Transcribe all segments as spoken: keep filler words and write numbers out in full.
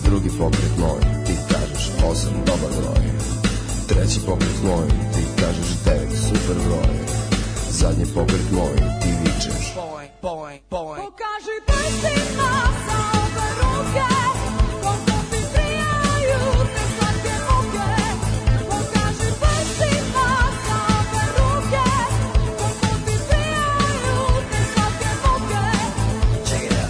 drugi pokret moj, ti kažeš osam, dobar broj. Treći pokret moj, ti kažeš devet, super broj. Zadnji pokret moj, ti vičeš boj, boj, boj. Pokaži prstima sa ove ruke, koliko ti prijaju te slatke muke. Pokaži prstima sa ove ruke, koliko ti prijaju te slatke muke. Check it out.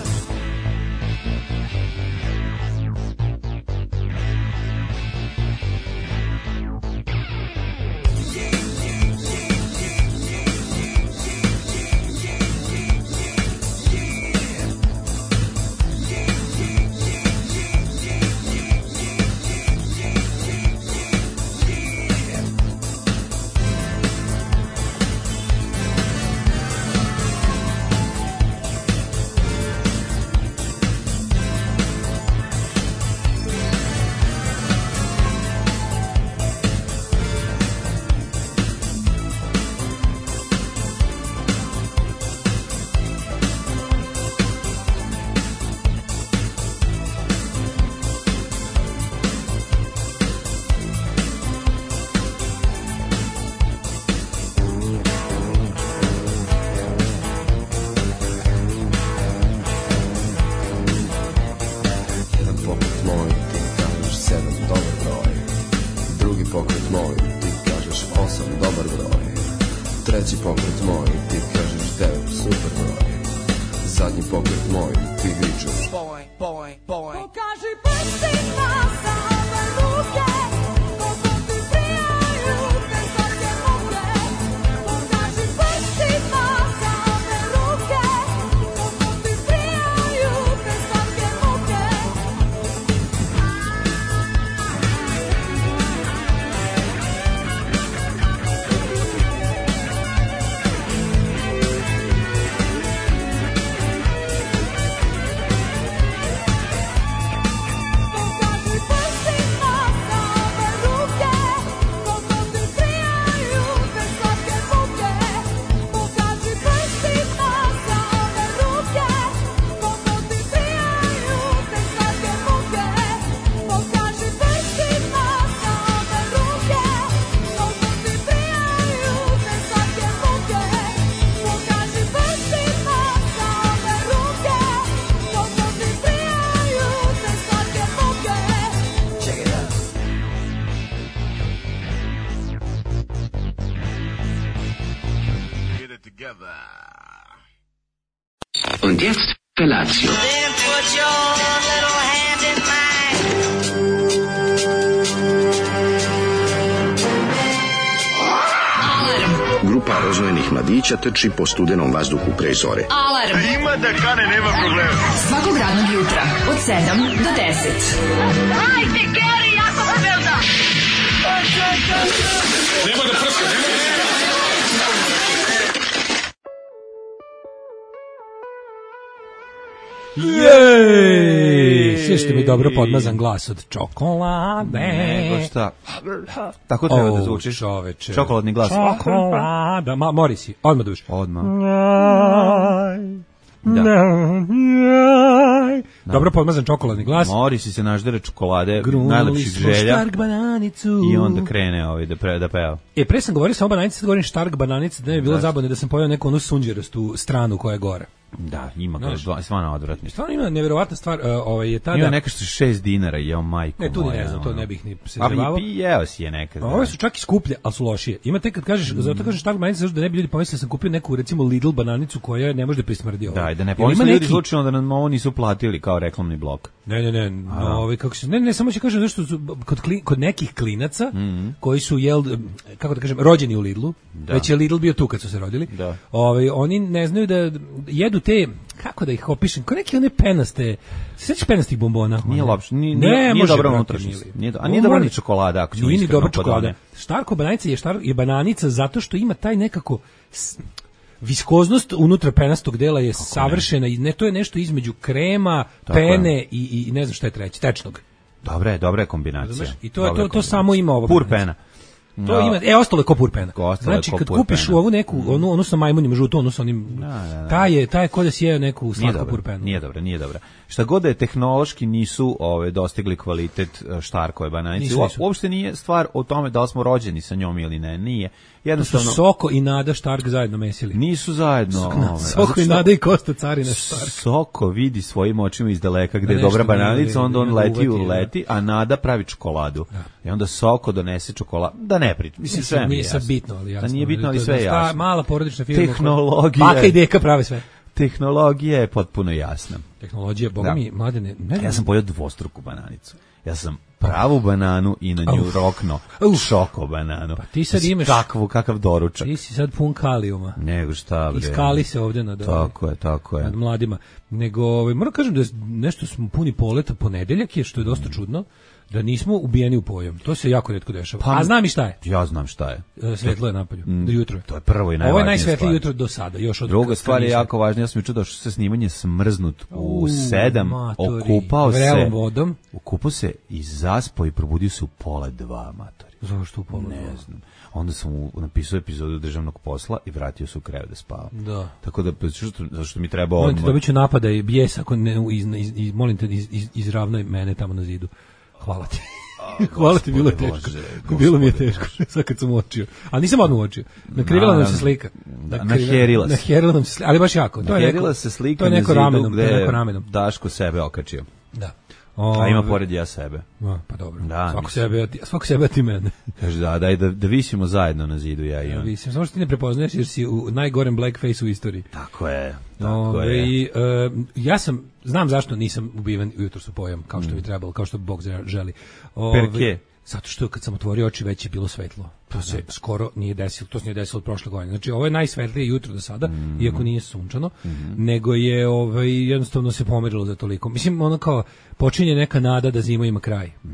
Und jetzt Felatio. Then put your little hand in mine. Alarm. Grupa rozvojenih mladića trči po studenom vazduhu pre zore. Alarm. Ima da kane, nema problema. Svakog radnog jutra od sedam do deset. Hajde, Geri, jako se velda. Nema da prska, nema da prska. Jej! Sve što mi dobro podmazan glas od čokolade. Nego šta? Tako treba oh, da zvučiš. Čoveče. Čokoladni glas. Čokolada. Ma, Morisi, odmah duš. Odmah. Da. Dobro podmazan čokoladni glas. Morisi se naždere čokolade, najlepših želja. I onda krene ovaj da, pre, da peva. E, pre sam govorio samo bananice, sad govorim štark bananice, da ne bi bilo zabavno da sam pojao neku onu sunđerastu stranu koja je gore. Da, ima kao stvarno odvratno. Stvarno ima nevjerovatna stvar, uh, ovaj je tada. Ima neka što šest dinara, jeo majko. Ne, tu moja, ne znam, to ono. ne bih ni se A zabavao. i jeo si je nekad. Ove su čak i skuplje, al su lošije. Ima tek kad kažeš, mm. zato kažeš štark bananice, da ne bi ljudi pomislili da sam kupio neku recimo Lidl bananicu koja ne može da prismrdi ovo. Da, da ne pomisle ljudi neki... slučajno da nam ovo nisu platili kao reklamni blok. Ne, ne, ne, no, ovaj kako se ne, ne samo će kažem zašto su kod kli, kod nekih klinaca mm-hmm. koji su jel kako da kažem rođeni u Lidlu, da. Već je Lidl bio tu kad su se rodili. Da. Ovaj oni ne znaju da jedu te kako da ih opišem, kao neke one penaste, sećaš penastih bombona? Nije loše, nije, nije, nije dobro unutrašnjost. Nije, a nije dobra ni čokolada, ako ćemo iskreno. Nije dobra čokolada. Štarko bananica je štar je bananica zato što ima taj nekako viskoznost unutra penastog dela je kako savršena i ne, to je nešto između krema, tako pene i, i ne znam šta je treće, tečnog. Dobre, dobra je kombinacija. I to, to, to samo ima ovo. Pur pena. To ima, e, ostalo je ko purpena. Znači, ko kad purpena. kupiš ovu neku, onu, onu sa majmunima žuto, onu sa onim, Da, da, da. taj je, taj je ko da si jeo neku Nije slatku dobro, purpenu. nije dobro, nije dobro. Šta god da je tehnološki nisu ove, dostigli kvalitet e, Štarkove bananice. Nisu, nisu. Uopšte nije stvar o tome da li smo rođeni sa njom ili ne, nije. To su Jednostavno, Soko i Nada Štark zajedno mesili. nisu zajedno. ove, Soko i zato Nada i Kosta Carina što Štark. Soko vidi svojim očima iz daleka gde Da je dobra nešto bananica, ne- onda on ne leti, uvati, da. leti, a Nada pravi čokoladu. I onda Soko donese čokoladu. Da ne pričam. Mislim, sve mi je Nije sad jasno. bitno, ali jasno. Da nije bitno, ali To je sve je sta- jasno. Mala porodična firma. koja- Tehnologija. Baka i deka prave sve. Tehnologija je potpuno jasna. Tehnologija, boga Da. mi, mladene, ne znam. Ja sam pojeo dvostruku bananicu. Ja sam pravu bananu i na nju Uf. rokno Uf. šoko bananu. Pa ti sad Znači, imaš- Kakvu, kakav doručak. Ti si sad pun kalijuma. Nego šta bre. Iskali se ovdje nad, Tako je, tako je. nad mladima. Nego, ovaj, moram kažem da je nešto smo puni poleta ponedeljak je, što je dosta čudno, da nismo ubijeni u pojam. To se jako retko dešava. Pa- A znam i šta je. Ja znam šta je. E, Svetlo je napolju. Do jutro je. To je prvo i Ovo najvažnije je najsvetlije stvar. jutro do sada. Još od Druga kad stvar je nisam- jako važna, ja sam juče došao sa snimanje smrznut u U, sedam, matori. okupao se, Vrelom vodom. okupao se i zaspao i probudio se u pola dva, matori. Zašto u pola Ne dva? znam. Onda sam mu napisao epizodu državnog posla i vratio se u krevet da spava. Da. Tako da, što, zašto mi treba Molim te, odmor. dobit ću napada i bijes ako ne, iz, iz, iz, molim te, iz, iz, izravnoj mene tamo na zidu. Hvala ti. Hvala ti, bilo je gospode teško. Bože, Bilo mi je gospode teško, sad kad sam uočio. Ali nisam odmah uočio. Nakrivila nam se Naravno. slika. Da, Nakrivila- naherila se. Naherila nam se slika, ali baš jako. To je neko, Naherila se slika to je na neko zidu ramenom, to je gde neko ramenom. Daško sebe okačio. Da. A ima Ove, pored ja sebe. a, pa dobro. Da, svako mislim. sebe, a ti, svako sebe a ti mene. Kaže da, daj da, da visimo zajedno na zidu ja i Ja on. mislim, samo što ti ne prepoznaješ jer si u najgorem blackface u istoriji. Tako je, tako Ove, je. i, e, ja sam, znam zašto nisam ubiven ujutro su pojam, kao što bi trebalo, kao što Bog želi. Ove, Perke? Zato što kad sam otvorio oči već je bilo svetlo. To se skoro nije desilo, to se nije desilo od prošle godine. Znači ovo je najsvetlije jutro do sada, Mm. iako nije sunčano, nego je ovaj jednostavno se pomerilo za toliko. Mislim ono kao počinje neka nada da zima ima kraj. Mm.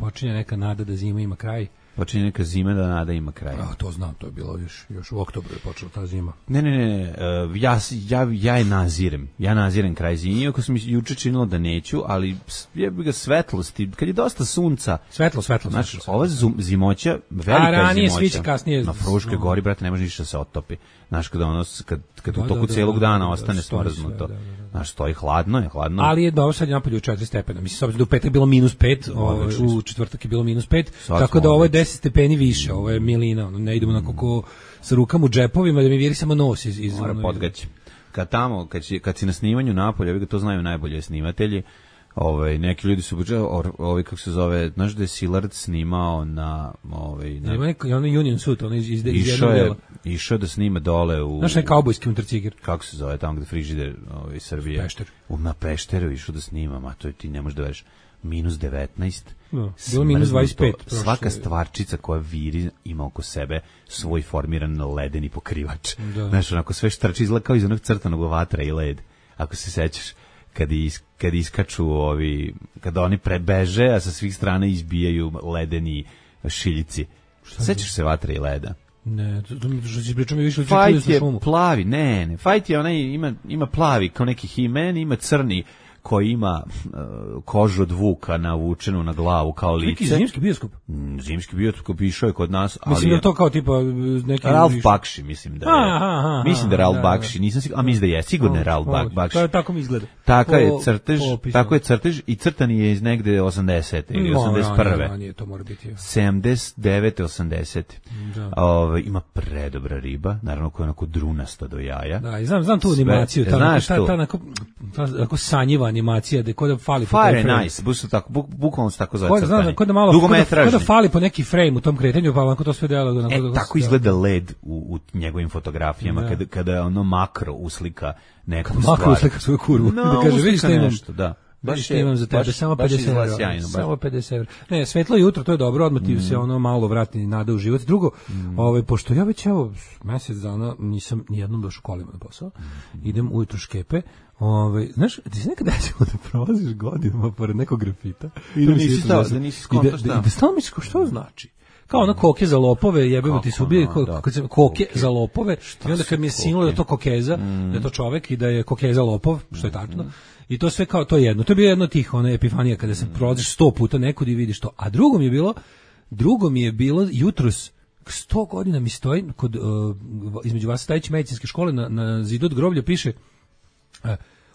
Počinje neka nada da zima ima kraj. Počinje neka zima da nada ima kraj. A to znam, to je bilo još još u oktobru je počela ta zima. Ne, ne, ne, ne, e, ja, s- ja, ja je nazirem, ja nazirem kraj zime, iako sam mi juče činilo da neću, ali s- je bi ga svetlosti, kad je dosta sunca, Svetlo, svetlo. znaš, svetlo, ova zum, zimoća, velika A, ranije je zimoća, sviće, kasnije- na Fruškoj no. gori, brate, ne može ništa da se otopi, znaš, kada ono, s- kad, kad Da, u toku da, da, cijelog da, dana da, da, ostane stoji sve, smrznuto, da, da, da. znaš, stoji hladno je, hladno je. Ali je dobro, sad je napolju četiri stepena. Mislim, s obzirom da u petak je bilo minus pet, ovaj, Odlični u četvrtak je bilo minus pet, Sad tako smo da ovo je odlični. deset stepeni više, ovo je milina, ono, ne idemo na kako sa rukama u džepovima, da mi viri samo nos iz... iz Mora ono, podgaći. Kad tamo, kad, si, kad si na snimanju napolja, vi ga to znaju najbolje snimatelji, ovaj, neki ljudi su, ovaj, kako se zove, znaš da je Szilard snimao na... Ovaj, na Ima neko, ono Union Suit, ono iz, iz, iz išao jednog je, dela. išao je da snima dole u... Znaš, onaj kaubojski unutarciger. kako se zove, tamo gde frižider ovaj, Srbije. Pešter. U, na Pešteru išao da snima, ma to je, ti ne možeš da veriš, minus devetnaest. Da, bilo minus dvadeset pet smrznuto. prošle- Svaka stvarčica koja viri ima oko sebe svoj formiran ledeni pokrivač. Da. Znaš, onako sve štrči izgleda kao iz onog crtanog vatra i led. Ako se sećaš, kad, is, kad iskaču ovi, kada oni prebeže, a sa svih strana izbijaju ledeni šiljici. Sećaš se vatra i leda? Ne, to, to, to što si pričao mi više učin Fajt na je šumu. plavi, ne, ne, Fajt je onaj, ima, ima plavi kao neki He-Man, ima crni koji ima uh, kožu od vuka navučenu na glavu kao Neki lice. zimski bioskop. Mm, Zimski bioskop išao je kod nas, ali Mislim da je je to kao tipa neki... Ralf više- Bakši, mislim da je. Aha, aha, mislim da je Ralf da, da. Bakši, nisam siguran, a mislim da je, sigurno je Ralf Bak- Bakši. To je tako mi izgleda. Taka je Po- crtež, po opisu. tako je crtež i crtan je iz negde osamdesete ili No, osamdeset ranije, prve. ranije to mora biti. sedamdeset devete osamdesete Da. Ove, ima predobra riba, naravno koja je onako drunasta do jaja. Da, i znam, znam tu Sve- animaciju, ta, znaš ta, tu? ta, onako, ta, onako sanjiva animacija, da je kod da fali po Fire tom je frame. nice, buk, tako, buk, bukvalno se tako zove Kod da, znam, crtanje. da, kod da malo, kod da, Dugometražni. kod da fali po neki frame u tom kretanju, pa onako to sve delo. Onako, E, da- tako da- izgleda led u, u njegovim fotografijama, Da. kada, kada ono makro uslika neku Makro stvar. uslika svoju kurvu. No, Da kaže, vidiš uslika šta imam. nešto, da. Baš Baš što je- imam za tebe, baš- samo baš pedeset izgleda evra. sjajno, baš. Samo pedeset evra. Ne, svetlo jutro, to je dobro, odmah ti se ono malo vrati nada u život. Drugo, ovaj, pošto ja već evo mesec dana nisam nijednom došao kolima na posao, idem ujutro škepe, ovaj, znaš, ti se nekad desilo da prolaziš godinama pored nekog grafita i Da mi se nisi isto stao, desilo. da nisi I skontao da, šta. da, da stalno misliš kao što znači. Kao ono koke za lopove, jebemo ti se ubije, Kako, da. kad se koke za lopove, i onda kad mi je su sinulo da je koke? to kokeza, da je to čovek i da je kokeza lopov, što je tačno. I to sve kao to je jedno. To je bilo jedno od tih one epifanija kada se prolaziš sto puta nekud i vidiš to. A drugo mi je bilo, drugo mi je bilo jutros sto godina mi stoji kod, uh, između vas stajeći medicinske škole na, na zidu od groblja piše uh,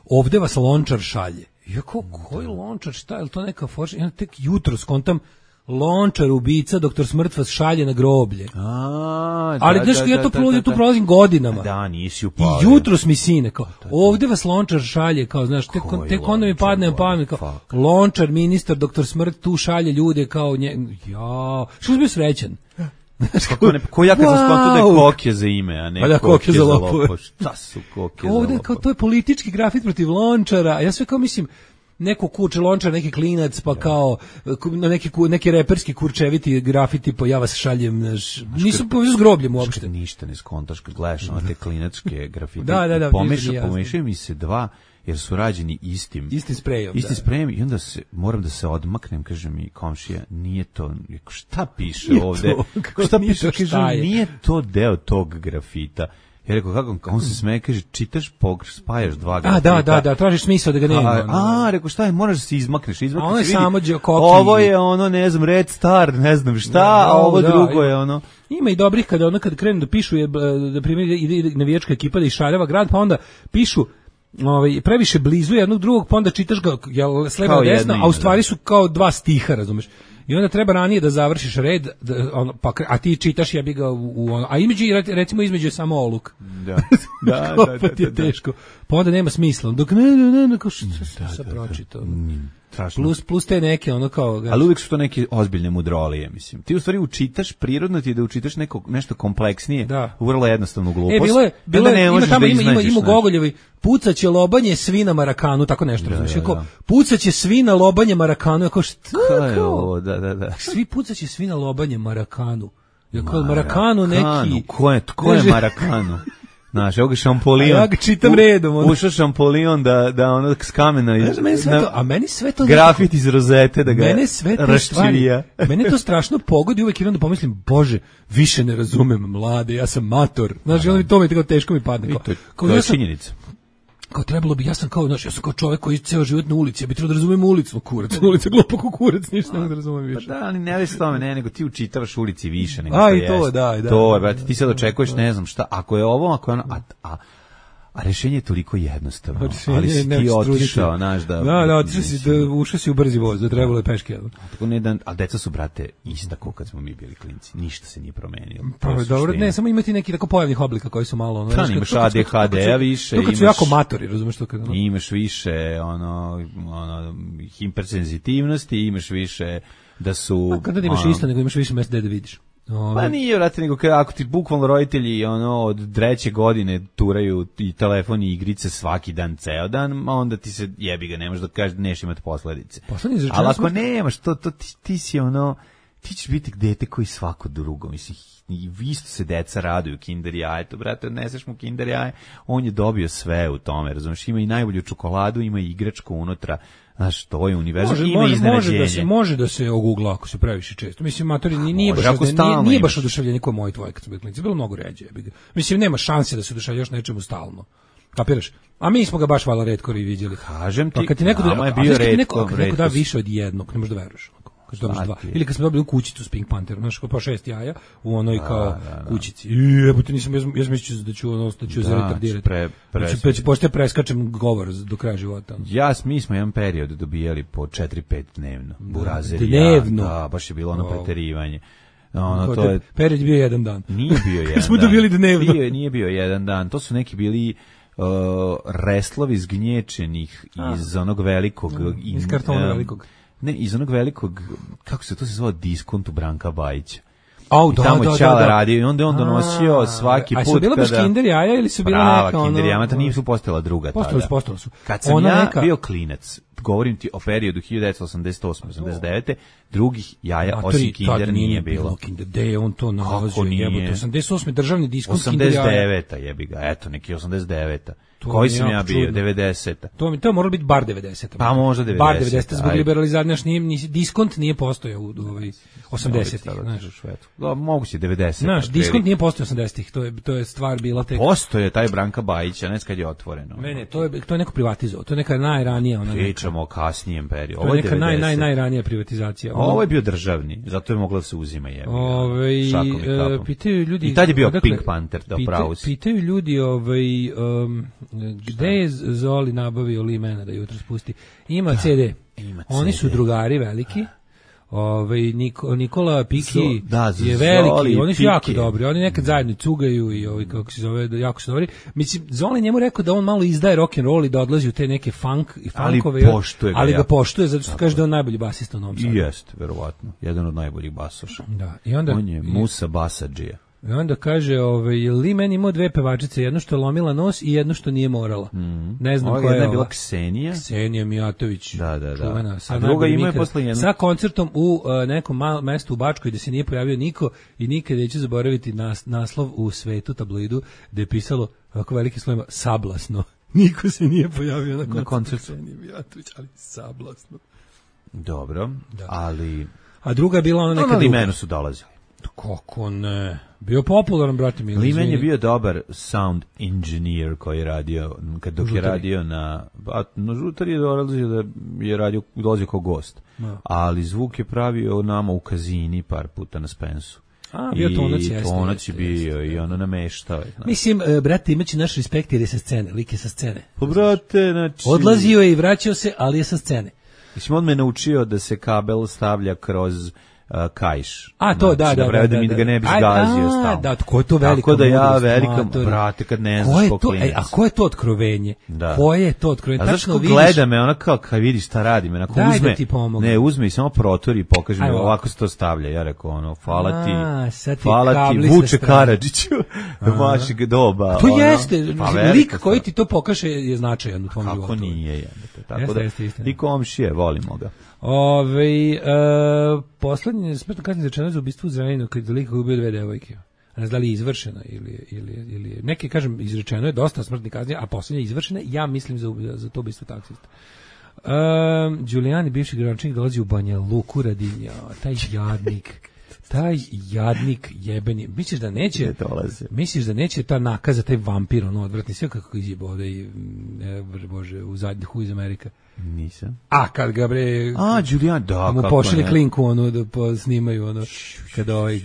ovde vas lončar šalje. Iako, koji lončar, šta je to neka forša? Ja tek jutro skontam lončar, ubica, doktor Smrt vas šalje na groblje. A, ali da, znaš, da, ja da, to da, prolazim, da, tu da. prolazim godinama. Da, nisi I upalio. jutros mi sine, kao, ovde vas lončar šalje, kao, znaš, tek, Koji tek onda mi lončar, padne na pamet, kao, fuck. lončar, ministar, doktor Smrt, tu šalje ljude, kao, nje, ja, što si bio srećan? Kako ne, ko ja kad sam skonto da je Kokje za ime, a ne Pa da, Kokje za lopove. Šta su Kokje za Ovde, lopove? kao, to je politički grafit protiv lončara, a ja sve kao mislim, neko kuće lončar, neki klinac, pa kao na neki neki reperski kurčeviti grafiti, pa ja vas šaljem, naš, nisu povezani s grobljem uopšte. Ništa ne skontaš kad gledaš na te klinačke grafite. Da, da, da, Pomeša, jasno. pomešaju mi se dva, jer su rađeni istim. Istim sprejom. Istim da. sprejom i onda se, moram da se odmaknem, kaže mi komšija, nije to, šta piše Nije ovde? to, kako Šta nije piše? to, Kaže, šta je? nije to deo tog grafita. Ja rekao, kako, on se smeje, kaže, čitaš, pogr, spajaš dva grafita. A, da, da, da, tražiš smisao da ga nema. A, a, rekao, šta je, moraš da se izmakneš, izmakneš. A ono je vidi, samo Đe- Koki. ovo je ono, ne znam, Red Star, ne znam šta, Da, a ovo da, drugo ima- je ono. Ima i dobrih kada ono kad krenu da pišu je da primjer ide, ide navijačka ekipa da išaljava grad, pa onda pišu ovaj previše blizu jednog drugog, pa onda čitaš ga jel s leva Kao na desno, jedno a u ime, stvari da. su kao dva stiha, razumeš? I onda treba ranije da završiš red, da, ono, pa, kre- a ti čitaš jebi ga u, u ono, a između, recimo između je samo oluk. Da, da, Kao da, pa da, ti je da. teško. Pa onda nema smisla. Dok ne, ne, ne, ne, kao što se pročitao. Strašno. Plus, plus te neke, ono kao... Ali uvijek su to neke ozbiljne mudrolije, mislim. Ti u stvari učitaš, prirodno ti je da učitaš neko, nešto kompleksnije, Da. u vrlo jednostavnu glupost. E, bilo je, bilo onda je, ne ima možeš tamo, da ima, ima, iznađeš, ima u znaš. Gogoljevi, pucaće lobanje svi na Marakanu, tako nešto, razumiješ, da, kao, da. pucaće svi na lobanje Marakanu, ako šta, Šta je kao, ovo, da, da, da. svi pucaće svi na lobanje Marakanu, ja kao, Marakanu neki, Ko je, ko je Kaže- Marakanu? Znaš, evo ga Šampolion. A ja ga čitam U- redom, ono. Ušao Šampolion da, da ono s kamena iz, Znaš da meni sve na- to, a meni sve to grafit iz rozete da ga mene sve te raščivija. stvari, mene to strašno pogodi, uvek idem da pomislim, bože, više ne razumem mlade, ja sam mator, znaš, ono mi to mi tako teško mi padne, I kao, to, je- kao to ja je sam, činjenica. kao trebalo bi, ja sam kao, znaš, ja sam kao čovjek koji ceo život na ulici, ja bi trebao da razumem ulicu, kurac, ulica glupo ko kurac, ništa ne mogu da razumem Pa više. da, ali ne već s tome, ne, nego ti učitavaš ulici više nego A, što i to, jeste. da, da. To je, brate, ti sad očekuješ, ne znam šta, ako je ovo, ako je ono, a, a, a rešenje je toliko jednostavno, Rešenje ali je si ti nemoj se truditi. otišao, znaš, da... Da, da, otišao si, da, ušao si u brzi voz, da trebalo je peške, jel? Tako ne da, a deca su, brate, ista kao kad smo mi bili klinci, ništa se nije promenilo. To Pa, je dobro, suština. ne, samo imati neki tako pojavnih oblika koji su malo... Ono, Pa, znaš, kad- imaš to kad- A D H D-a to kad su- više, to kad su imaš- jako matori, razumeš to kad... ono- Imaš više, ono, ono, hipersenzitivnosti, imaš više da su... Pa kada imaš ono, isto, nego imaš više mesta da vidiš. Ovaj, Pa nije, vrate, nego kada, ako ti bukvalno roditelji ono, od treće godine turaju i telefon i igrice svaki dan, ceo dan, ma onda ti se jebi ga, ne možeš da kažeš da neš imati posledice. Poslednje izrečeno Ali ako smo- nemaš, to, to ti, ti si ono, ti ćeš biti dete koji svako drugo, mislim, i vi isto se deca raduju kinder jajetu, brate, odneseš mu kinder jaje, on je dobio sve u tome, razumiješ, ima i najbolju čokoladu, ima i igračku unutra, znaš, to je univerzum, Može, ima može, može iznenađenje. da se može da se ogugla ako se previše često. Mislim matori ni- nije može, baš ako nije, stalno nije baš imaš. oduševljenje kao moj tvoj kad smo bili klinci, bilo mnogo ređe. jebi ga. Mislim nema šanse da se oduševljaš nečemu stalno. Kapiraš? A mi smo ga baš vala retko i viđeli. Kažem ti, Pa kad ti neko, nama je a bio znaš kad ti retko, neko, kad neko da retko. više od jednog, ne možeš da veruješ. onako, Kad dobiš Šta dva. ti je? Ili kad smo dobili kućicu s Pink Pantherom, znaš, pa šest jaja u onoj kao kućici. I jebote, nisam, ja sam ja sam mislio da ću ono, da ću Da, za retardirati. pre- pre- Da ću, da ću pošto preskačem govor do kraja života. Ja, mi smo jedan period dobijali po četiri pet dnevno. Burazer, dnevno? ja, da, baš je bilo ono Wow. preterivanje. Ono, Kao to te- je, period je bio jedan dan. nije bio jedan smo dan. dobili dnevno. Bio, je- nije bio jedan dan. To su neki bili uh, reslovi zgnječenih iz onog velikog... iz kartona em, velikog. Ne, iz onog velikog, kako se to se zvao, diskontu Branka Bajića. Au, I da, tamo da, je Ćala da, da. radio i onda je on donosio A, svaki a put su bila baš kada... kinder jaja ili su bila Prava neka ono... kinder jaja, ta nisu postojala druga Postali su, tada. postali su. Kad sam Ona ja neka- bio klinac, govorim ti o periodu hiljadu devetsto osamdeset osme osamdeset devete drugih jaja Matori, osim tad kinder nije bilo. Kinder, gde je on to nalazio? nije? Jebote, osamdeset osme državni diskont kinder osamdeset jaja. deveta jebi ga, eto, neki osamdeset deveta. To Koji mi je sam ja jako bio? čudno. devedeseta. To mi to je moralo biti bar devedeset. Pa možda Bar devedeseta, devedeset zbog ajde. liberalizacije, znaš, nije ni diskont nije postojao u u ovaj osamdesetih, znaš. Da, moguće devedeset. Znaš, diskont nije postojao osamdesetih, to je to je stvar bila tek. Postoje taj Branka Bajića, ne kad je otvoreno. Ne, ne, to je to je neko privatizovao, to je neka najranija ona neka. Priča pričamo o kasnijem periodu. To Ovo je je neka naj, naj, devedeset. najranija privatizacija. Ovo je bio državni, zato je moglo da se uzima jebi. Ove, Šakom i kapom. pitaju ljudi... I tad je bio odakle- Pink Panther, da pita- upravo si. Pitaju ljudi ovaj, um, gde je Zoli nabavio Lee Mana da jutro spusti. Ima C D. ima Oni C D. su drugari veliki. Ovaj Niko, Nikola Piki Zo- da, je Zoli veliki, oni su Piki. jako dobri, oni nekad zajedno cugaju i ovaj kako se zove, jako su dobri. Mislim, Zoli njemu rekao da on malo izdaje rock and roll i da odlazi u te neke funk i Ali funkove, poštuje ga ali ga jako. poštuje zato što kaže da je on najbolji basista u Novom Sadu. I jest, verovatno. Jedan od najboljih basoša. Da, i onda On je Musa Basadžija. I onda kaže, ovaj, Lee Man imao dve pevačice, jedno što je lomila nos i jedno što nije morala. Ne znam Ova koja je jedna je ova. bila Ksenija. Ksenija Mijatović. Da, da, da. Čuvena, A sad druga najbolji ima je nikad. posle jednu- Sa koncertom u uh, nekom mal, mestu u Bačkoj gde se nije pojavio niko i nikad neću zaboraviti nas, naslov u Svetu tabloidu gde je pisalo ovako veliki slovima sablasno. Niko se nije pojavio na koncertu koncertu. Ksenije Mijatović, ali sablasno. Dobro, ali... A druga je bila ona No, neka na druga. Limenu su dolazili. Kako ne? Bio popularan, brate mi. Limen je izvini. bio dobar sound engineer koji je radio, kad dok je Žutari. radio na... A, no, Žutar je dolazio da je radio, dolazio kao gost. Da. Ali zvuk je pravio nama u Kazini par puta na Spensu. A, bio Tonac, jeste, I Tonac je jeste, bio jeste, i ono nameštao. je, znaš. Mislim, e, brate, imaće naš respekt jer je sa scene, lik je sa scene. Pa, brate, znači... Odlazio je i vraćao se, ali je sa scene. Mislim, on me naučio da se kabel stavlja kroz uh, kajš. A, to, da, Znači, da, pravi da, mi da, ga ne bi da. zgazio A, stalno. da, ko je to velika Tako da ja, mudrost, velika, matori. brate, kad ne Ko znaš je ko to, klinac. e, a ko je to otkrovenje? Da. Ko je to otkrovenje? A znaš Tačno ko vidiš- gleda me, ona kao, kad vidi šta radi me, onako Daj da uzme, ti pomognem. ne, uzme i samo protori i pokaže mi, Ajmo. ovako se to stavlja. Ja rekao, ono, hvala ti, A, sad ti hvala ti, kabli sa Vuče strane. Karadžiću, vašeg doba. To ono. jeste, Pa, lik velika koji stvar. ti to pokaže je značajan u tvom životu. Kako nije, jebate. Tako Jeste, da, jeste, istina. i komšije, volimo ga. Ove, e, poslednje smrtno kaznje izrečeno za ubistvo u Zrenjaninu kad je lik koji ubio dve devojke. Ne znam da li je izvršena ili, ili, ili neki, kažem, izrečeno je dosta smrtnih kazni, a poslednja je izvršena, ja mislim za, ubi- za to ubistvo taksista. Um, Giuliani, bivši gradonačelnik, dolazi u Banja Luku radi, ja, taj jadnik, taj jadnik jebeni. Misliš da neće, Ne dolazi. misliš da neće ta nakaza, taj vampir, ono odvratni, sve kako izjeba ovde i, ne, bože, u zadnjih iz Amerika. Nisam. A kad ga bre A, Giuliani, da, mu kako pošli ne. klinku ono da po, snimaju ono kada ovaj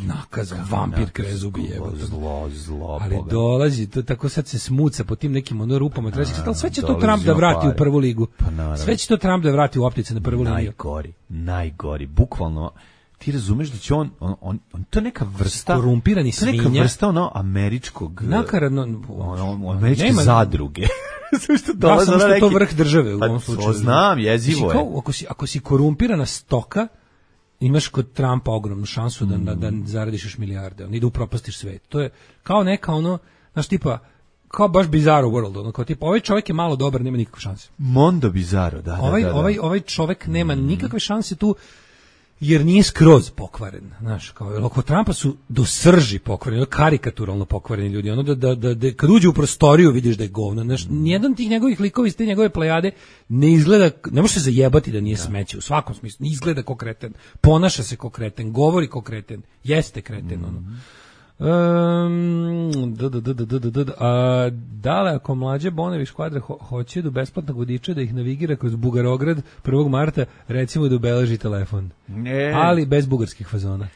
nakaz vampir krezubi jebote. Zlo, zlo, Ali Boga. dolazi, to tako sad se smuca po tim nekim ono rupama, treba se ali sve će to dolazi Trump da on vrati pare. u prvu ligu. Pa naravno. Sve će to Trump da vrati u optice na prvu liniju. Najgori, najgori, bukvalno. Ti razumeš da će on, on, on, on to je neka vrsta, Korumpirani to je neka svinja. vrsta ono američkog, Nakaradno ono, ono, američke nema- zadruge. Sve što Da, dolaze samo na što je to neki- vrh države u Pa, ovom to slučaju. znam, jezivo Mislim, je. kao, ako si, ako si korumpirana stoka, imaš kod Trumpa ogromnu šansu da, da, da zaradiš još milijarde, on, i da upropastiš svet. To je kao neka ono, znaš, tipa, kao baš bizarro world, ono, kao tipa, ovaj čovjek je malo dobar, nema nikakve šanse. Mondo Bizarro, da, da, Ovaj, da, da. ovaj, ovaj čovjek nema nikakve šanse tu, jer nije skroz pokvaren, znaš, kao, jer oko Trumpa su do srži pokvareni, karikaturalno pokvareni ljudi, ono da, da, da, da kad uđe u prostoriju vidiš da je govno, znaš, nijedan tih njegovih likova iz te njegove plejade ne izgleda, ne može se zajebati da nije smeće, u svakom smislu, ne izgleda ko kreten, ponaša se ko kreten, govori ko kreten, jeste kreten, ono. Um, da, da, da, da, da, da, da. A, dale, ako mlađe Bonevi škvadra ho, hoće do besplatnog vodiča da ih navigira kroz Bugarograd prvog marta, recimo da ubeleži telefon. Ne. Ali bez bugarskih fazona.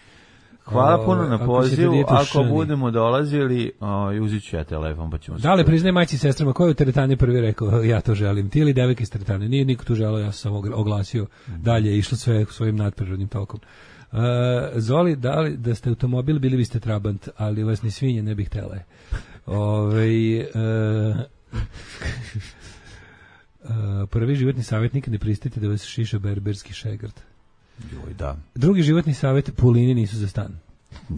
Hvala O, puno na ako se pozivu, pridete u ako šani. budemo dolazili, o, uzit ću ja telefon, pa ćemo se... Dale, priznaj majci i sestrama, ko je u teretani prvi rekao, ja to želim, ti ili devojka iz teretane? Nije niko tu želeo, ja sam samo oglasio, dalje je išlo sve svojim nadprirodnim tokom. Uh, Zoli, da li da ste automobil, bili biste Trabant, ali vas ni svinje ne bih htjela. Ove, uh, uh, prvi životni savjet, nikad ne pristite da vas šiša berberski šegrt. Joj, da. Drugi životni savjet, pulini nisu za stan.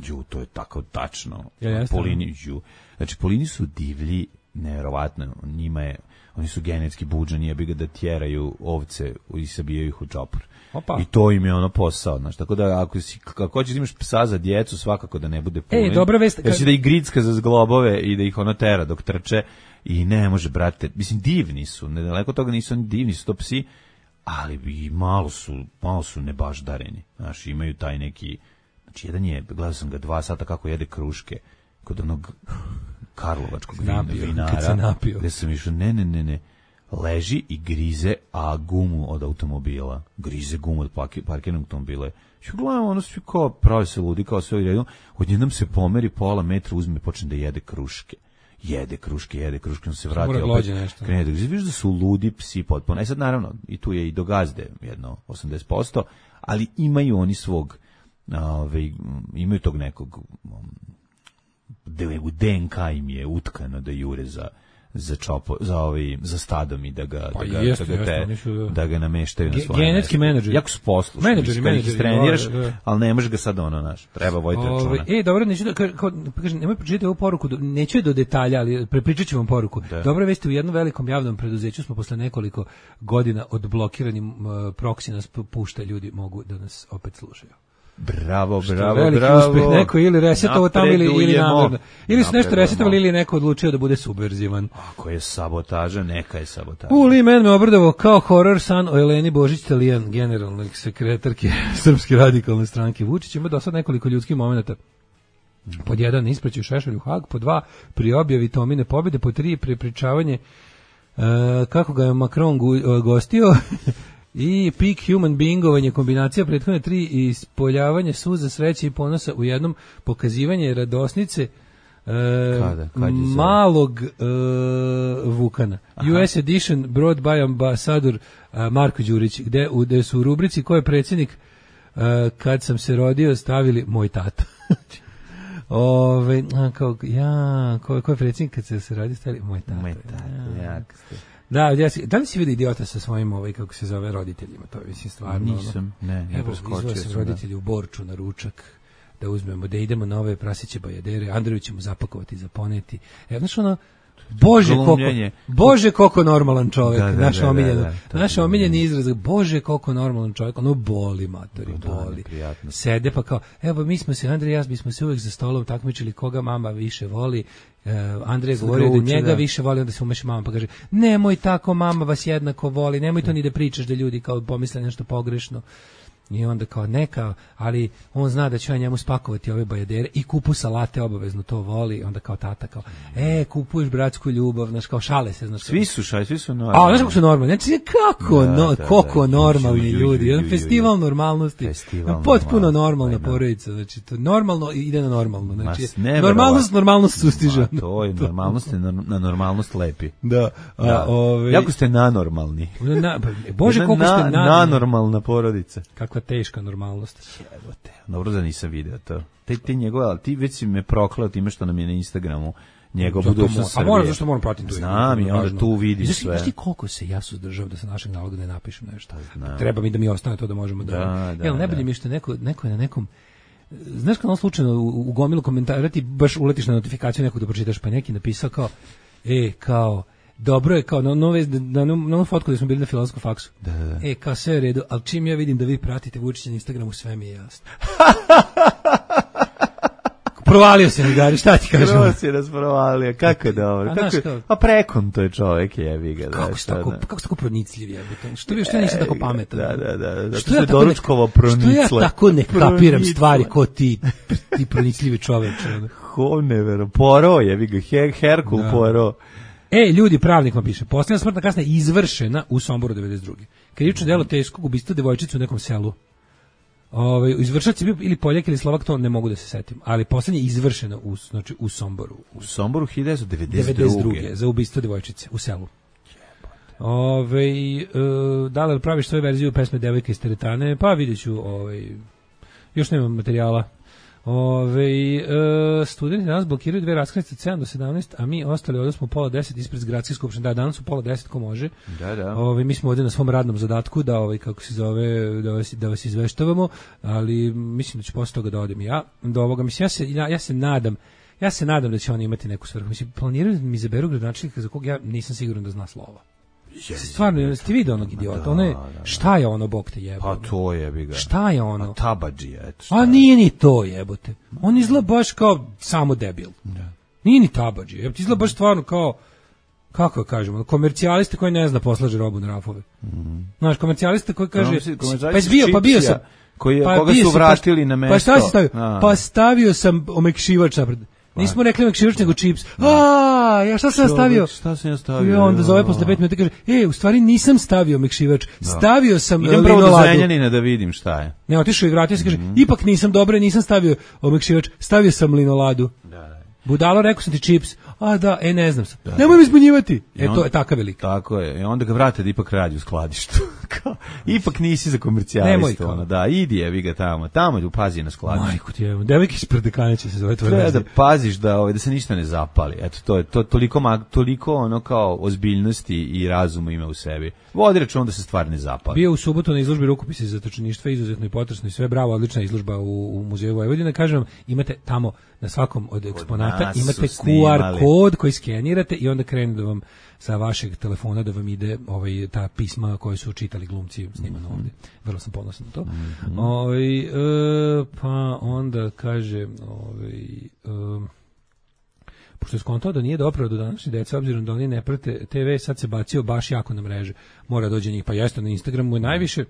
Ju, to je tako tačno. Ja, jeste. Polini, ju. Znači, polini su divlji, nevjerovatno. Njima je, oni su genetski buđani, jebi ga da tjeraju ovce i sabijaju ih u čopor. Opa. I to im je ono posao, znaš. Tako da ako si, kako hoćeš da imaš psa za djecu, svakako da ne bude pulin. E, dobra vest, Jer će kad- da ih gricka za zglobove i da ih ono tera dok trče. I ne može, brate, mislim, divni su. Nedaleko od toga nisu oni divni, su to psi, ali i malo su, malo su nebaždareni. Znaš, imaju taj neki, znači jedan je, gledao sam ga dva sata kako jede kruške kod onog karlovačkog vina, Napio, vinara. kad se napio. Gde sam išao, ne, ne, ne, ne, leži i grize a gumu od automobila. Grize gumu od parkirnog automobila. Ja gledam, ono svi kao pravi se ludi, kao sve u redu. Odjednom se pomeri pola metra, uzme, počne da jede kruške. Jede kruške, jede kruške, on se vrati opet. Krene da vidiš da su ludi psi potpuno. E sad naravno, i tu je i do gazde jedno osamdeset posto, ali imaju oni svog, ove, imaju tog nekog, u D N K im je utkano da jure za za čopo, za ovaj za stadom i da ga pa da ga jeste, da, ga te, jeste, da... da ga nameštaju na svoje genetski menadžer. Jako su poslušni, menadžeri, menadžeri, treniraš, da, da. ali ne možeš ga sad ono naš. Treba voditi računa. E, dobro, neću da kao, kažem, nemoj pročitati ovu poruku, neću je do detalja, ali prepričaću vam poruku. Da. Dobro veste, u jednom velikom javnom preduzeću smo posle nekoliko godina od blokiranim uh, proksi nas pušta, ljudi mogu da nas opet slušaju. Bravo, što bravo, veliki bravo. Uspeh, neko ili resetovo tamo ili, ili namerno. Ili su nešto resetovali ili je neko odlučio da bude subverzivan. Ako je sabotaža, neka je sabotaža. Uli men me obradovao kao horor san o Eleni Božić Talijan, generalnoj sekretarke Srpske radikalne stranke. Vučić ima do sad nekoliko ljudskih momenata. Pod jedan, ispraćaju Šešelju Hag, pod dva, pri objavi Tomine pobjede, pod tri, prepričavanje uh, kako ga je Macron gu, uh, gostio, i peak human beingovanje, kombinacija prethodne tri i ispoljavanje suza, sreće i ponosa u jednom, pokazivanje radosnice e, Kada? Kad malog e, Vukana. Aha. U S edition brought by ambasador a, Marko Đurić, gde, u, gde su u rubrici ko je predsjednik a, kad sam se rodio stavili moj tata. Ove, a, kao, ja, ko, ko je predsjednik kad se, se rodio stavili moj tata. Moj tata, ja. jak ste. Da, ja si, da li si vidio idiota sa svojim, ovaj, kako se zove, roditeljima? To je, mislim, stvarno. Nisam, ne, ne, evo, izvao sam roditelji da. U Borču na ručak, da uzmemo, da idemo na ove prasiće bajadere, Andreju ćemo zapakovati, zaponeti. Evo, znaš ono, Bože koliko, Bože koliko normalan čovjek, da, da, naš da, omiljen, da, da, naš omiljeni izraz, Bože koliko normalan čovjek, ono boli, matori, da, boli. Da, sede pa kao, evo, mi smo se, Andrej i ja, bismo se uvijek za stolom takmičili koga mama više voli. Uh, Andrej govorio da njega da. više voli, onda se umeša mama pa kaže, nemoj tako, mama vas jednako voli, nemoj to ni da pričaš da ljudi kao pomisle nešto pogrešno. I onda kao neka, ali on zna da će ja njemu spakovati ove bajadere i kupu salate, obavezno to voli, onda kao tata kao, e, kupuješ bratsku ljubav, znaš, kao šale se, znaš. Svi su šali, svi su normalni. A, znaš kako su normalni, znači kako, da, no, da, koliko da, normalni ljudi, ljudi, jedan festival normalnosti, festival potpuno normalna porodica, znači, to normalno ide na normalno, znači, normalnost, normalnost sustiže. To je, normalnost je na normalnost lepi. Da, a, da. Ove, jako ste nanormalni. Na, Bože, koliko ste na, nanormalna porodica. Kakva teška normalnost. Jebote, dobro da nisam video to. Te, te njegove, ali ti već si me proklao time što nam je na Instagramu njegov budućnost Srbije. A moram, zašto moram pratiti tu? Znam i onda tu vidiš sve. Znaš ti koliko se ja suzdržavam da sa našeg naloga ne napišem nešto? Znam. Treba mi da mi ostane to da možemo da... da, da Jel, najbolje mi je što neko, neko je na nekom... Znaš kad on slučajno u, u gomilu komentara ti baš uletiš na notifikaciju nekog da pročitaš, pa neki napisao kao, e, kao... Dobro je, kao na nove na na fotku da smo bili na filozofskom faksu. Da, da. E, kao sve u redu, al čim ja vidim da vi pratite Vučića na Instagramu, sve mi je jasno. Provalio se mi, Gari, šta ti kažem? Prvo si nas provalio, kako je dobro. Kako, kao, a prekon to je čovjek, jebi ga. Kako se tako, kako se tako pronicljiv jebote? Što vi što nisam tako pametan? Da, da, da, da. Što je doručkovo pronicla. Što ja tako ne kapiram stvari ko ti, ti pronicljivi čoveče. Ho nevero, Poro, jebi ga, Herkul Poro. E, ljudi, pravnik vam piše, posljednja smrtna kazna je izvršena u Somboru devedeset druge Krivično delo teškog ubistva devojčice u nekom selu. Ovaj izvršilac je bio ili Poljak ili Slovak, to ne mogu da se setim, ali posljednja je izvršena u, znači, u Somboru. U Somboru hiljadu devetsto druge za ubistvo devojčice u selu. Ovaj e, da li praviš svoju verziju pesme Devojka iz teretane? Pa vidjet ću, ovaj, još nemam materijala. Ove, e, studenti danas blokiraju dve raskrsnice od sedam do sedamnaest, a mi ostali ovdje smo pola deset ispred gradske skupštine. Da, danas su pola deset ko može. Da, da. Ove, mi smo ovdje na svom radnom zadatku da, ovaj, kako se zove, da vas, da vas izveštavamo, ali mislim da ću posle toga da odem ja. Do ovoga, mislim, ja se, ja, ja se nadam, ja se nadam da će oni imati neku svrhu. Mislim, planiraju mi izaberu gradonačelnika za kog ja nisam siguran da zna slova. Stvarno, ste vidio onog idiota? Da, ono je, šta je ono, bog te jebote? Pa to jebi ga. Šta je ono? A tabadžija, eto. A nije ni to jebote. On izgleda baš kao samo debil. Da. Nije ni tabadžija. Jebote, izgleda baš stvarno kao, kako kažemo, komercijaliste koji ne zna poslaže robu na rafove. Mm. Znaš, komercijaliste koji kaže, no, pa bio, pa bio sam. Koji je, pa koga su vratili pa, na mesto. Pa šta si stavio? A. Pa stavio sam omekšivač napred. Nismo rekli Mekšivač nego čips. A, ja šta sam stavio? Šta sam ja stavio? I onda zove posle pet minuta i kaže, e, u stvari nisam stavio Mekšivač, stavio sam Idem prvo do linoladu. Zrenjanina da vidim šta je. Ne, otišao i vratio se, kaže, ipak nisam dobro, nisam stavio Mekšivač, stavio sam linoladu. Budalo, rekao sam ti čips. A da, e, ne znam sam. Da, nemoj mi zbunjivati. E, to je takav velik. Tako je. I onda ga vrate da ipak radi u skladištu. Ipak nisi za komercijalistu. Ono, da, idi je, vi ga tamo. Tamo je pazi na skladištu. Majko ti je, devojke iz Prdekane će se zove tvoje. Treba da paziš da, ovaj, da se ništa ne zapali. Eto, to je to, toliko, toliko ono kao ozbiljnosti i razuma ima u sebi. Vodi račun da se stvar ne zapali. Bio u subotu na izložbi rukopisa iz zatočeništva, izuzetno i potresno i sve, bravo, odlična izložba u, u muzeju Vojvodine. Kažem vam, imate tamo na svakom od eksponata imate Q R kod koji skenirate i onda krene da vam sa vašeg telefona da vam ide ovaj ta pisma koje su čitali glumci snimano ovde. Vrlo sam ponosan na to. Mm-hmm. Ovaj e, pa onda kaže ovaj e, pošto je skontao da nije dopravo do današnje dece, obzirom da oni ne prate te ve, sad se bacio baš jako na mreže. Mora dođe njih, pa jeste na Instagramu je najviše.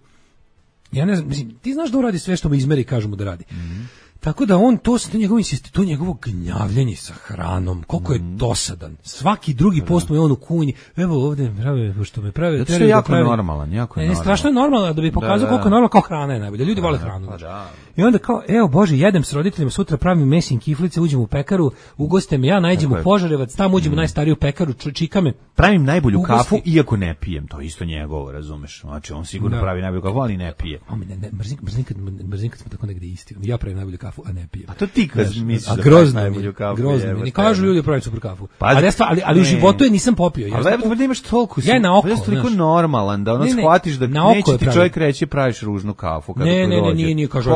Ja ne znam, mislim, ti znaš da uradi sve što mu izmeri, kažu mu da radi. Mm-hmm. Tako da on, to, to, njegovo, to njegovo gnjavljenje sa hranom, koliko je dosadan. Svaki drugi post mu je on u kunji. Evo ovde, prave, što me prave. Zato je jako normalan, jako je normalan. Ne, strašno je normalno da bi pokazao da, da. koliko je normalno, kao hrana je najbolje. Ljudi da, vole hranu. Pa da. I onda kao, evo Bože, jedem s roditeljima, sutra pravim mesin kiflice, uđem u pekaru, ugoste me, ja nađem u Požarevac, tamo uđem u najstariju pekaru, čika me. Pravim najbolju ugosti. Kafu, iako ne pijem, to je isto njegovo, razumeš. Znači, on sigurno da. pravi najbolju kafu, ali ne pije. A ne, ne, mrzim, mrzim, kad, mrzim kad smo tako negde isti. Ja pravim najbolju kafu, a ne pijem. A to ti kad misliš da praviš najbolju kafu. Grozno mi. Ne kažu ljudi pravim super kafu. Ali, ja stva, ali, ali u životu je nisam popio. Ja ali da imaš toliko, ja na oko, ja toliko normalan da ono shvatiš da neće ti čovjek reći praviš ružnu kafu kada ne, ne, ne, nije, nije, kažu,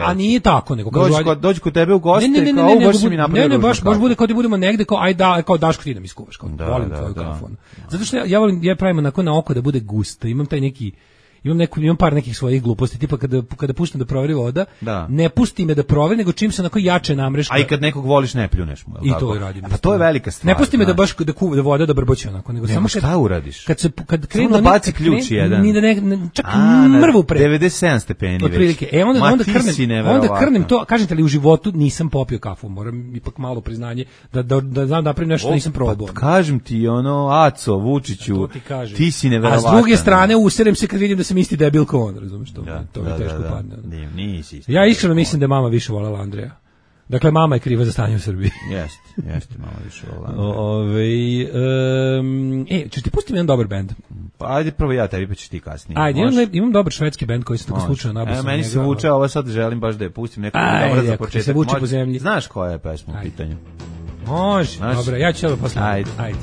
a nije tako, nego kažu, dođi kod, dođi kod tebe u goste, ne, ne, ne, kao, ne, baš mi napravio. Ne, ne, baš, baš bude kao da budemo negde, kao, aj da, kao Daško ti da mi iskuvaš, kao, da, volim da, tvoju da. kafu. Zato što ja, ja volim, ja pravim onako na oko da bude gusto, imam taj neki, imam neku, imam par nekih svojih gluposti, tipa kada kada pustim da proveri voda, da. ne pusti me da proveri, nego čim se onako jače namrešta. A i kad nekog voliš ne pljuneš mu, i to radim. Pa to je velika stvar. Ne pusti me da baš da kuva da voda da brboće onako, nego ne, samo kad šta uradiš? Kad se kad krenu da baci ključ jedan. Ni da ne, ne čak mrvu pre devedeset sedam stepeni već. Otprilike. E onda onda krnem, onda krnem to, kažete li u životu nisam popio kafu, moram ipak malo priznanje da da da znam da napravim nešto nisam probao. Kažem ti ono Aco Vučiću, ti si neverovatan. A s druge strane userem se kad vidim da sam isti debil kao on, razumeš to? Da, to mi da, teško da, padne. Da. Nisi. Ja iskreno mislim da je mama više voljela Andreja. Dakle, mama je kriva za stanje u Srbiji. Jeste, jeste, mama više voljela Andreja. Ove, um, e, ćeš ti pustiti jedan dobar bend? Pa ajde prvo ja, tebi pa ćeš ti kasnije. Ajde, imam, imam dobar švedski bend koji se tako slučajno nabasao. E, meni se vuče, ovo sad želim baš da je pustim neko dobro za početak. Se vuče po zemlji. Znaš koja je pesma u pitanju? Može, dobro, ja ću ovo posle. Ajde. Ajde.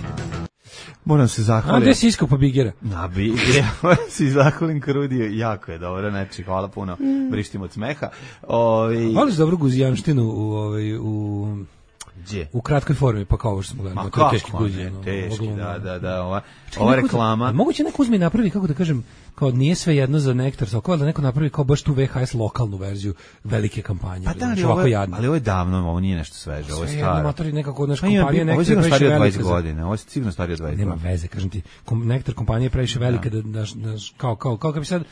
Moram se zahvaliti. A gde si iskao po Bigera? Na Bigera, moram se zahvalim Krudiju, jako je dobro, znači, hvala puno, brištim od smeha. Ovi... Voliš dobru guzijanštinu u, ovaj, u, Gdje? U kratkoj formi, pa kao ovo što smo gledali. Ma kako, teški guzijan, ne, teški, da, da, da, ova, čekaj, ova reklama. Da, moguće neko uzme i napravi, kako da kažem, kao nije sve jedno za Nektar Sokova, da neko napravi kao baš tu V H S lokalnu verziju velike kampanje. Pa da, ali, ovo je, ali ovo je davno, ovo nije nešto sveže, ovo je staro. Sve jedno motori nekako, naš kompanija Nektar je previše velika. Ovo je sigurno starije od dvadeset godina, ovo je sigurno starije od dvadeset godina. Nema veze, kažem ti, Nektar kompanija je previše velika, da, da, da, kao, kao, kao, kao bi sad,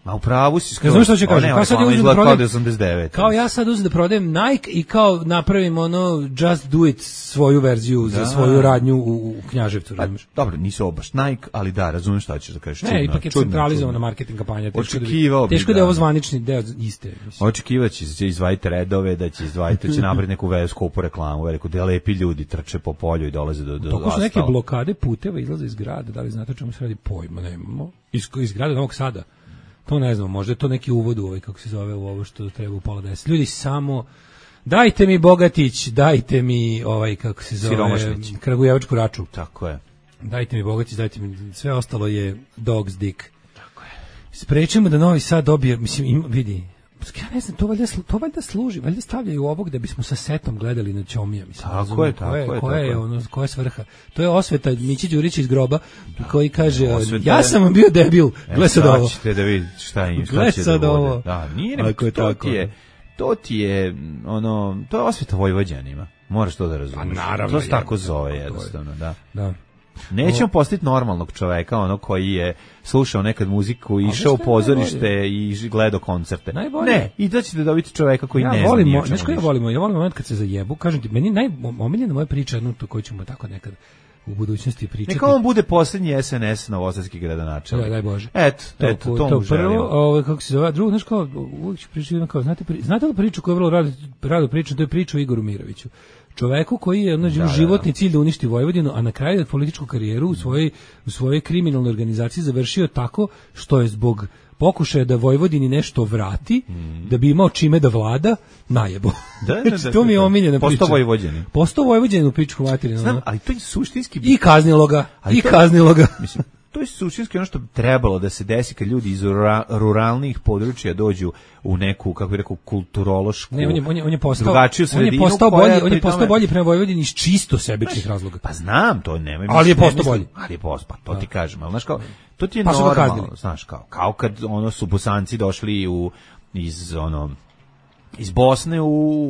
ma u pravu si skoro. Ne znam što ću kažem. Kao sad ja uzem da prodajem, osamdeset devet. Kao ja sad uzem da prodajem Nike i kao napravim ono Just Do It svoju verziju da. za svoju radnju u, u Knjaževcu. Pa, dobro, nisu obaš Nike, ali da, razumem šta ćeš da kažeš. Ne, čudno, ipak je centralizovana marketing kampanja. Teško Očekivao da, teško da je ovo zvanični deo iste. Očekivaće će izdvajiti redove, da će izdvajiti, da će napraviti neku skupu reklamu, veliku, da lepi ljudi trče po polju i dolaze do, do asfalta. Toko su neke blokade puteva, izlaze iz grada, da li znate o čemu se radi, pojma nemamo. Iz, iz grada Novog Sada. To ne znam, možda je to neki uvod u ovaj, kako se zove, u ovo što treba u pola deset. Ljudi, samo dajte mi Bogatić, dajte mi ovaj, kako se zove, Kragujevačku raču. Tako je. Dajte mi Bogatić, dajte mi, sve ostalo je dog's dick. Tako je. Sprečimo da Novi Sad dobije, mislim, im, vidi, ja ne znam, to valjda, to valjda služi, valjda stavljaju ovog da bismo sa setom gledali na Ćomija, mislim. Tako razumije, je, tako je. Koja tako je, ono, koja je svrha? To je osveta Mići Đurić iz groba, da, koji kaže, osveta, ja sam vam bio debil, gle sad ovo. Ćete da vidite šta, im, šta će da bude. Da, nije, ne, to, to ti je, to ti je, ono, to je osveta Vojvođanima. Moraš to da razumiješ. Naravno. To se tako zove, jednostavno, da. Da. Nećemo postati normalnog čoveka, ono koji je slušao nekad muziku, išao u pozorište i gledao koncerte. Najbolje. Ne, i da ćete dobiti čoveka koji ja ne zna volim, ničemu. Znaš koji ja volim? Ja volim moment kad se zajebu. Kažem ti, meni najomiljena moja priča, jednu to koju ćemo tako nekad u budućnosti pričati. Neka on bude posljednji S N S novosadski gradonačelnik. Da, daj Bože. Eto, to, eto, to, to mu želimo. Prvo, ovo, kako se zove, drugo, znaš kao, uvijek ću pričati, kao, znate, pri, znate li priču koju je vrlo rado, rado pričam, to je priča o Igoru Miroviću. Čoveku koji je ono, da, životni da, da. cilj da uništi Vojvodinu, a na kraju političku karijeru u svojoj, u svojoj kriminalnoj organizaciji završio tako što je zbog pokušaja da Vojvodini nešto vrati, mm. da bi imao čime da vlada, najebo. Da, da, da, to mi je omiljena priča. Postao Vojvođanin. Postao Vojvođanin u pičku materinu. Znam, ali to je suštinski... I kaznilo ga, i to, kaznilo ga. Mislim, to je suštinski ono što bi trebalo da se desi kad ljudi iz rura, ruralnih područja dođu u neku, kako bih rekao, kulturološku, ne, on je, on je, on je postao, drugačiju sredinu. On je postao bolji, on je postao tome... bolji prema Vojvodini iz čisto sebičnih razloga. Pa znam, to nema. Ali je postao bolji. Ali je postao, pa to ti kažem. Ali znaš kao, to ti je pa normalno, znaš kao, kao kad ono su Bosanci došli u, iz ono, iz Bosne u,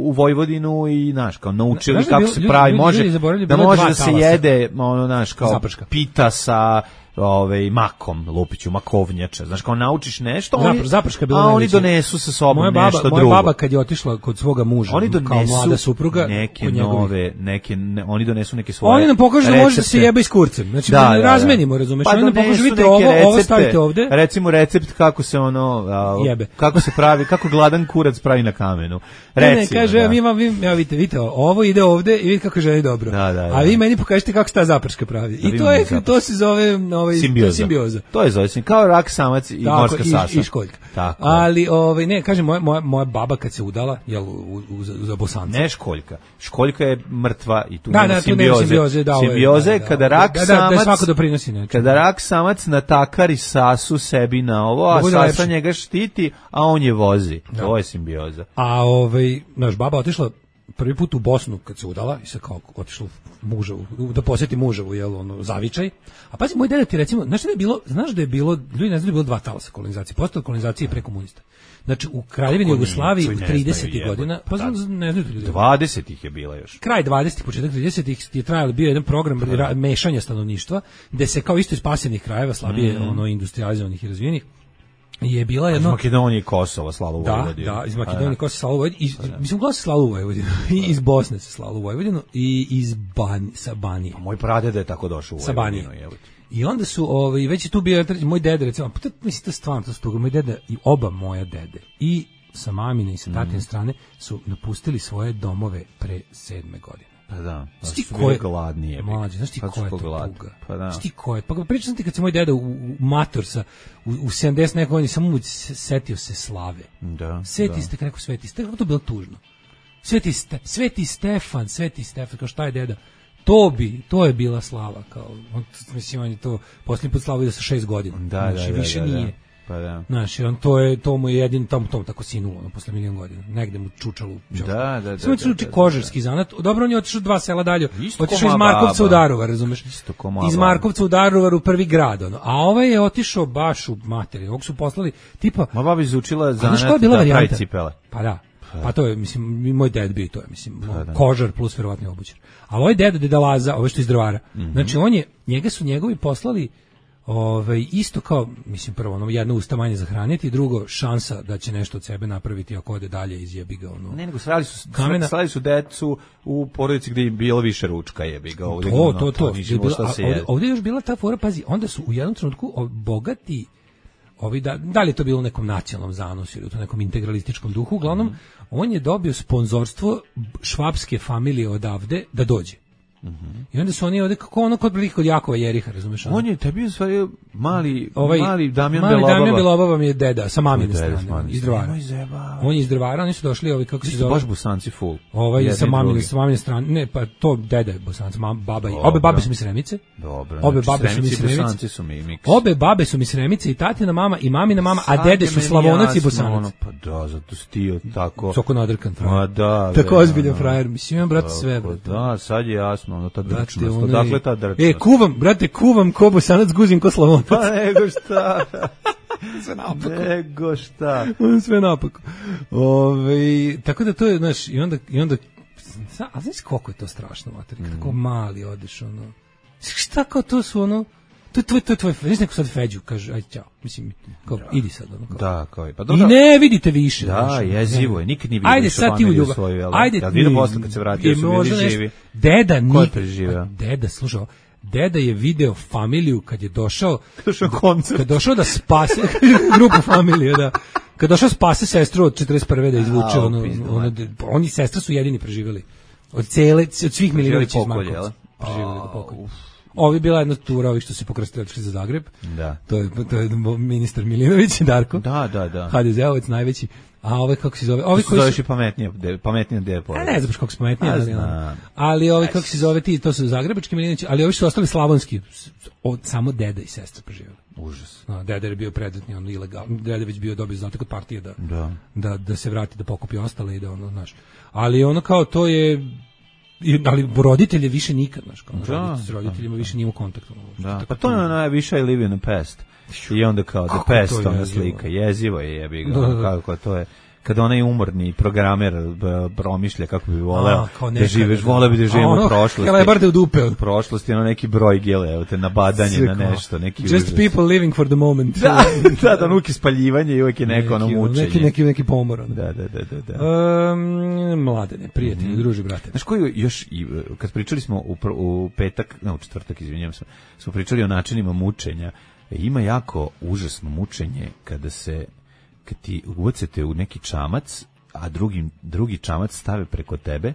u Vojvodinu i naš kao naučili znaš, kako bilo, se pravi, ljudi, može ljudi da može da se jede ono naš kao zaprška. Pita sa ovaj makom, lupiću, makovnjača. Znaš kao naučiš nešto, Zapr, oni, zaprška a oni donesu sa sobom moja baba, nešto moja drugo. Moja baba kad je otišla kod svoga muža, oni donesu kao mlada supruga, neke nove, neke ne, oni donesu neke svoje. Oni nam pokažu da može da se jebe i s kurcem. Znači da, da, da, razmenimo, razumeš? Pa oni nam pokažu vidite ovo, recepte, ovo stavite ovde. Recimo recept kako se ono a, jebe. Kako se pravi, kako gladan kurac pravi na kamenu. Recimo, ne, ne, kaže, da. mi vam, vi, ja vidite, vidite, ovo ide ovde i vidite kako želi dobro. Da, da, da. A vi meni pokažite kako se ta zaprška pravi. Da, I to je, to se zove ovaj simbioza. To je zove se kao rak samac i tako, morska sasa. I, i školjka. Tako. Ali ovaj ne, kažem moja moja moja baba kad se udala, jel u, u, za Bosanca. Ne školjka. Školjka je mrtva i tu da, nema da, simbioze. simbioze, da, simbioze da, da, kada rak da, da, samac da svako doprinosi nešto. Kada rak samac natakari sasu sebi na ovo, a sasa lepši. Njega štiti, a on je vozi. Da. To je simbioza. A ovaj naš baba otišla prvi put u Bosnu kad se udala i se kao otišla muževu, da posjeti muževu, jel, ono, zavičaj. A pazi, moj deda ti recimo, znaš da je bilo, znaš da je bilo, ljudi ne znaju da je bilo dva talasa kolonizacije, postao kolonizacije pre komunista. Znači, u Kraljevini Jugoslaviji u tridesetih godina, pa znam, ne znaju ljudi. dvadesetih je bila još. Kraj dvadesetih, početak tridesetih je trajalo, bio jedan program ra, mešanja stanovništva, gde se kao isto iz pasivnih krajeva, slabije, mm. ono, industrializovanih i razvijenih, je bila jedno... Iz Makedonije i Kosova slalo u Vojvodinu. Da, da, iz Makedonije i Kosova slalo u Vojvodinu. Mislim, uglavnom se slalo u Vojvodinu. I iz Bosne se slalo u Vojvodinu i iz Ban, sa Banije. A moj pradeda je tako došao u Vojvodinu. I onda su, ovaj, već je tu bio, moj dede, recimo, pa mislim, to stvarno, to su toga, moj dede i oba moja dede, i sa mamine i sa tatine mm. strane, su napustili svoje domove pre sedme godine. Pa da, da su bili gladni. Mlađe, znaš ti ko je to tuga? Pa da. Znaš ti ko je? Pa pričam ti kad se moj deda u, u mator sa, u, u sedamdeset nekog godina, samo mu setio se slave. Da, Sveti da. ste, kako Sveti ste, kako to bilo tužno. Sveti, ste, Sveti Stefan, Sveti Stefan, kao šta je deda? To bi, to je bila slava, kao, on, mislim, on je to posljednji put slavu vidio sa šest godina. Da, znači, da, više da, da, nije. Da. Pa da. Znaš, on to je, to mu je jedin, tom, tom tako sinulo, ono, posle milion godina. Negde mu čučalo. Da, da, da. Samo da, uči kožarski zanat. Dobro, on je otišao dva sela dalje. Isto otišao iz Markovca baba. u Daruvar, razumeš? Isto ko iz Markovca u Daruvar u prvi grad, ono. A ovaj je otišao baš u materiju. Ovog su poslali, tipa... Ma baba izučila zanat da pravi cipele. Pa da. Pa to je, mislim, i moj ded bio to je, mislim, pa, kožar plus verovatno obućar. A ovaj deda, deda Laza, ovo što iz Drvara. Mm-hmm. Znači, on je, njega su njegovi poslali ovaj, isto kao, mislim, prvo, ono, jedno usta manje zahraniti, drugo, šansa da će nešto od sebe napraviti ako ode dalje izjebi ga, ono. Ne, nego srali su, srali su decu u porodici gdje je bilo više ručka, jebi ga. Ovdje, to, ono, to, to. to bilo, a, ovdje, ovdje je još bila ta fora, pazi, onda su u jednom trenutku bogati, ovi da, da li je to bilo u nekom nacionalnom zanosu ili u nekom integralističkom duhu, uglavnom, mm. on je dobio sponzorstvo švapske familije odavde da dođe. Mm-hmm. I onda su oni ovdje, kako ono kod prilike kod Jakova Jeriha, razumeš? On je tebi u stvari mali, ovaj, mali Damjan mali Belobaba. Damjan Belobaba mi je deda, sa mamine strane, strane, iz Drvara. On je iz Drvara, oni su došli, ovi, kako se zove? Baš Bosanci full. Ovaj, sa mamine, sa mamine strane, ne, pa to deda je Bosanci, mam, baba i, obe babe su mi Sremice. Dobro, obe znači, babe su mi Sremice. Su mi mix. Obe babe su mi Sremice i tatina mama i mamina mama, a dede su Slavonac i Bosanac. Ono, pa da, zato stio tako. Soko nadrkan frajer. Ma da. Tako ozbiljan frajer, mislim, imam, brate, sve, brate. Da, sad je jasno, ono, ta drčnost. Dakle, ta drčnost. E, kuvam, brate, kuvam ko Bosanac, guzim ko Slavonac. Pa nego šta. Sve napako. Nego šta. Sve napako. Ove, tako da to je, znaš, i onda, i onda a znaš koliko je to strašno, mater, kako mali odeš, ono. Šta kao to su ono, to je tvoj, to je tvoj, znaš neko sad Feđu, kaže, ajde, ćao, mislim, kao, da. idi sad, ono, kao. Da, kao je, pa dobro. I ne vidite više. Da, znaš, jezivo je, nikad nije vidio ajde, sad ti u ljubav, svoju, jel? ajde, ja vidio posle kad se vratio, su bili živi. Deda Ko je nikad, preživeo? deda, slušao, deda je video familiju kad je došao, došao koncert. Kad došao da spase, grupu familije, da, kad došao spase sestru od četrdeset prve da izvuče, ono, ono, oni sestra su jedini preživeli. Od cele, od svih Milinovića iz Markovca. Preživeli do pokolja. Ovi bila jedna tura, ovih što se pokrastili za Zagreb. Da. To je, to je ministar Milinović, Darko. Da, da, da. ha de ze-ovac najveći. A ove kako se zove? Ovi koji su zoveš i pametnije, pametnije depo. A ne znam kako su pametnije, ali, ali ovi kako se zove ti, to su zagrebački Milinovići, ali ovi su ostali slavonski. Od, samo deda i sestra preživeli. Užas. No, deda je bio predmetni, on ilegalno. Deda već bio dobio zadatak od partije da, da. Da, da se vrati, da pokupi ostale i da ono, znaš. Ali ono kao to je, ali roditelje više nikad, znaš, kao da, roditelj, s roditeljima da, više nije u kontaktu. Da, pa to je najviše I live in the past. I onda kao the past, ona slika, jezivo je jebi ga, da, da. Kako to je. Kada onaj umorni programer promišlja kako bi voleo da živiš, voleo bi da živimo ono, u prošlosti. Helebar da udupe. U prošlosti, ono neki broj gele, evo te nabadanje na nešto, neki just užas. People living for the moment. Da, da, da, nuki spaljivanje i uvijek je neko ono mučenje. Neki, neki, neki pomor. Ono. Da, da, da, da. da. Um, mladene, prijatelji, mm-hmm. druži, brate. Znaš koji još, kad pričali smo u, u petak, ne, u četvrtak, izvinjam se, smo pričali o načinima mučenja, ima jako užasno mučenje kada se kad ti ubacete u neki čamac, a drugi, drugi čamac stave preko tebe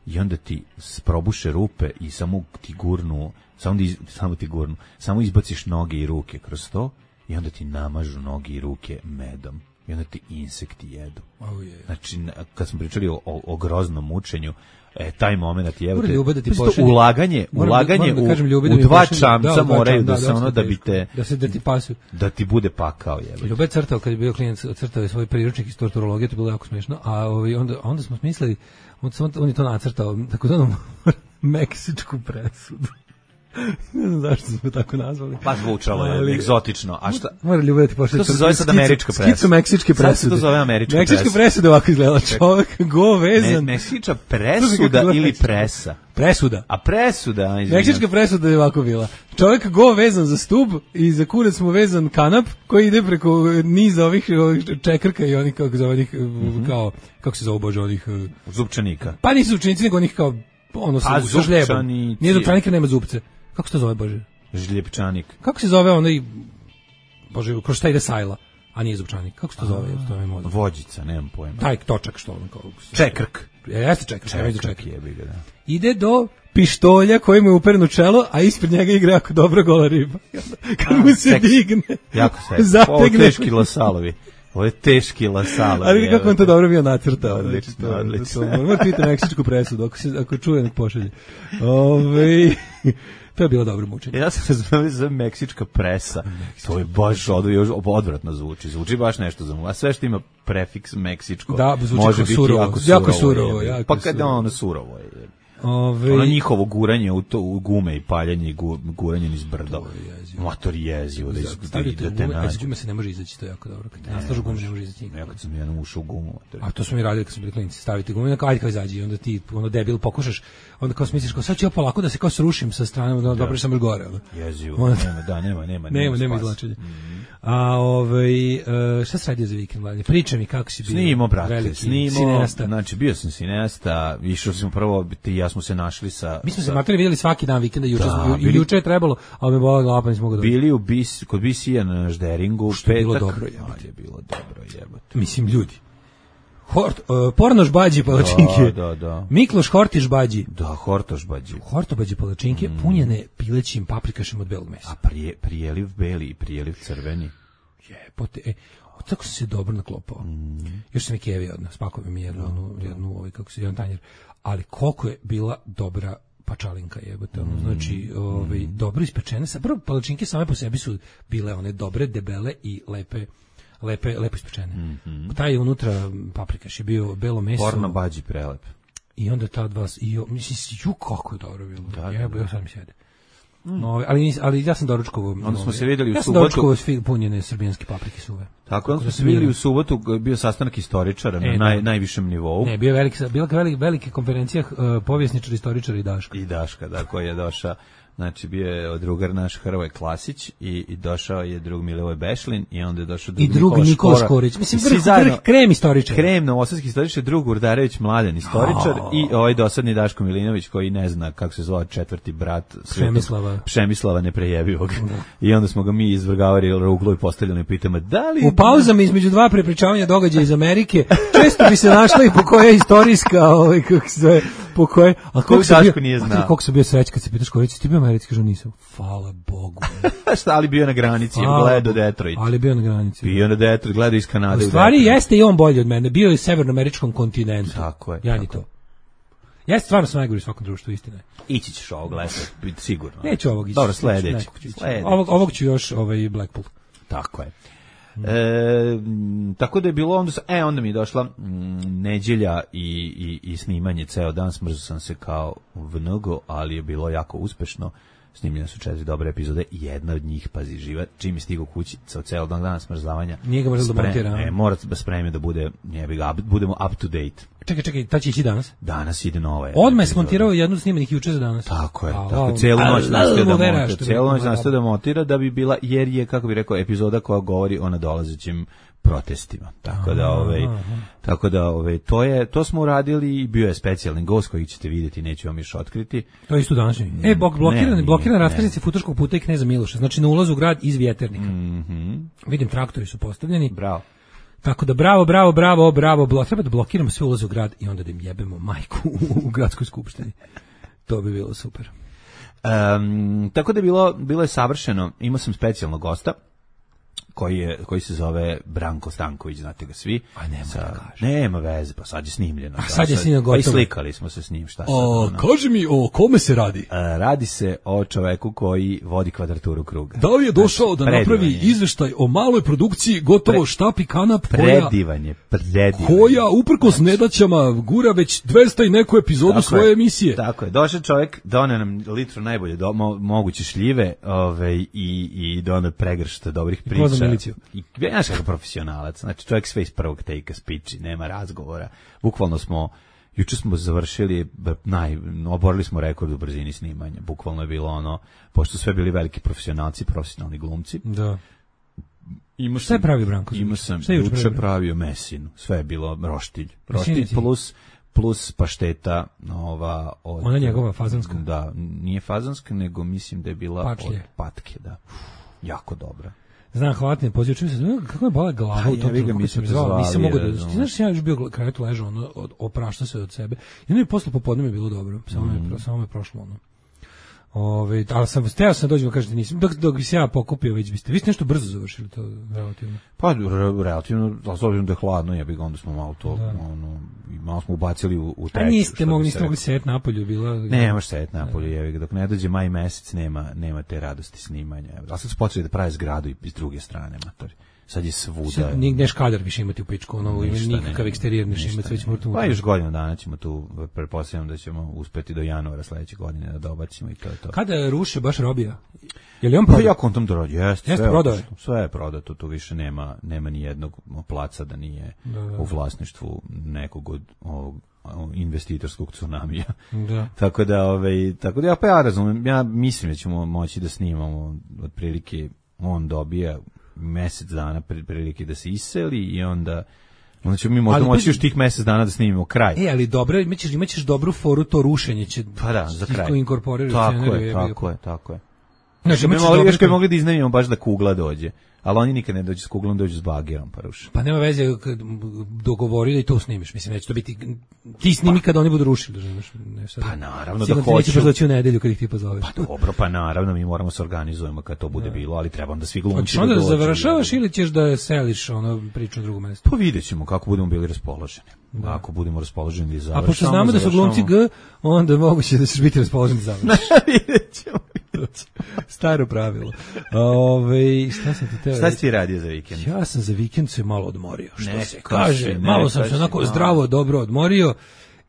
i onda ti probuše rupe i samo ti gurnu, samo, iz, samo ti gurnu, samo izbaciš noge i ruke kroz to i onda ti namažu noge i ruke medom i onda ti insekti jedu. Oh, yeah. Znači, kad smo pričali o, o, o groznom mučenju, e, taj moment je, evo te, Ljubav da ti ulaganje, ulaganje da, da kažem, u, u dva čamca da, moraju da, da se ono da bi te, da se da ti pasu, da ti bude pakao, jebe. Ljube crtao kad je bio klijent, crtao je svoj priručnik iz torturologije, to je bilo jako smiješno, a ovaj, onda, onda smo smislili, on, on je to nacrtao, tako da nam meksičku presudu. Ne znam zašto smo tako nazvali. Pa zvučalo je ali, egzotično. A šta? Mora ljubiti pošli. To se zove sad američka presuda. Skicu meksičke presude. Sad se to zove američka presuda. Meksička presuda ovako izgleda. Čovjek go vezan. Me, meksička presuda ili presa? Presuda. A presuda, izvinjam. Meksička presuda je ovako bila. Čovjek go vezan za stub i za kurac mu vezan kanap koji ide preko niza ovih, ovih čekrka i onih kako zove onih mm-hmm. kao kako se zove bože onih zupčanika. Pa nisu zupčanici nego onih kao ono sa žljebom. Nije zupčanik, nema zupce. Kako se to zove, bože? Žljepčanik. Kako se zove onaj, bože, kroz šta ide sajla, a nije zupčanik? Kako se to zove? To je vođica, nemam pojma. Taj točak što on kao... Čekrk. Jeste čekrk, čekrk, čekrk. Jebi ga, da. Ide do pištolja koji mu je upereno čelo, a ispred njega igra jako dobra gola riba. Kad mu se seks. Digne, jako se. Zategne. Ovo teški lasalovi. Ovo je teški lasalovi. Ali kako on to dobro bio nacrtao. Odlično, odlično. Moramo pitati meksičku presudu, ako, se, ako čuje nek pošalje. Ove... To je bilo dobro mučenje. Ja sam razumio za meksička presa. Meksička to je baš od, odvratno zvuči. Zvuči baš nešto za mu. A sve što ima prefiks meksičko da, može biti surovo. jako surovo. Jako surovo je. Jako pa kad surovo. ono surovo je. Ove... Ono njihovo guranje u, to, u gume i paljenje i gu, guranje niz brdo. Motor jezivo. Da, iz, da, da, da te nađe. Iz gume se ne može izaći, to je jako dobro. Kad te naslažu gume ne može izaći nikako. Ja kad sam jednom ušao u gumu. A to smo mi radili kad smo bili klinici. Staviti gumu i ajde kao izađi. Onda ti ono debil pokušaš. Onda kao smisliš kao sad ću ja polako da se kao srušim sa strane. Da dobro sam gore. Jezivo. Onda... Nema, da, nema, nema. Nema, nema izlačenja. Mm-hmm. A ovaj šta se radio za vikend, mladen? Priča mi kako si bio. Snimo, brate, snimo. Znači bio sam cineasta, išao smo prvo, ti i ja smo se našli sa. Mi smo se materi videli svaki dan vikenda, juče da, ju, juče je trebalo, ali me bola glava, pa nismo mogli. Bili u bis, kod Bisija na Žderingu, što petak. Bilo dobro, je bilo dobro, jebote. Mislim ljudi. Hort, uh, Pornoš bađi palačinke. Da, da, da. Mikloš Hortiš bađi. Da, Hortoš bađi. Horto bađi palačinke mm. punjene pilećim paprikašem od belog mesa. A prije, prijeliv beli i prijeliv crveni. Jebote, e, tako sam se dobro naklopao. Mm. Još sam i kevi odno, spakovao mi jednu, mm. jednu, ovaj, kako se jedan tanjer. Ali koliko je bila dobra pačalinka, jebote, ono, mm. znači, ovaj, mm. dobro ispečene. Prvo, palačinke same po sebi su bile one dobre, debele i lepe, lepe, lepo ispečene. Mm-hmm. Taj unutra paprikaš je bio belo meso. Porno bađi prelep. I onda ta dva, i, mislim, ju, kako je dobro bilo. Da, jebo, ja sad mi sjede. Mm. No, ali, ali ja sam doručkovao. Onda smo se vidjeli u ja subotu. Ja sam doručkovao punjene srbijanske paprike suve. Tako, onda smo se vidjeli u subotu, bio sastanak istoričara e, na naj, najvišem nivou. Ne, bio je veliki, bila velike, velike konferencija uh, povjesničara, istoričara i Daška. I Daška, da, koji je došao Znači bio je drugar naš Hrvoje Klasić i, i došao je drug Milivoj Bešlin i onda je došao drug i drug Nikola, Nikola Škorić. Mislim, vrh, vrh, krem istoričar. Krem novosadski istoričar, drug Urdarević Mladen istoričar oh. i ovaj dosadni Daško Milinović koji ne zna kako se zove četvrti brat Přemislava. Přemislava neprejebivog. Da. I onda smo ga mi izvrgavali ruglo i postavljali pitamo da li... U pauzama između dva prepričavanja događaja iz Amerike često bi se našla i po koja istorijska, ovaj, kako se zove, po koje... A kako se bio, nije znao. Kako se bio sreć kad se pitaš Škorić, ti bio Americi, kažu nisam. Hvala Bogu. Šta, ali bio na granici, gledao Detroit. Ali bio na granici. Bio na Detroit, gledao iz Kanade. U stvari jeste i on bolji od mene, bio je u severnoameričkom kontinentu. Tako je. Ja ni to. Ja stvarno sam najgori u svakom društvu, istina je. Ići ćeš ovog lesa, biti sigurno. Neću ovog ići. Dobro, sledeći. Ovog, ovog ću još ovaj Blackpool. Tako je. E, tako da je bilo onda, e onda mi je došla m, nedjelja i, i, i snimanje ceo dan, smrzao sam se kao vnogo, ali je bilo jako uspešno. Snimljene su četiri dobre epizode i jedna od njih, pazi, živa, čim je stigao kući sa ceo dan dana smrzavanja. Nije ga možda da montira. E, mora da spremio da bude, njebi ga, budemo up to date. Čekaj, čekaj, ta će ići danas? Danas ide nova. Odmah je smontirao jednu snimanih juče za danas. Tako je, a, tako a, celu noć nastavio da montira, celu noć nastavio da montira da bi bila, jer je, kako bi rekao, epizoda koja govori o nadolazećim protestima. Tako da, ovaj, tako da, ovaj, to je, to smo uradili i bio je specijalni gost koji ćete vidjeti, neću vam još otkriti. To je isto današnji. E, blokiran, blokiran raskrsnici Futoškog puta i Kneza Miloša. Znači na ulazu u grad iz Vjeternika. Mm-hmm. Vidim, traktori su postavljeni. Bravo. Tako da bravo, bravo, bravo, bravo, blo. Treba da blokiramo sve ulaze u grad i onda da im jebemo majku u, u gradskoj skupštini. To bi bilo super. Um, tako da je bilo, bilo je savršeno. Imao sam specijalnog gosta koji je, koji se zove Branko Stanković, znate ga svi. A nema sa, da kaže. Nema veze, pa sad je snimljeno. A sad je snimljeno gotovo. Pa i slikali smo se s njim, šta sad. O, kaži mi, o kome se radi? A, radi se o čoveku koji vodi kvadraturu kruga. Da li je došao znači, da napravi izveštaj o maloj produkciji, gotovo Pre, štap i kanap, predivanje, predivanje. Koja, uprkos nedaćama, gura već dvesta i neku epizodu tako svoje je, emisije. Tako je, došao čovjek, doneo nam litru najbolje do, mo, moguće šljive ove, i, i doneo pregršta dobrih priča. I ja znaš kako profesionalac, znači čovjek sve iz prvog tejka spiči, nema razgovora. Bukvalno smo, juče smo završili, naj, oborili smo rekord u brzini snimanja. Bukvalno je bilo ono, pošto sve bili veliki profesionalci, profesionalni glumci. Da. Ima šta je pravi Branko? Ima sam, juče pravio mesinu, sve je bilo roštilj. Roštilj plus, plus pašteta, ova... Od, ona njegova fazanska? Da, nije fazanska, nego mislim da je bila Pačlje. Od patke, da. Jako dobra. Znam, hvatne poziv, čujem se, kako je bala glava u tom trenutku, kad sam zvao, nisam mogao da... Ti znaš, ja još bio krevetu ležao, ono, oprašta se od sebe. I ono je posle popodne mi je bilo dobro, samo mm. je, samo je prošlo ono. Ove, ali sam, steo sam dođemo, kažete nisam, dok, dok bi se ja pokupio, već biste, vi ste nešto brzo završili to, relativno. Pa, re, relativno, ali s obzirom da je hladno, ja bih onda smo malo to, da. ono, malo smo ubacili u, u treću. A niste mogli, niste mogli sjet napolju, bila... Ne, možeš sjet napolju, jevi, dok ne dođe maj mesec, nema, nema te radosti snimanja. Ali sad su počeli da pravi zgradu iz druge strane, matori. Sad je svuda. Sad nigde škadar više imati u pičku, ono, nikakav eksterijer neće imati, već mrtvu. Pa još godinu dana ćemo tu, pretpostavljam da ćemo uspeti do januara sledeće godine da dobacimo i to je to. Kada ruše baš Robija? Je li on prodao? Pa ja kontam da rodi, jeste. Jeste prodao? Sve je prodato, tu više nema, nema ni jednog placa da nije da, da. u vlasništvu nekog od ovog investitorskog tsunamija. Da. Tako da, ovaj, tako da ja pa ja razumem, ja mislim da ćemo moći da snimamo otprilike on dobija mesec dana prilike da se iseli i onda onda ćemo mi možda ali, moći još tih mesec dana da snimimo kraj. E, ali dobro, imaćeš, imaćeš dobru foru, to rušenje će pa da, za kraj. Inkorporirati tako je, tako je, tako je. Znači, mi mogli, još kad mogli da iznajmimo baš da kugla dođe. Ali oni nikad ne dođu s kuglom, dođu s bagerom, pa ruši. Pa nema veze, dogovorili i to snimiš. Mislim, neće to biti, ti snimi pa, kad oni budu rušili. Ne, sad, pa naravno da hoću. Neće baš doći u nedelju kad ih ti pozoveš. Pa dobro, pa naravno, mi moramo se organizujemo kad to bude da. bilo, ali trebam da svi glumci hoćeš onda da završavaš ili ćeš da seliš ono priču na drugo mesto? Pa vidjet ćemo kako budemo bili raspoloženi. Da. Ako budemo raspoloženi da završamo. A pošto znamo da su glumci G, onda moguće da ćeš biti raspoloženi da završiš. Vidjet ćemo. Staro pravilo. Ove, šta sam ti teo? Šta si ti radio za vikend? Ja sam za vikend se malo odmorio, što ne, se kaže. Ne, malo sam se onako malo. zdravo, dobro odmorio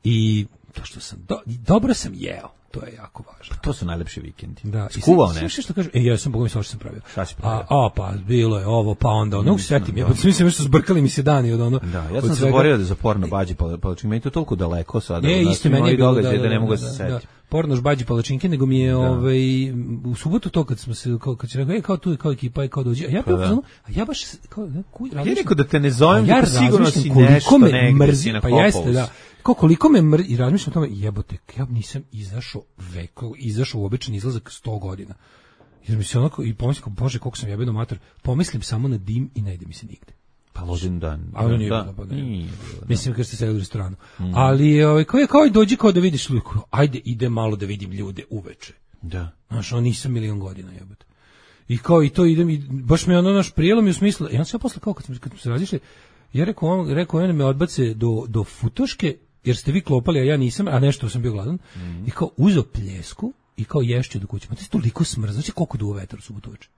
i To što sam, do, dobro sam jeo, to je jako važno. To su najlepši vikendi. Da, skuvao nešto. nešto. Što kaže, e, ja sam bogom što sam pravio. Šta si pravio? A, a, pa, bilo je ovo, pa onda, ono, mm, setim, ja, mislim što zbrkali mi se dani od ono. Da, ja sam zaboravio da za porno bađi palačinke, meni to toliko daleko sada. E, isto meni je bilo, da, da, da ne mogu da, se da, setiti. da. Pornoš bađi palačinke, nego mi je da. ovaj u subotu to kad smo se kao kad se rekao, e, kao tu kao ekipa i kao dođe. A ja pa, da. a ja baš kao ne, kuj, ja rekao da te ne zovem, ja sigurno si nešto me negde mrzi, pa jeste, da. Kao koliko me mrzi, i razmišljam o tome, jebote, ja nisam izašao veko, izašao u običan izlazak sto godina. Jer mi se onako, i pomislim, bože, koliko sam jebeno mater, pomislim samo na dim i ne ide mi se nigde. Pa ložen dan. A ono nije da, bilo, pa ne. Nije bilo, da. Mislim, kad ste sedeli u restoranu. Mm. Ali, ovaj, kao je, kao i dođi kao da vidiš ljudi, ajde, ide malo da vidim ljude uveče. Da. Znaš, on nisam milion godina, jebote. I kao i to idem, i baš me ono naš prijelo mi u smislu, ja sam ja posle kao kad smo, kad smo se razišli, ja rekao, on, rekao, on me odbace do, do futoške, jer ste vi klopali, a ja nisam, a nešto sam bio gladan, mm. i kao uzeo pljesku i kao ješću do kuće. Ma to je toliko smrza, znači koliko duo vetar u subotu uveče.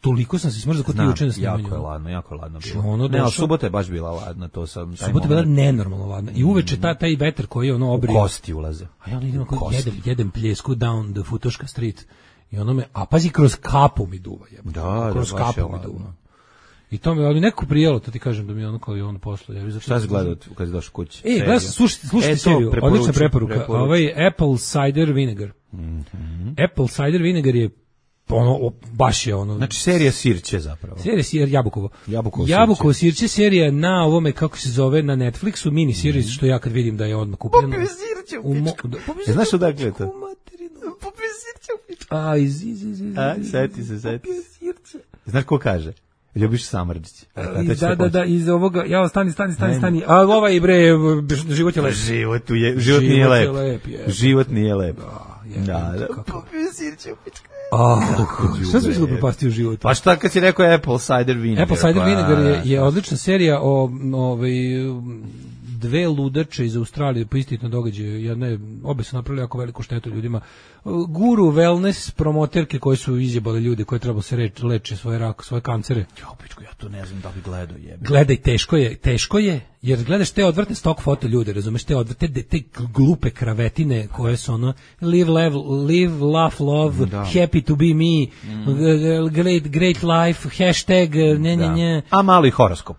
Toliko sam se smrzao kod ti juče na snimanju. Jako je ladno, jako je ladno bilo. Ono ne, ali subota je baš bila ladna, to sam... Subota je bila nenormalno ladna. I uveče ta, taj vetar koji je ono obrio... U kosti ulaze. A ja ono idem, jedem, jedem pljesku down the Futoška street. I ono me, a pazi, kroz kapu mi duva. Jeba. Da, kroz da, kapu mi duva. I to mi, ali neko prijelo, to ti kažem da mi ono kao i ono posle. Ja, šta si gledao kad si došao kući? E, gledao sam, slušajte, slušajte e, seriju, odlična preporuka. Preporuču. Ovaj Apple Cider Vinegar. Mm-hmm. Apple Cider Vinegar je ono, baš je ono... Znači serija Sirće zapravo. Serija Sir, Jabukovo. Jabukovo, Jabukovo Sirće serija na ovome, kako se zove, na Netflixu, mini series, mm. što ja kad vidim da je odmah kupljeno. Popio Sirće u pičku. E, znaš odakle je to? Popio Sirće u pičku. A, iz, iz, iz, iz. A, seti se, seti. Popio Sirće. Znaš ko kaže? Ljubiš Samrđić. Da, da, da, iz ovoga, ja stani, stani, stani, stani. A ovaj bre, život je lep. Život je, život nije lep. Život nije lep. Da, da. Popio Sirće u pičku. A, šta si mislio propastio život? Pa šta kad si rekao Apple Cider Vinegar? Apple Cider Vinegar je, je odlična serija o ovaj, dve ludače iz Australije po istitom događaju. Jedne, obe su napravili jako veliku štetu ljudima. Guru wellness promoterke koje su izjebale ljude koje trebalo se reč, leče svoje rak, svoje kancere. Ja, pičku, ja to ne znam da bi gledao jebe. Gledaj, teško je, teško je, jer gledaš te odvrtne stock foto ljude, razumeš, te odvrte, te, te glupe kravetine koje su ono, live, live, live laugh, love, da. Happy to be me, mm. great, great life, hashtag, ne, ne, ne. A mali horoskop.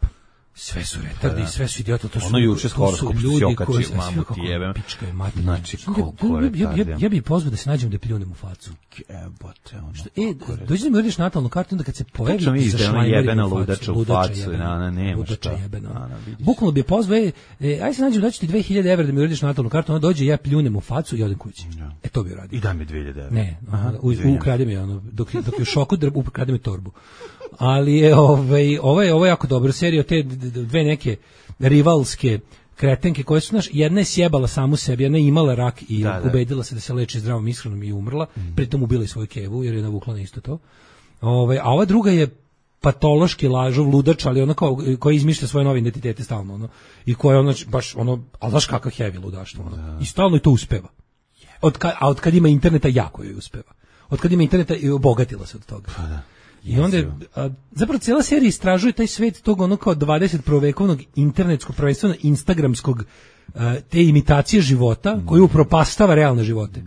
Sve su retardi, sve su idioti, to su ono juče s horoskop ljudi koji su mamu ti jebem. Pička je mater. Znači, koliko ja, ja, ja, ja bih pozvao da se nađem da pljunem u facu. Jebote, ono. Što, e, dođi da mi uradiš natalnu kartu, onda kad se pojavi za šlajmeri u facu, u facu, na, nema šta. Bukvalno bi je pozvao, e, aj se nađem, daću ti dve hiljade evra da mi uradiš natalnu kartu, onda dođe, ja pljunem u facu i odem kući. E, to bi uradio. I daj mi dve hiljade evra. Ne, ukrade mi ono, dok je u šoku, ukrade mi torbu. Ali je ovaj ovo je ovo je jako dobra serija, te dve neke rivalske kretenke koje su, znaš, jedna je sjebala samu sebi, jedna je imala rak i da, ubedila se da se leči zdravom ishranom i umrla, mm. pritom ubila i svoju kevu jer je navukla na isto to. Ovaj, a ova druga je patološki lažov, ludač, ali ona kao, koja izmišlja svoje nove identitete stalno, ono, i koja je ono, baš ono, ali znaš kakav heavy ludaštvo, ono, da. I stalno i to uspeva. Od ka, a od kad ima interneta jako joj uspeva. Od kad ima interneta i obogatila se od toga. Pa da. I onda, a, zapravo cijela serija istražuje taj svet tog ono kao dvadeset prvovekovnog internetskog, prvenstveno instagramskog, a, te imitacije života, mm. koji upropastava realne živote.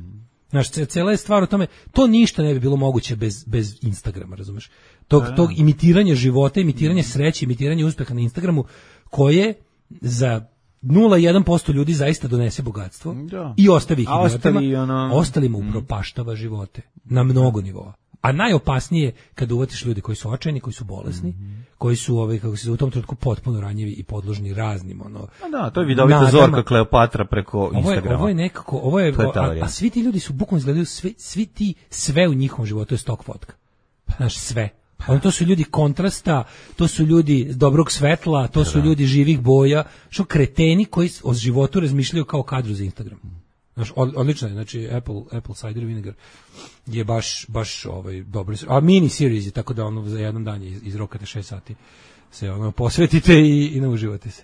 Znaš, cijela je stvar o tome, to ništa ne bi bilo moguće bez, bez Instagrama, razumeš? Tog, da, tog imitiranja života, imitiranja sreće, imitiranja uspeha na Instagramu, koje za nula zarez jedan posto ljudi zaista donese bogatstvo, da. I ostavi ih idiotima, ono... ostalima upropaštava živote na mnogo nivoa. A najopasnije kad uvatiš ljude koji su očajni, koji su bolesni, mm-hmm. koji su ovaj kako se u tom trenutku potpuno ranjivi i podložni raznim ono. A da, to je vidovita Zorka Kleopatra preko Instagrama. Ovo je, ovo je nekako, ovo je, je a, a svi ti ljudi su bukvalno izgledaju sve, svi ti sve u njihovom životu je stok fotka. Znaš, sve. Ono, to su ljudi kontrasta, to su ljudi dobrog svetla, to su ljudi živih boja, što kreteni koji o životu razmišljaju kao kadru za Instagram. Znaš, odlično je, znači Apple, Apple Cider Vinegar je baš, baš ovaj, dobro. A mini series je, tako da ono za jedan dan iz, izrokate šest sati se ono posvetite i, i nauživate se.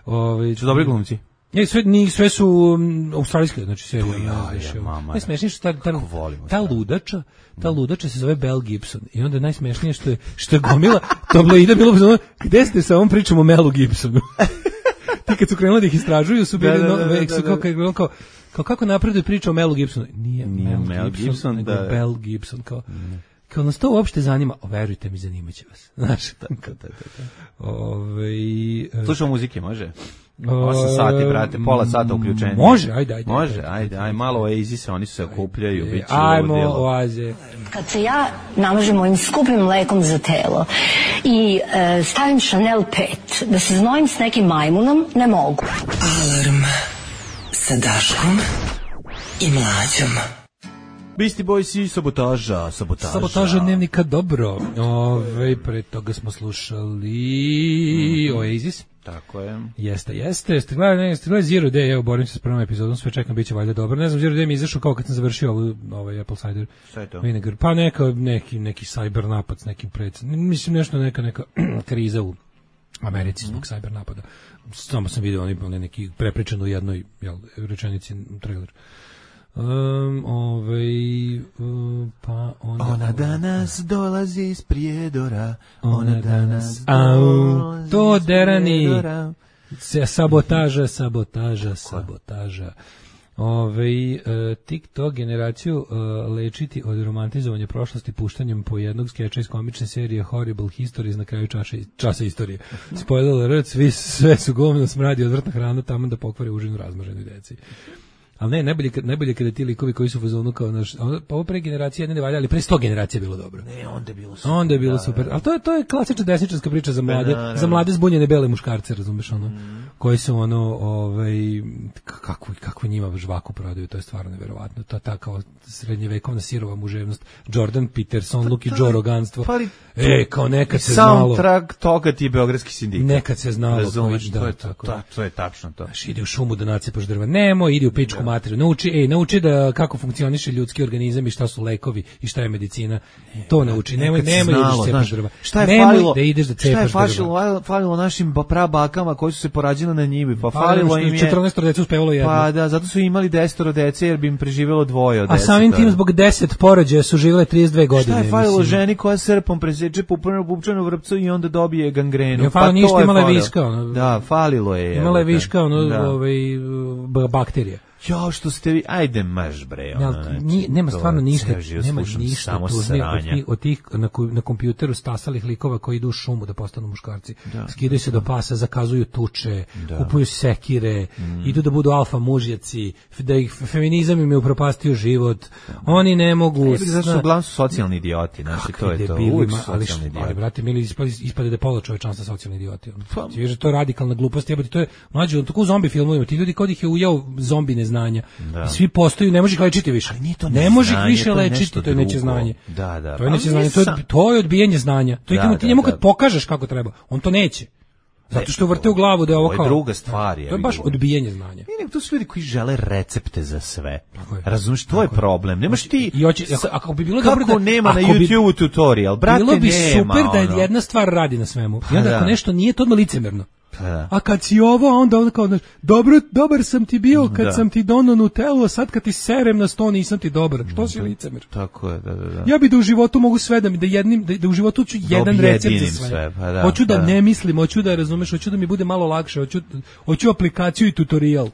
Ovaj, su dobri glumci? Je, sve, ni, sve su um, australijske, znači serija. Ja, je, mama. Najsmešnije što ta, ta, ta ludača, ta ludača se zove Mel Gibson. I onda najsmešnije što je, što je gomila tabloida bilo, gde ste sa ovom pričom o Melu Gibsonu? Ti kad su krenuli da ih istražuju su bili Da, da, no, da, da, su kao, kao, kao, kao kako napreduje priča o Melu Gibsonu. Nije, Nije Mel, Mel Gibson, Gibson, nego da. Bell Gibson. Kao, kao nas to uopšte zanima. O, verujte mi, zanimaće vas. Znaš, Tako, tako, tako. Ove, Slušamo muzike, može? osam sati, brate, pola sata uključenje. Može, ajde, ajde. Može, ajde, ajde, malo Oasis, oni se okupljaju, bit će Ajmo, ludilo. Oaze. Kad se ja namažem ovim skupim mlekom za telo i e, stavim Chanel pet, da se znojim s nekim majmunom, ne mogu. Alarm sa Daškom i Mlađom. Beastie Boys i sabotaža, sabotaža. Sabotaža dnevnika, dobro. Ove, pre toga smo slušali mm-hmm. Oasis. Tako je. Jeste, jeste. Ste gledali, ne, ste gledali Zero Day, evo, borim se s prvom epizodom, sve čekam, bit će valjda dobro. Ne znam, Zero Day mi izašao kao kad sam završio ovu, ovaj Apple Cider Vinegar. Pa neka, neki, neki cyber napad s nekim predsjedom. Mislim, nešto neka, neka kriza u Americi zbog cyber napada. Samo sam vidio oni, oni neki prepričan u jednoj jel, rečenici trailer. Um, ovaj, uh, pa onda... Ona danas dolazi iz Prijedora, ona danas Au, dolazi to iz derani. Prijedora. Se, sabotaža, sabotaža, sabotaža. Ove, uh, TikTok generaciju uh, lečiti od romantizovanja prošlosti puštanjem po jednog skeča iz komične serije Horrible Histories na kraju časa, časa istorije. Spoiler alert, svi, sve su govno, smradi, odvrtna hrana, tamo da pokvari užinu razmaženoj deci. Ali ne, najbolje, najbolje kada ti likovi koji su u fazonu kao naš, pa ovo pre generacije ne ne valja, ali pre sto generacija je bilo dobro. Ne, onda je bilo super. Onda je bilo da, super. da. Ali to je to je klasična desničarska priča za mlade, da, za mlade zbunjene bele muškarce, razumeš ono, mm. koji su ono, ovaj kako kako njima žvaku prodaju, to je stvarno neverovatno. To je ta kao srednjevekovna sirova muževnost, Jordan Peterson, Luki pa Joe roganstvo. Pa e, kao nekad se znalo. Soundtrack toga ti je Beogradski sindikat. Nekad se znalo, razumeš, da, to je to, tako. to, to je tačno to. Znaš, ide u šumu da nacepaš drva. Nemo, ide u pičku materiju. Nauči, ej, nauči da kako funkcioniše ljudski organizam i šta su lekovi i šta je medicina. To nauči. Nemoj, nemoj ideš da cepaš drva. Šta je nemoj falilo, da ideš da cepaš šta je drva. falilo, falilo našim prabakama koji su se porađili na njivi? Pa falilo im je četrnaest dece uspevalo jedno. Pa da, zato su imali deset dece jer bi im preživelo dvoje od A deset. samim tim zbog deset porođaja su živele trideset dve godine. Šta je falilo mislim. ženi koja srpom preseče pupčanu pupčanu vrpcu i onda dobije gangrenu? Je falilo pa ništa, to je imala je falilo. viška. Ono, da, falilo je. Imala je viška, ono, da. ovaj, bakterije. Jo, što ste vi, ajde maž bre. Ono, Ja, nije, nema stvarno ništa, nema ništa samo tužnije od tih, od tih na, na kompjuteru stasalih likova koji idu u šumu da postanu muškarci. Da, skidaju se do pasa, zakazuju tuče, da. Kupuju sekire, mm. idu da budu alfa mužjaci, da ih feminizam im je upropastio život. Oni ne mogu... Ne, zato su uglavnom su socijalni idioti, znači to je to. Uvijek su ali, socijalni idioti. Ali, brate, mili ispade, ispade da je pola čovečanstva socijalni idioti. Pa, ti viš, to je radikalna glupost, jebati, to je mlađe, tako u zombi filmovima, ti ljudi kod ih je ujao zombi neznanja. Da. Svi postoju, ne možeš lečiti više. Ne možeš više to lečiti, to je neće znanje. Da, da. To je neće znanje, to je, to je odbijanje znanja. To je da, ti njemu kad pokažeš kako treba, on to neće. Zato što vrte u glavu da je ovo kao... Ovo je druga stvar. To je baš odbijanje znanja. Ne, to su ljudi koji žele recepte za sve. Razumiješ, to je problem. Nemaš ti... I hoće, ako, ako bi bilo kako dobro da... nema na YouTube bi, tutorial, brate, bilo bi nema, super da ono. jedna stvar radi na svemu. Pa I onda da. ako nešto nije, to odmah licemerno. Da. A kad si ovo, onda onda kao, dobro, dobar sam ti bio kad da. sam ti donao Nutellu, a sad kad ti serem na sto nisam ti dobar. Što si licemer? Tako je, da, da, da. Ja bi da u životu mogu sve da mi da jednim da, da u životu ću jedan recept za sve. sve pa da, hoću da, da ne mislim, hoću da razumeš, hoću da mi bude malo lakše, hoću hoću aplikaciju i tutorial.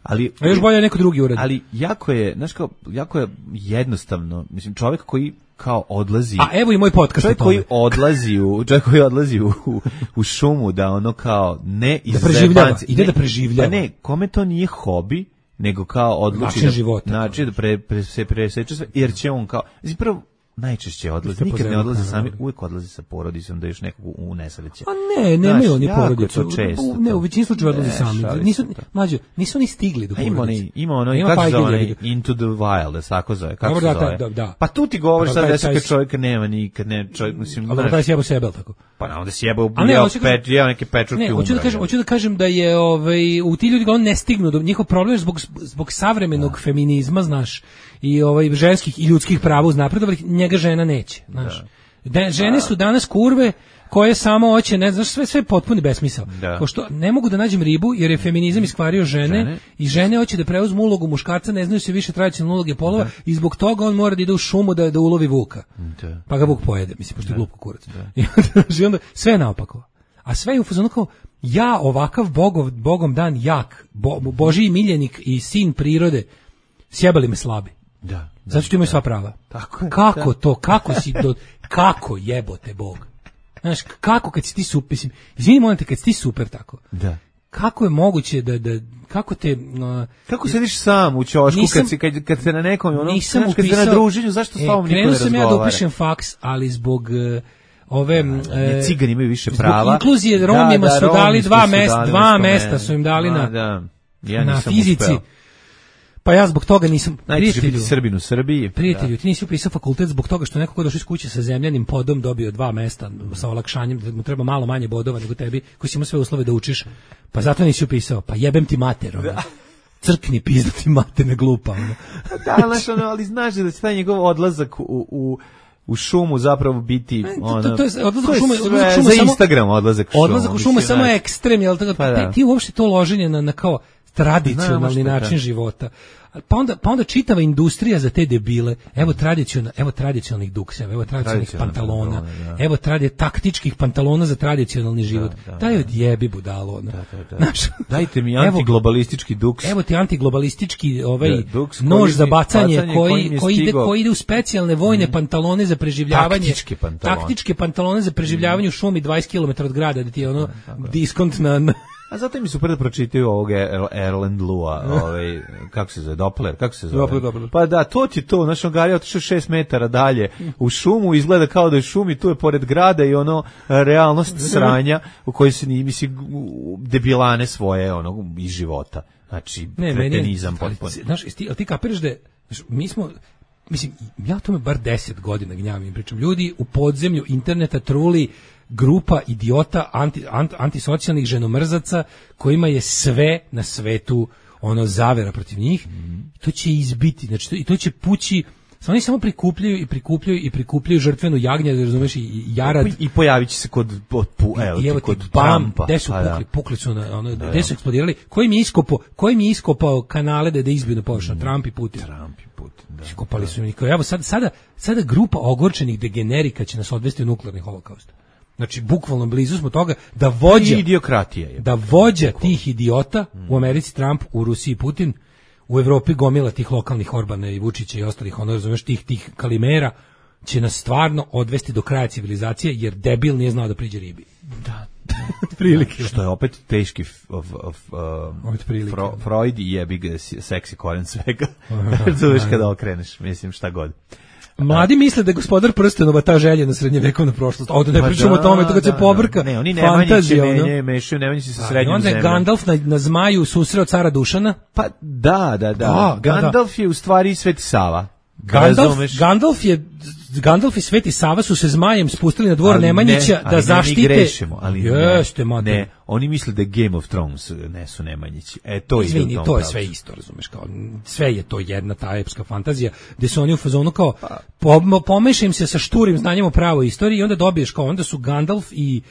Ali a još bolje neko drugi uradi. Ali jako je, znaš kao, jako je jednostavno, mislim, čovjek koji kao odlazi. A evo i moj podcast. Čovjek koji odlazi u, čovjek koji odlazi u, u, u šumu da ono kao ne iz da preživljava, ide da preživljava. Pa ne, kome to nije hobi, nego kao odluči da života. Znači da pre, pre, se preseče sve, jer će on kao, znači prvo najčešće odlazi, nikad ne odlazi sami, uvijek odlazi sa porodicom da još nekog u nesreće. A ne, nemaju oni porodicu. U, ne, u većini slučajeva odlazi sami. Nisu, mlađo, nisu ni stigli do porodice. Ima ono, ima kako se zove, Into the Wild, da tako zove, kako se zove. Da, da. Pa tu ti govoriš sad da se kad čovjeka nema nikad, ne, čovjek, mislim... Ali taj sjebao sebe, tako? Pa na onda sjebao, ubijao pet, jeo neke pečurke umre. Ne, hoću da kažem, hoću da kažem da je, ovaj, u ti ljudi ga on ne stignu, do njihov problem je zbog, zbog savremenog feminizma, znaš, i ovaj ženskih i ljudskih prava uznapredovali, njega žena neće, znaš. Da. Žene su danas kurve koje samo hoće, ne znaš, sve sve potpuni besmisao. Ko što ne mogu da nađem ribu jer je feminizam iskvario žene, žene i žene hoće da preuzmu ulogu muškarca, ne znaju se više tradicionalne uloge polova da. I zbog toga on mora da ide u šumu da da ulovi vuka. Da. Pa ga vuk pojede, mislim, pošto je glup kurac. I onda sve je naopako. A sve je u fazonu kao ja ovakav bogov, bogom dan jak, bo, Božiji miljenik i sin prirode, sjebali me slabi. Da. Zato što imaju sva prava. Tako je, kako da. to, kako si, do, kako jebote Bog? Znaš, kako kad si ti super, mislim, izvini molim te, kad si ti super tako, da. kako je moguće da, da kako te... Uh, kako sediš sam u ćošku nisam, kad, si, kad, kad se na nekom, ono, nisam znaš, kad upisao, se na druženju, zašto s tobom e, niko ne razgovara? Krenuo sam ja da upišem faks, ali zbog... Uh, ove e, cigani imaju više zbog prava. Inkluzije Romima da, da, su dali dva su mesta, dali dva mesta su im dali na, da. Ja na fizici. Uspeo. Pa ja zbog toga nisam prijatelju. Srbin u Srbiji. Prijatelju, da. ti nisi upisao fakultet zbog toga što neko ko došao iz kuće sa zemljanim podom dobio dva mesta sa olakšanjem, da mu treba malo manje bodova nego tebi, koji si imao sve uslove da učiš. Pa zato nisi upisao. Pa jebem ti mater. Ono. Crkni pizda ti mater, ne glupa. Ono. Da, znaš, ono, ali znaš da će taj njegov odlazak u, u u šumu zapravo biti ono, to, to, to je odlazak u šumu, odlazak šumu za samo, Instagram odlazak u šumu. Odlazak u šumu samo je ekstrem, jel tako? Pa da. Ti uopšte to loženje na, na kao tradicionalni način da. života. Pa onda, pa onda čitava industrija za te debile. Evo tradicionalnih, evo tradicionalnih dukseva, evo tradicionalnih pantalona, pantalone, da. Evo tradi taktičkih pantalona za tradicionalni život. Da, da, Daj odjebi budalo. Ono. Da, da, da. Znaš, dajte mi antiglobalistički duks. Evo ti antiglobalistički ovaj da, duks, nož za bacanje, bacanje koji, koji, ide, koji ide u specijalne vojne mm. pantalone za preživljavanje. Taktičke pantalone. Taktičke pantalone za preživljavanje mm. u šumi dvadeset kilometara od grada, da ti je ono da, diskont na... A zato mi super da pročitaju ovog Erland Lua, ovaj, kako se zove, Doppler, kako se zove? Doppler, Doppler. Pa da, to ti to, znaš, on Gari otišao šest metara dalje u šumu, izgleda kao da je šumi, tu je pored grada i ono, realnost sranja u kojoj se ni, misli, debilane svoje, ono, iz života. Znači, ne, kretenizam potpuno. Znaš, ti, ti kapiraš da, znaš, mi smo, mislim, ja o tome bar deset godina gnjavim, pričam, ljudi u podzemlju interneta truli grupa idiota anti, anti, antisocijalnih ženomrzaca kojima je sve na svetu ono zavera protiv njih. Mm. To će izbiti, znači to, i to će pući. Oni samo prikupljaju i prikupljaju i prikupljaju žrtvenu jagnje, razumeš, i jarad. I pojavit će se kod pu, evo, I evo kod bam, gde su pukli, pukli su na, ono, gde su eksplodirali. Koji mi je iskopao, koji mi je iskopao kanale da da izbiju na površinu, mm. Trump i Putin. Trump i Putin, da. Iskopali su mi. Evo sad, sada, sada grupa ogorčenih degenerika će nas odvesti u nuklearni holokaust. Znači, bukvalno blizu smo toga da vođa, idiokratija je. Da vođa tih idiota, mm. u Americi Trump, u Rusiji Putin, u Evropi gomila tih lokalnih Orbana i Vučića i ostalih, ono, razumeš, tih, tih kalimera, će nas stvarno odvesti do kraja civilizacije, jer debil nije znao da priđe ribi. Da. Prilike. Što je opet teški of, of, um, Fro, Freud i jebi ga seksi koren svega. Razumeš kada okreneš, mislim, šta god. Mladi misle da je Gospodar prstenova ta željena srednjevekovna prošlost. Ovdje ne pa pričamo da, o tome, to kad da, se pobrka ne, oni fantazija. Ne, menjaju, mešaju, ne menjaju se sa srednjom zemljom. Onda je Gandalf na, na zmaju susreo cara Dušana. Pa da, da, da. da Gandalf da. je u stvari Sveti Sava. Gandalf, Gandalf je Gandalf i Sveti Sava su se zmajem spustili na dvor ali Nemanjića ne, da zaštite. Ali ne, mi grešimo, ali jeste, ne, ne, oni misle da Game of Thrones ne su Nemanjići. E, to Izvini, je to je sve isto, razumeš, kao, sve je to jedna ta epska fantazija, gde su oni u fazonu kao, po, pomeša im se sa šturim znanjem o pravoj istoriji i onda dobiješ kao, onda su Gandalf i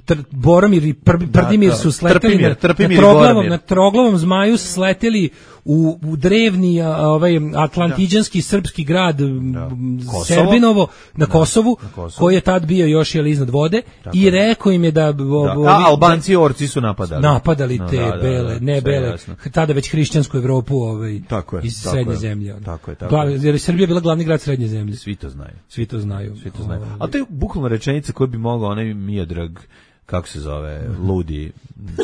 Tr, Boromir i Pr, Prdimir da, da. su sleteli Trpimir, na, Trpimir na, troglavom, na troglavom zmaju su sleteli u, u drevni a, ovaj atlantiđanski da. srpski grad da. Serbinovo na, da. Kosovu, na Kosovu, koji je tad bio još jel iznad vode. Tako i rekao im je da, da. Ovi, a Albanci i orci su napadali. Napadali te no, da, bele, da, da, ne bele, jasno. Tada već hrišćansku Evropu ovaj, tako je, iz tako srednje je, zemlje. Tako je, tako je. Jer je Srbija bila glavni grad srednje zemlje. Svi to znaju. Svi to znaju. Svi to znaju. A to je bukvalno rečenica koju bi mogao onaj Miodrag, kako se zove, ludi,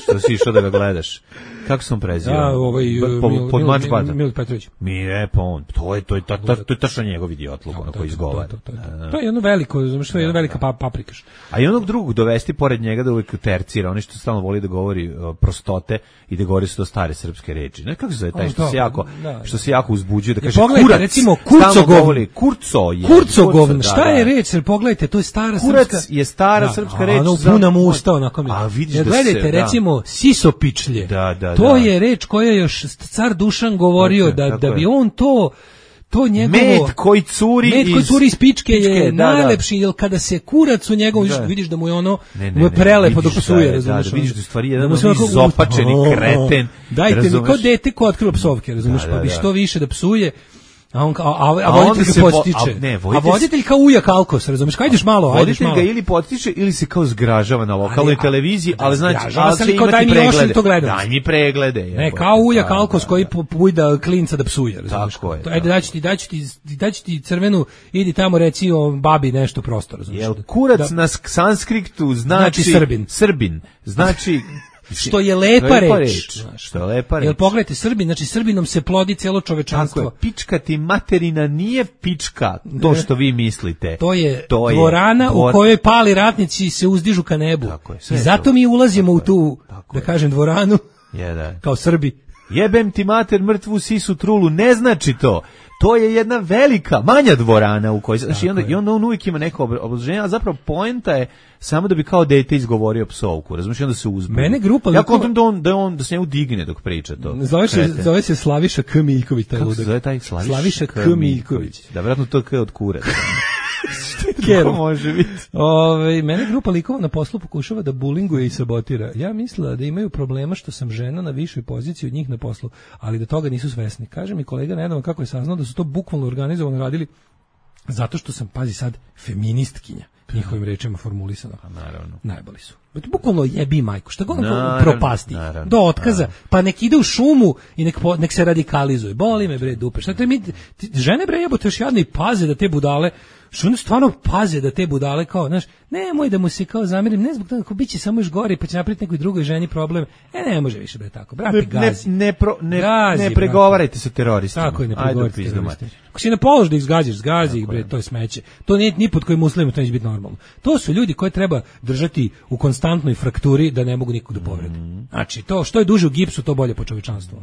što si išao da ga gledaš. Kako sam prezio? Ja, ovaj, po, pod mač bata. Mil Petrović. Mi je, pa on, to je, to je, to je, to je tačno njegov idiotluk, ono koji izgovara. To, to, to, to. to je jedno veliko, znaš, to je jedna velika pa, paprikaš. A i onog drugog dovesti pored njega da uvijek tercira, oni što stalno voli da govori uh, prostote i da govori su to stare srpske reči. Ne, kako se zove taj što se jako, da, što se jako uzbuđuje, da kaže kurac. Recimo, kurcogovni. Kurco je. Kurcogovn, šta je reč? Pogledajte, to je stara srpska. Kurac je stara srpska reč. Ono puna mu usta, onako mi. A vidiš da gledajte, recimo, sisopičlje. Da, da, to je reč koja još car Dušan govorio tako, da, tako da bi on to to njegovo med koji curi med koji curi iz pičke, pičke je da, najlepši, jer kada se kurac u njegovu da. vidiš da mu je ono ne, ne, mu je prelepo dok psuje, razumiješ? Da, da, vidiš da stvari jedan izopačeni kreten. Dajte mi ko dete ko otkriva psovke, razumiješ? Pa bi što više da psuje. A on kao, a, a, A voditelj onda ga se vo- podstiče. a ne, A voditelj- voditelj kao uja kalkos, razumeš? Kad ideš malo, ajdeš Voditelj malo. ga ili potiče ili se kao zgražava na lokalnoj Ali, a- televiziji, da, ali znači zgražava ali se, će ali kao imati daj mi još preglede. ili to gledam. Daj mi preglede. Ne, jebote. kao uja Da, kalkos da, koji da. pu- pujda klinca da psuje, razumeš? Tako je, To, ajde, tako daću ti, daću ti, daću ti crvenu, idi tamo reci o babi nešto prosto, razumeš? Jel kurac Da. na sk- sanskriptu znači, Znači Srbin. Srbin. Znači Što je lepa Što je lepa reč. reč. znaš. Što je lepa Jel reč. pogledajte, Srbin, znači Srbinom se plodi celo Tako čovečanstvo. je, pička ti materina nije pička, to što vi mislite. To je To je dvorana dvor- u kojoj pali ratnici i se uzdižu ka nebu. Tako je, sve I je zato to. mi ulazimo u tu, Tako da je. kažem, dvoranu Je, da. kao Srbi. Jebem ti mater mrtvu sisu trulu, ne znači to. To je jedna velika, manja dvorana u kojoj, znači, i onda, i onda on uvijek ima neko obra- obrazloženje, a zapravo poenta je samo da bi kao dete izgovorio psovku, razumiješ, i onda se uzbudi. Mene grupa Ja likova- kontam da on, da on, da se njemu digne dok priča to. Zove se, Kreten. zove se Slaviša K. Miljković, taj Kako se ludak. zove taj Slaviša, Slaviša K. Miljković. Da, vjerojatno to K od kure. Kero. To može biti. Ove, mene grupa likova na poslu pokušava da bulinguje i sabotira. Ja mislila da imaju problema što sam žena na višoj poziciji od njih na poslu, ali da toga nisu svesni. Kaže mi kolega nedavno kako je saznao da su to bukvalno organizovano radili zato što sam, pazi sad, feministkinja. Njihovim rečima formulisano. Naravno. Najboli su. Bukvalno jebi majku, šta god nam Naravno, propasti. naravno, Do otkaza, pa nek ide u šumu i nek, po- nek se radikalizuje. Boli me bre dupe. Šta te mi, ti- žene bre jebote još jadne i paze da te budale, što one stvarno paze da te budale kao, znaš, nemoj da mu se kao zamerim, ne zbog toga, ako bit će samo još gore pa će napraviti nekoj drugoj ženi problem. E, ne može više bre tako. Brate, Ne, ne, gazi. ne, pro, ne, Gazi, ne brate. pregovarajte sa teroristima. Tako je, ne Ajde, pregovorite pizdu teroriste. mater. Ako si na položaju da ih zgađaš, zgazi ih, bre, to je smeće. To nije ni pod kojim uslovima, to neće biti normalno. To su ljudi koje treba držati u konstantnoj frakturi da ne mogu nikog da povrede. Znači, to što je duže u gipsu, to bolje po čovečanstvu.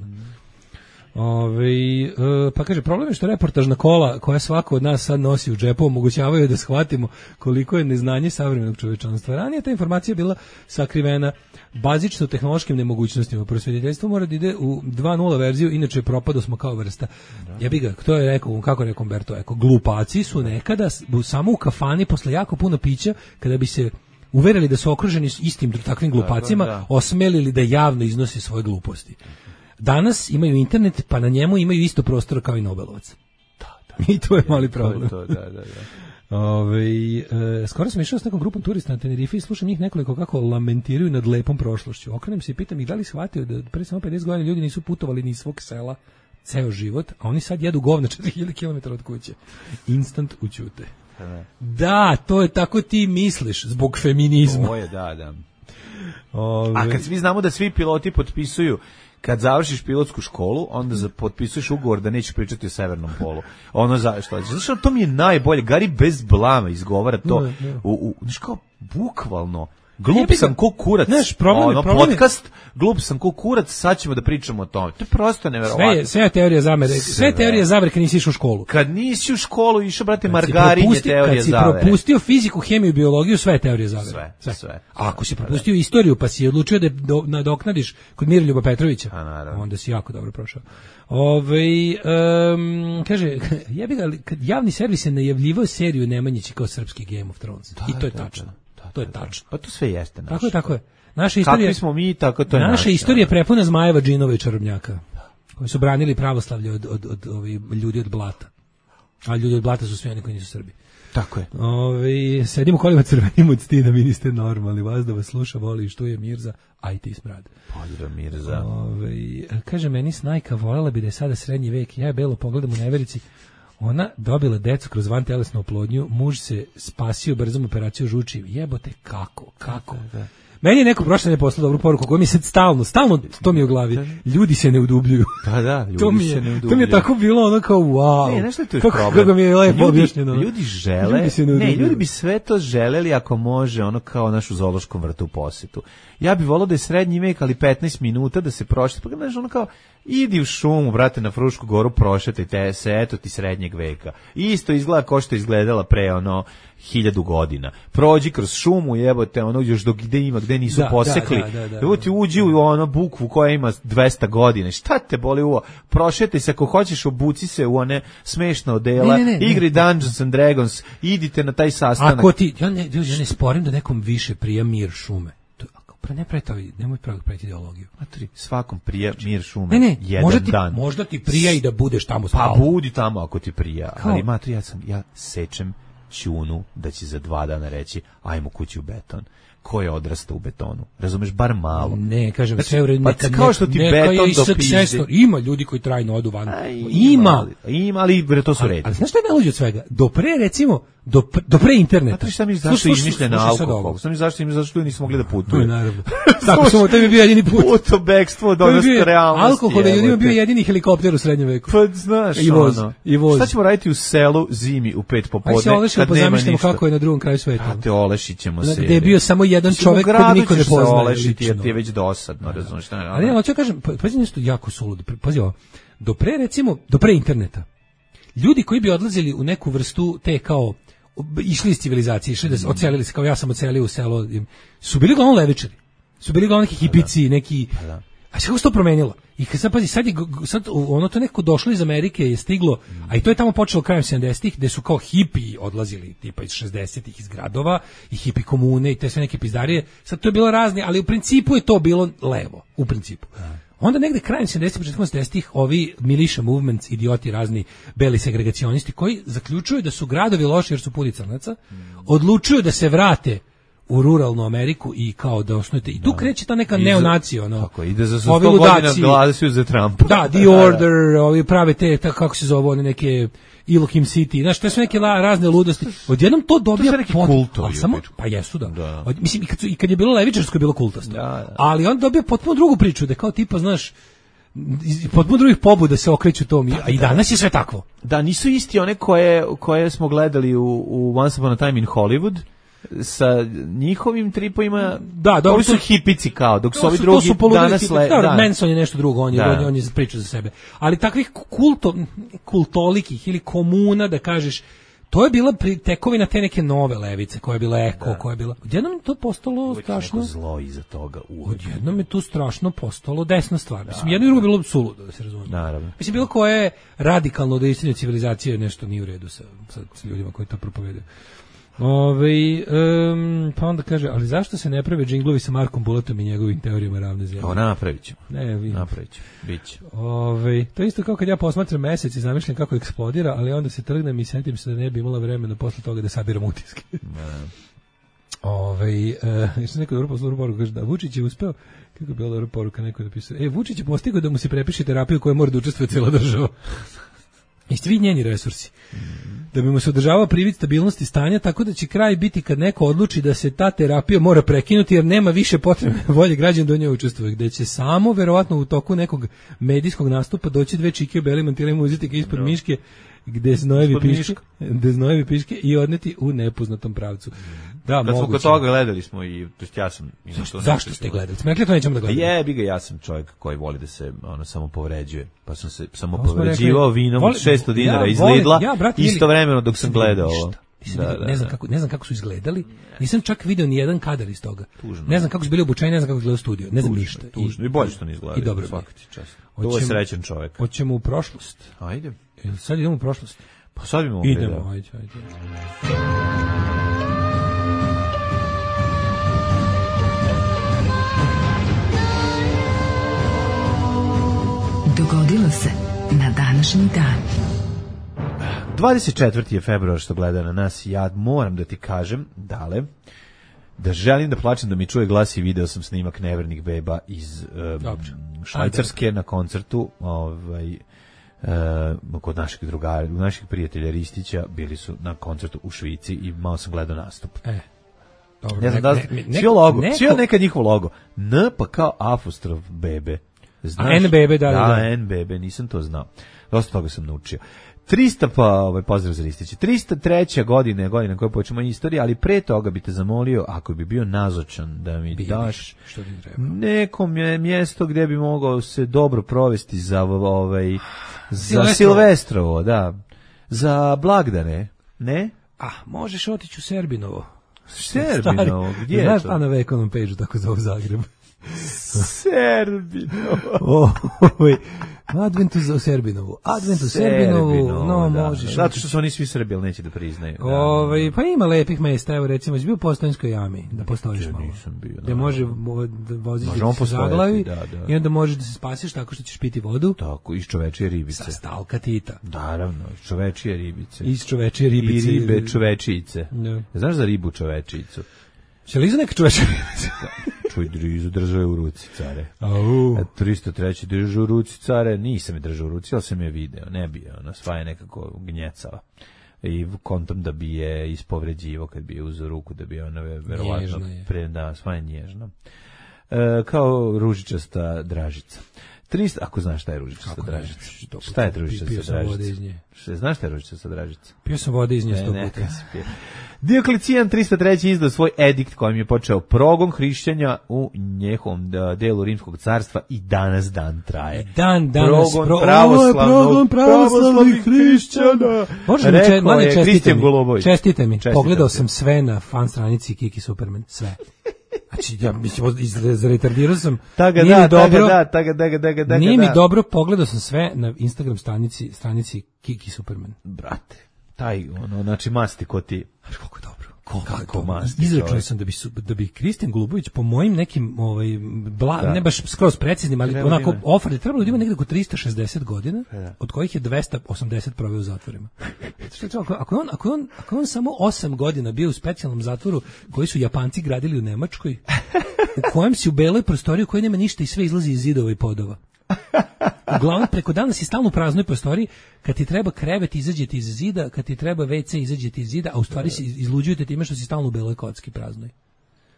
Ove, e, pa kaže, problem je što reportažna kola koja svako od nas sad nosi u džepu omogućavaju da shvatimo koliko je neznanje savremenog čovečanstva. Ranije ta informacija bila sakrivena bazično tehnološkim nemogućnostima. Prosvjetiteljstvo mora da ide u dva nula verziju, inače propado smo kao vrsta. Ja bih ga, to je rekao, kako je rekao Umberto Eco, glupaci su nekada s- u- samo u kafani posle jako puno pića, kada bi se uverili da su okruženi s istim takvim glupacima, da, da. osmelili da javno iznose svoje gluposti. Danas imaju internet, pa na njemu imaju isto prostora kao i Nobelovac. I to je mali problem. To, da, da, da. Ove, e, skoro sam išao s nekom grupom turista na Tenerife i slušam njih nekoliko kako lamentiraju nad lepom prošlošću. Okrenem se i pitam ih da li shvatio da pre samo pedeset godina ljudi nisu putovali ni iz svog sela ceo život, a oni sad jedu govna četiri hiljade kilometara od kuće. Instant ućute. Da, to je tako ti misliš zbog feminizma. To je, da, da. Ove, A kad svi znamo da svi piloti potpisuju kad završiš pilotsku školu, onda za, potpisuješ ugovor da nećeš pričati o severnom polu. Ono za što? Zato što to mi je najbolje. Gari bez blama izgovara to. Ne, ne. U, u, znaš kao, bukvalno. Glup Jebi ga. sam ko kurac. Znaš, problem je- ono, problem je- podcast, glup sam ko kurac, sad ćemo da pričamo o tome. To je prosto neverovatno. sve, je, sve je teorija zamere. Sve, Sve. je teorija zavere kad nisi išao u školu. Kad nisi u školu išao, brate, Kad si margarin je propusti- teorija Kad si zavere. propustio fiziku, hemiju, biologiju, sve je teorija zavere. Sve, sve. A ako si propustio istoriju, pa si odlučio da je do, nadoknadiš kod Miroljuba Petrovića, A, naravno. onda si jako dobro prošao. Ove, um, kaže, jebi ga, ali kad javni servis je najavljivao seriju Nemanjići kao srpski Game of Thrones. I to je da, tačno. da, da, to je da, tačno. Pa to sve jeste naše. Tako je, tako je. Naša istorija, Kakvi smo mi, tako to je naša naše. istorija je prepuna zmajeva, džinova i čarobnjaka, koji su branili pravoslavlje od, od, od, ovih ljudi od blata. A ljudi od blata su svi oni koji nisu Srbi. Tako je. Ove, sedim u kolima crvenim od stida, vi niste normalni, vas da vas sluša, voli i štuje Mirza, a i ti smrad. Poljura Mirza. Ove, kaže, meni snajka, voljela bi da je sada srednji vek, ja je belo pogledam u neverici, ona dobila decu kroz vantelesnu oplodnju, muž se spasio brzom operacijom žuči, jebote, kako, kako? Meni je neko prošle ne poslao dobru poruku, koja mi se stalno, stalno to mi je u glavi, ljudi se ne udubljuju. Da, da, ljudi to mi je, se ne udubljuju. To mi je tako bilo ono kao wow. Ne, znaš što je tu još kako, problem? kako mi je lepo ljudi, objašnjeno. ljudi žele, Ljudi se ne ne, udubljuju. ljudi bi sve to želeli ako može, ono kao naš u zoološkom vrtu u posetu. Ja bih volao da je srednji vek, ali petnaest minuta da se prošli, pa znaš, ono kao, idi u šumu, brate, na Frušku goru, prošetajte se, eto ti srednjeg veka. Isto izgleda kao što je izgledala pre, ono, hiljadu godina. Prođi kroz šumu, jebote, ono, još do gde ima, gde nisu Da, posekli. da, da, da, da. Evo ti uđi u ono bukvu koja ima dvesta godina. Šta te boli uvo? Prošetaj se, ako hoćeš, obuci se u one smešne odela, Ne, ne, ne, igri ne. Dungeons and Dragons, idite na taj sastanak. Ako ti, ja ne, ja ne sporim da nekom više prija mir šume. To, ako Pa ne pretavi, nemoj pravi preti ideologiju. Matri, svakom prija mir šume. Ne, ne, jedan možda ti, dan. možda ti prija i da budeš tamo Pa stalno. budi tamo ako ti prija. Kao? Ali matri, ja sam, ja sečem ćunu da će za dva dana reći ajmo kući u beton. Ko je odrastao u betonu? Razumeš, bar malo. Ne, kažem, Znači, sve u redu, pa neka, kao što ti neka beton je i dopizdi. successor. Ima ljudi koji trajno odu van. A, Ima. Ima, ali bre, to su Ali, redi. ali znaš šta je najluđe od svega? Do pre, recimo, do, pre, do pre interneta. Matri, šta mi zašto Slušaj, izmišljen slušaj sad alkohol? ovo. Šta mi zašto im zašto ljudi nisu mogli da To putuju? je naravno. Tako smo, to je bio jedini put. Puto bekstvo do To je nas bio- realnosti. Alkohol je ljudima jebote. bio jedini helikopter u srednjem veku. Pa znaš, I voz, ono. i voz. Šta ćemo raditi u selu zimi u pet Aj popodne se olešimo kad pa nema zamišljamo ništa? kako je na drugom kraju sveta. A te olešićemo se. Gde je bio samo jedan Mislim, u čovek kojeg gradu niko ne ćeš se poznaje. olešiti jer lično. ti je već dosadno, razumiješ šta je. Ali ja hoću da kažem, pa- pazi nešto jako suludo. Pazi ovo. Do pre, recimo, do pre interneta, ljudi koji bi odlazili u neku vrstu te kao išli iz civilizacije, išli da se ocelili se, kao ja sam ocelio u selo, im- su bili uglavnom levičari. Su bili uglavnom neki hipici, neki... A sve kako se to promenilo? I kad sad, pazi, sad, je, g- sad ono to neko došlo iz Amerike je stiglo, a i to je tamo počelo krajem sedamdesetih, gde su kao hipi odlazili, tipa iz šezdesetih iz gradova, i hipi komune i te sve neke pizdarije. Sad to je bilo razne, ali u principu je to bilo levo, u principu. Onda negde krajem sedamdesetih, početkom osamdesetih ovi militia movements, idioti razni beli segregacionisti koji zaključuju da su gradovi loši jer su puni crnaca, odlučuju da se vrate u ruralnu Ameriku i kao da osnujete. I tu kreće ta neka I za- neonacija, ono. Tako, ide za sto ovi godina ludaci. glasuju za Trumpa. Da, The Order, ovi prave te, ta, kako se zove, one neke Elohim City, znaš, to su neke la, razne ludosti. Odjednom to dobija... su neki pot- kultovi, ali samo, u pa jesu, da. Da. Od, mislim, i kad, su, i kad je bilo levičarsko je bilo kultasto. Da, da. Ali on dobija potpuno drugu priču, da kao tipa, znaš, iz potpuno drugih pobuda se okreću tom, a i danas je sve takvo. Da, nisu isti one koje, koje smo gledali u, u Once Upon a Time in Hollywood, sa njihovim tripovima, Da, dobro, ovi su to- hipici kao, dok su To ovi su, drugi to su poludeli danas tipa- le, da, da. Manson je nešto drugo, on je, Da. on je, on je priča za sebe. Ali takvih kulto, kultolikih ili komuna, da kažeš, to je bila pri- tekovina te neke nove levice, koja je bila eko, koja je bila... Odjednom je to postalo Uvijek je neko strašno... zlo iza toga. Uvijek. Odjednom je tu strašno postalo desna stvar. Mislim, jedno i drugo je bilo suludo, da se razumije. Naravno. Mislim, bilo koje radikalno od istine civilizacije nešto nije u redu sa, sa, sa ljudima koji to propovedaju. Ove, um, pa onda kaže, ali zašto se ne prave džinglovi sa Markom Bulatom i njegovim teorijama ravne zemlje? Kao napravit ćemo. Ne, vi. Napravit ćemo. Biće. Ove, to je isto kao kad ja posmatram mesec i zamišljam kako eksplodira, ali onda se trgnem i setim se da ne bi imala vremena posle toga da sabiram utiske. Ove, uh, što neko dobro poslao poruku, kaže da Vučić je uspeo, kako je bila dobra poruka, neko je napisao, e, Vučić je postigao da mu se prepiše terapiju koja mora da učestvuje cijela država. I svi njeni resursi. Da bi mu se održavao privid stabilnosti stanja, tako da će kraj biti kad neko odluči da se ta terapija mora prekinuti jer nema više potrebe volje građana da u njoj učestvuje, gde će samo verovatno u toku nekog medijskog nastupa doći dve čike u belim mantilima uzeti ga ispod miške gde znojevi Ispod piške, miška. gde znojevi piške i odneti u nepoznatom pravcu. Da, Kad smo moguće. kod toga gledali smo i, to jest ja sam... Zašto, zašto ste gledali? Smo rekli da to nećemo da Pa gledamo. jebi ga, ja sam čovjek koji voli da se ono samo povređuje. Pa sam se samo To smo povređivao rekli. vinom Voli- od šesto dinara ja iz volim- Lidla, ja, brate, ili- istovremeno dok sam gledao ovo. Ništa. Nisam Da, vidio, da, ne znam da. kako ne znam kako su izgledali. Nisam čak video ni jedan kadar iz toga. Tužno. Ne znam kako su bili obučeni, ne znam kako izgleda studio, ne znam Tužno, ništa. tužno. I bolje što ne izgleda. I dobro. mi je. Svaka ti čast. To je Hoćemo- srećan čovjek. Hoćemo u prošlost. Ajde. Jel sad idemo u prošlost? Pa sad bi mogli Idemo, da... ajde, ajde. Dogodilo se na današnji dan. dvadeset četvrti je februar što gleda na nas. Ja moram da ti kažem, dale, da želim da plačem da mi čuje glas i video sam snimak Nevernih beba iz um, Dobro. Švajcarske na koncertu ovaj, uh, kod naših drugara, naših prijatelja Ristića, bili su na koncertu u Švici i malo sam gledao nastup. E. Dobro. Ne znam da li, ne- ne- svi logo, neko- svi nekad njihov logo. N pa kao apostrof bebe. Znaš? A, N bebe, da, da, da. N bebe, nisam to znao. Dosta toga sam naučio. trista pa, ovaj, pozdrav za Ristića. trista treća godine, godina koja počemo istorija, ali pre toga bi te zamolio, ako bi bio nazočan, da mi Bidiš, daš što ti treba. neko mje- mjesto gdje bi mogao se dobro provesti za ovaj za Silvestrovo. Silvestrovo, da. Za blagdane, ne? Ah, možeš otići u Serbinovo. Serbinovo, gdje je Znaš to? šta na Vekonom page-u tako zove Zagreb? Serbinovo. Oj, Adventu za Serbinovu. Adventu Serbinovu, no da. možeš. Zato što su oni svi Srbi, ali neće da priznaju. Ove, pa ima lepih mesta, evo recimo, si bio u Postojnskoj jami, da postojiš Ja malo. nisam bio. Gde može vo- da voziš Možemo da se postojati, zaglavi da, da. i onda možeš da se spasiš tako što ćeš piti vodu Tako, iz čovečije ribice. sa stalka Tita. Naravno, iz čovečije ribice. Iz čovečije ribice. I ribe čovečice. Da. Znaš za ribu čovečicu? Će li iza neka čovečija ribica? Čuj, drizu držao je u ruci, care. Au. A tristo treći držao u ruci, care. Nisam je držao u ruci, ali sam je video. Ne bi je, ona sva je nekako gnjecava. I kontom da bi je ispovređivo kad bi je uzeo ruku, da bi je ona verovatno Nježna je. pre, da, sva je nježna. E, kao ružičasta dražica. tristo, ako znaš šta je ružičasta Kako ne, dražica. što Šta je pio ružičasta sam vode iz dražica? nje. Šta, znaš šta je ružičasta dražica? Pio sam vode iz nje Ne, sto ne, puta. kad si pio. Dioklecijan tristo treći izdao svoj edikt kojim je počeo progon hrišćanja u njehovom da, delu Rimskog carstva i danas dan traje. Dan danas progon pro, pravoslavnog, progon pravoslavnih hrišćana. Može mi Rekao mlade je čestite Kristijan mi. Golubović. Čestite mi. Čestitam Pogledao ti. sam sve na fan stranici Kiki Superman, sve. Znači ja mislim izretardirao sam. Taga Nije da, mi dobro. taga da, taga da, taga da, taga Nije mi da. dobro, pogledao sam sve na Instagram stranici stranici Kiki Superman. Brate, taj, ono, znači masti ko ti. Znaš koliko je dobro. Kako masti Izračunao čovjek. sam da bi su, da bi Kristijan Golubović po mojim nekim ovaj bla, Da. ne baš skroz preciznim, ali Trebalo onako da ima. offer trebalo da ima negde oko tristo šezdeset godina, Da. od kojih je dvesta osamdeset proveo u zatvorima. Što je to, ako, ako je on ako je on ako je on samo osam godina bio u specijalnom zatvoru koji su Japanci gradili u Nemačkoj, u kojem si u beloj prostoriji u kojoj nema ništa i sve izlazi iz zidova i podova. Uglavnom, preko dana si stalno u praznoj prostoriji, kad ti treba krevet, izađete iz zida, kad ti treba ve ce, izađete iz zida, a u stvari si izluđujete time što si stalno u beloj kocki praznoj.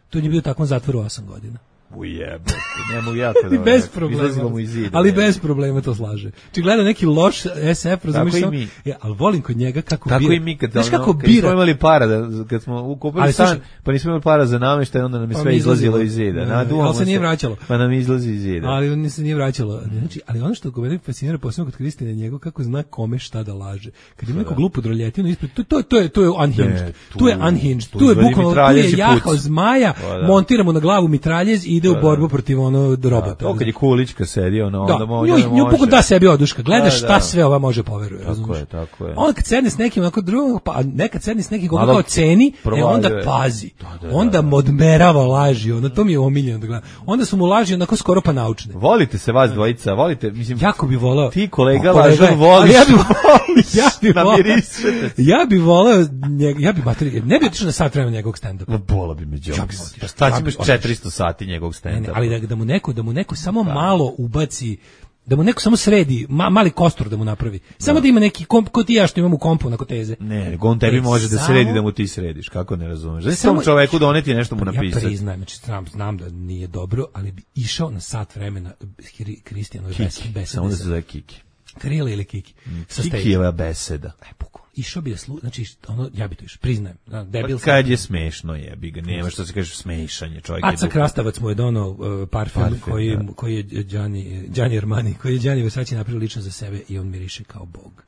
To je bio takvom zatvoru osam godina. Ujebe, ne mogu jako I da... bez problema. Izlazimo mu iz zida. Ali ne. bez problema to slaže. Či gleda neki loš es ef, razumiješ Tako i samo- mi. Ja, ali volim kod njega kako Tako bira. i mi kad, Znaš ono, kako kad smo bira. imali para, da, kad smo ukupili Ali stan, slušaj- pa nismo imali para za namještaj, onda nam je Pa sve mi izlazilo izlazilo. iz zida. Ne, Naduvamo ali se nije vraćalo. Pa nam izlazi iz zida. Ali on se nije vraćalo. Znači, ali ono što kod mene fascinira posebno kod Kristine njegov kako zna kome šta da laže. Kad ima neku glupu droljetinu ispred, to to to je to je unhinged. Ne, tu, je tu- unhinged. tu Tu je izvadi bukvalno tu mitraljez je i jahao puca. zmaja, Pa da. montiramo na glavu mitraljez i ide u Da, borbu da. protiv ono robota. To kad je Kulićka sedio, no, Da, onda mo- nju, onda nju može. pokon da sebi oduška. Gledaš Da, šta da. sve ova može poveruje. Tako razumeš? je, tako je. Onda kad sedne s nekim onako drugom, pa a nekad sedne s nekim koga Malo kao ceni, e provaljuje. onda pazi. Da, da, da, onda da. modmerava laži, onda to mi je omiljeno da gledam. Onda su mu laži onako skoro pa naučne. Volite se vas dvojica, volite, mislim, Jako bi voleo. ti kolega O, kolega lažan je. voliš, Ali ja bi voliš, ja bi voleo. namirišete se. Ja bi voleo njega, ja bi materi, ne bi otišao na sat vremena njegovog stand-upa. Ma bola bi me Ja bi džoks. otišao. Pa šta Ja će bi imaš otišao. četiristo sati njegovog Ne, ne, stand-upa? ali da, da mu neko, da mu neko samo malo ubaci, da mu neko samo sredi, ma, mali kostur da mu napravi. Samo da, ima neki komp, ko ti ja što imam u kompu na koteze. Ne, nego on tebi E, može da samo- sredi da mu ti središ, kako ne razumeš? Znači Samo- tom čoveku doneti nešto mu Ja napisati. priznajem, znači znam, znam da nije dobro, ali bi išao na sat vremena Kri- Kristijanove bes- Kiki, besede. samo da se sa- zove Kiki. Krila ili Kiki. Sa stage. Kikijeva beseda. E, bukvalno. Išao bi da slu, znači ono, ja bi to išao, priznajem. Da, debil Pa sam. kad je smešno jebi ga, nema što se kaže smešanje, čovjek je Aca duh. Krastavac mu je donao uh, parfem, Parfem, koji, da. koji je Gianni, Gianni Armani, koji je Gianni Versace napravio lično za sebe i on miriše kao Bog.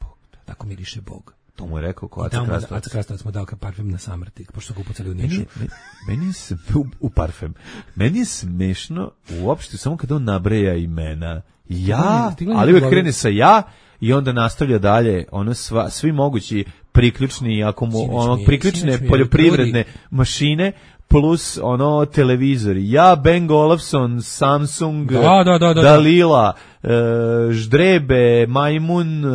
Tako miriše Bog. To mu je rekao ko I Aca tamo mu- Krastavac. Aca Krastavac mu dao kao parfem na samrtik, pošto su ga upucali u Nišu. Meni, me- meni je s- u, u parfem. Meni je smešno uopšte samo kada on nabreja imena. Ja, Stigla mi je ali u uvek glavi. krene sa ja i onda nastavlja dalje ono sva, svi mogući priključni ako mu Sinoć ono mi je- priključne sinoć mi je poljoprivredne mašine plus ono televizori. Ja, Ben Olufsen, Samsung, Da, da, da, da, da. Dalila, e, Ždrebe, Majmun, e,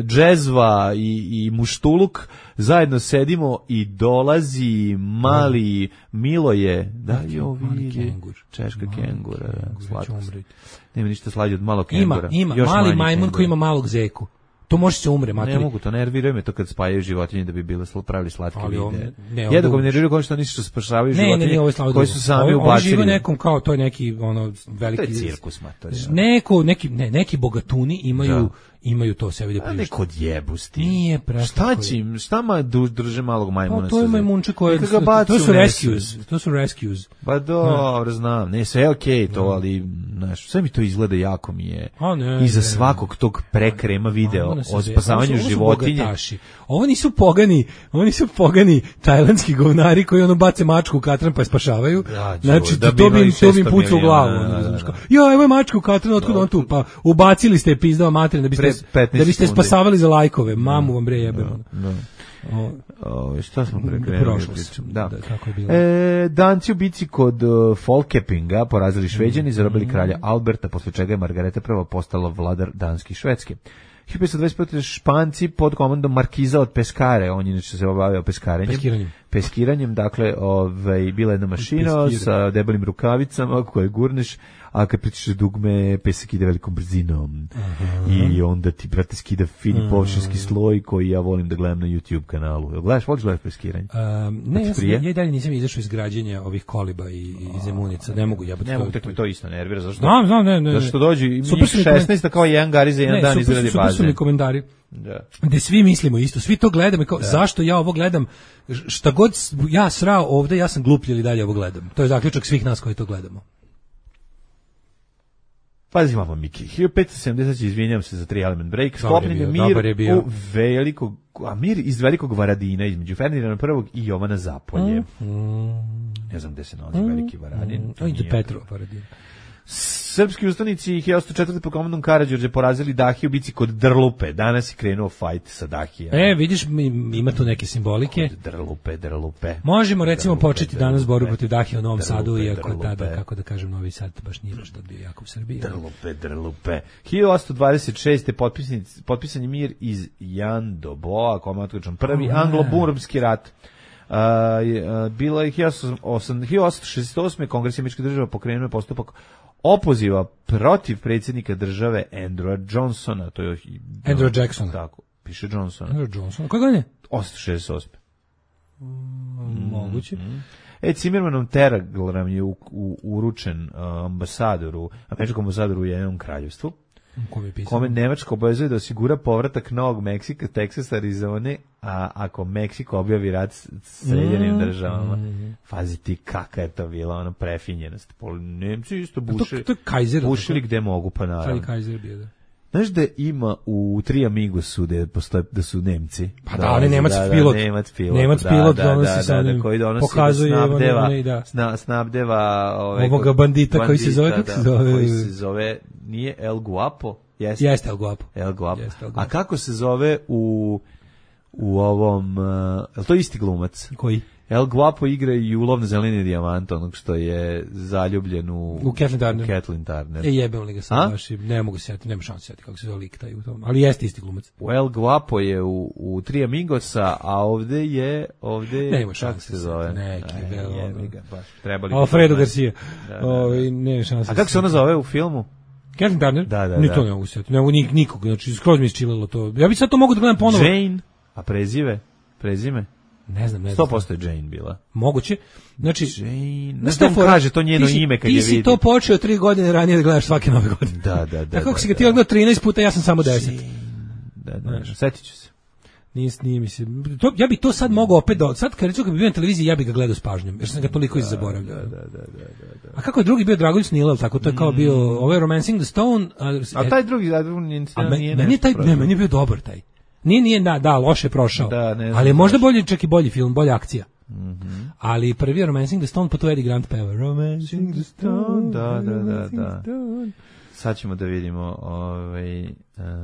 Džezva i, i Muštuluk zajedno sedimo i dolazi mali Miloje, da jo mali vidi, kengur. češka Mali kengura, da, kengur, će slatko. umreti. Nema ništa slađe od malog Ima, kengura. ima, Još mali manji majmun kengur. koji ima malog zeku. To može se umre, Ne materi. mogu, to nerviraju me to kad spajaju životinje da bi bile sl- pravili slatke Ali on- videe. ne, on Jednako me dugo- nerviraju kao što oni što spašavaju Ne, ne, životinje nije ovo slavo koji dugo. su sami Ovi- Ovi ubacili. žive nekom kao, to je neki, ono, To veliki... je cirkus, matori. Neko, neki, ne, neki bogatuni imaju, imaju to sebi da A priušte. neko odjebusti. Nije prestako. Šta će im, šta ma du- drže malog majmuna? Pa to je majmunče koje, Neka ga baci to su u rescues, to su rescues. Pa dobro, znam, ne, sve je okej to, ali, znaš, sve mi to izgleda jako mi je. A ne, Iza ne, svakog tog prekrema video Ono se o zove- spasavanju ovo su- ovo su životinje. bogataši. Ovo nisu pogani, ovo nisu pogani tajlandski govnari koji ono bace mačku u katran pa je spašavaju. Da, Znači, da to, bi to bi im, imali to bi im šesto pucao u miliona, glavu. da, ono, da, znaš, da. kao, ja, evo je mačka u katran, otkud on tu? Pa ubacili ste je pizdao materina da biste, Pre petnaest da biste sekundi. spasavali za lajkove. Mamu vam bre jebem. ono. Da. O, O, šta smo prekrenuli? Prošlost. Da. Da, tako je bilo. E, danci u bici kod uh, Folkepinga porazili Šveđani i zarobili kralja Alberta, posle čega je Margareta prva postala vladar Danske i Švedske. hiljadu petsto dvadeset pete. Španci pod komandom Markiza od Peskare, on inače se obavljao peskarenjem. Peskiranjem. Peskiranjem, dakle, ovaj, bila jedna mašina Peskire. sa debelim rukavicama koje gurneš, a kad pritišeš dugme, pesak ide velikom brzinom. I onda ti, brate, skida fini površinski sloj koji ja volim da gledam na YouTube kanalu. Jel gledaš, voliš gledati peskiranje? Um, ne, ja, sam, prije? ja i dalje nisam izašao iz građenja ovih koliba i, i zemunica. Ne mogu jebati. Ne mogu, tek mi to isto nervira, zašto? Znam, znam, ne, ne. Zato što dođu i Super su mi šesnaest, a kao jedan gari za jedan Ne, dan super, izradi super su mi bazen. komentari. Da. Gde svi mislimo isto, svi to gledamo i kao, zašto ja ovo gledam, šta god s- ja srao ovde, ja sam gluplji ili dalje ovo gledam. To je zaključak svih nas koji to gledamo. Pazi malo, Miki. hiljadu petsto sedamdeset. izvinjam se za tri element break. Dobar je Sklopljen je bio, dobar je mir bio. u velikog, a mir iz velikog Varadina između Ferdinanda prvog i Jovana Zapolje. Ne znam gde se nalazi veliki Varadin. to To je nije- Petro Paradin. Srpski ustanici hiljadu osamsto četvrte. pod komandom Karađorđe porazili Dahiju u bici kod Drlupe. Danas je krenuo fajt sa Dahijama. E, vidiš, mi- ima tu neke simbolike. Drlupe, Drlupe. Možemo recimo Drlupe, početi danas Drlupe. borbu protiv Dahije u Novom Drlupe, Sadu, iako je Drlupe. tada, kako da kažem, Novi Sad baš nije baš tad bio jako u Srbiji. Drlupe, Drlupe. hiljadu osamsto dvadeset šeste. potpisnic- potpisan je mir iz Jan do Boa, komatkočan prvi anglo-burmski rat. Uh, je, uh, bilo je hiljadu osamsto šezdeset osme. Kongres američkih država pokrenuo je postupak opoziva protiv predsjednika države Andrewa Johnsona. To je Andrew Jacksona. Tako, piše Johnsona. Andrew Johnson. Koje godine? osamsto šezdeset osme. Moguće. E, Cimermanov telegram je u, u, uručen uh, ambasadoru, američkom ambasadoru u Ujedinjenom kraljevstvu, Kome je pisao? kome Nemačka obavezuje da osigura povratak Novog Meksika, Teksasa, Arizone, a ako Meksiko objavi rat s Sjedinjenim državama. Fazi ti kaka je to bila, ona prefinjenost. Pol- Nemci isto To, bušili, to je Kaiser. bušili gde mogu, pa Taj naravno. Kaiser bio, da. Znaš da ima u Tri Amigosu gde postoje, da su Nemci? Pa da, ali Nemac pilot. Nemac pilot, Nemac da, pilot da, donosi da, sa da, onim, da, koji donosi pokazuje da snabdeva, one- one, da. sna, snabdeva ovaj, Ovoga bandita koji se zove, bandita, kako se da, zove? koji se zove, nije El Guapo? Jeste, Jeste, El Guapo. El Guapo. Jeste, El A Guapo. kako se zove u u ovom, uh, je li to isti glumac? Koji? El Guapo igra i u Lov na zeleni dijamant, onog što je zaljubljen u... U Kathleen Turner. Kathleen Turner. E, jebem li ga A? sad baš, i ne mogu se sjeti, nema šanse sjeti kako se zove lik taj u tom, ali jeste isti glumac. U El Guapo je u, u Tri Amigosa, a ovde je, ovde je, Nema kako šanse se zove? neki, Aj, vel, ono. jebi ga, baš, trebali bi Alfredo to Garcia. Da, da, da. Ovaj, nema šanse. A kako se ona zove u filmu? Kathleen Turner? Da, da, Ni da. to ne mogu se sjeti, ne mogu nik, nikog, znači skroz mi isčililo to. Ja bih sad to mogu da gledam ponovo. Jane, a prezive? Prezime? Ne znam, ne znam. sto posto je Jane bila. Moguće. Znači, Jane, znaš znaš šta da on fora? kaže to njeno Ti si- ime kad ti je si vidi. to počeo tri godine ranije da gledaš svake nove godine. Da, da, da. Tako kako da, si ga ti da. odgledao trinaest puta, ja sam samo deset. Da, da, da, setit ću se. Nije, nije mi se. To, ja bih to sad mogao opet da... Sad kad recimo kad bi bio na televiziji, ja bih ga gledao s pažnjom, jer sam ga toliko zaboravljao. Da, da, da, da, da. A kako je drugi bio Dragoljub Snilel, tako to je kao bio ovaj Romancing the Stone. A, A taj drugi, a drugi nije, a me- nije meni je taj, nešto ne, meni je bio dobar taj. Nije, nije, da, da, loše je prošao. Da, ne znam ali je možda baš. bolji, čak i bolji film, bolja akcija. Mhm. Ali prvi je Romancing the Stone, pa to Eddie Grant peva. Romancing the Stone. Da, da, da, Romancing da. the Stone. Sad ćemo da vidimo ovaj... Uh,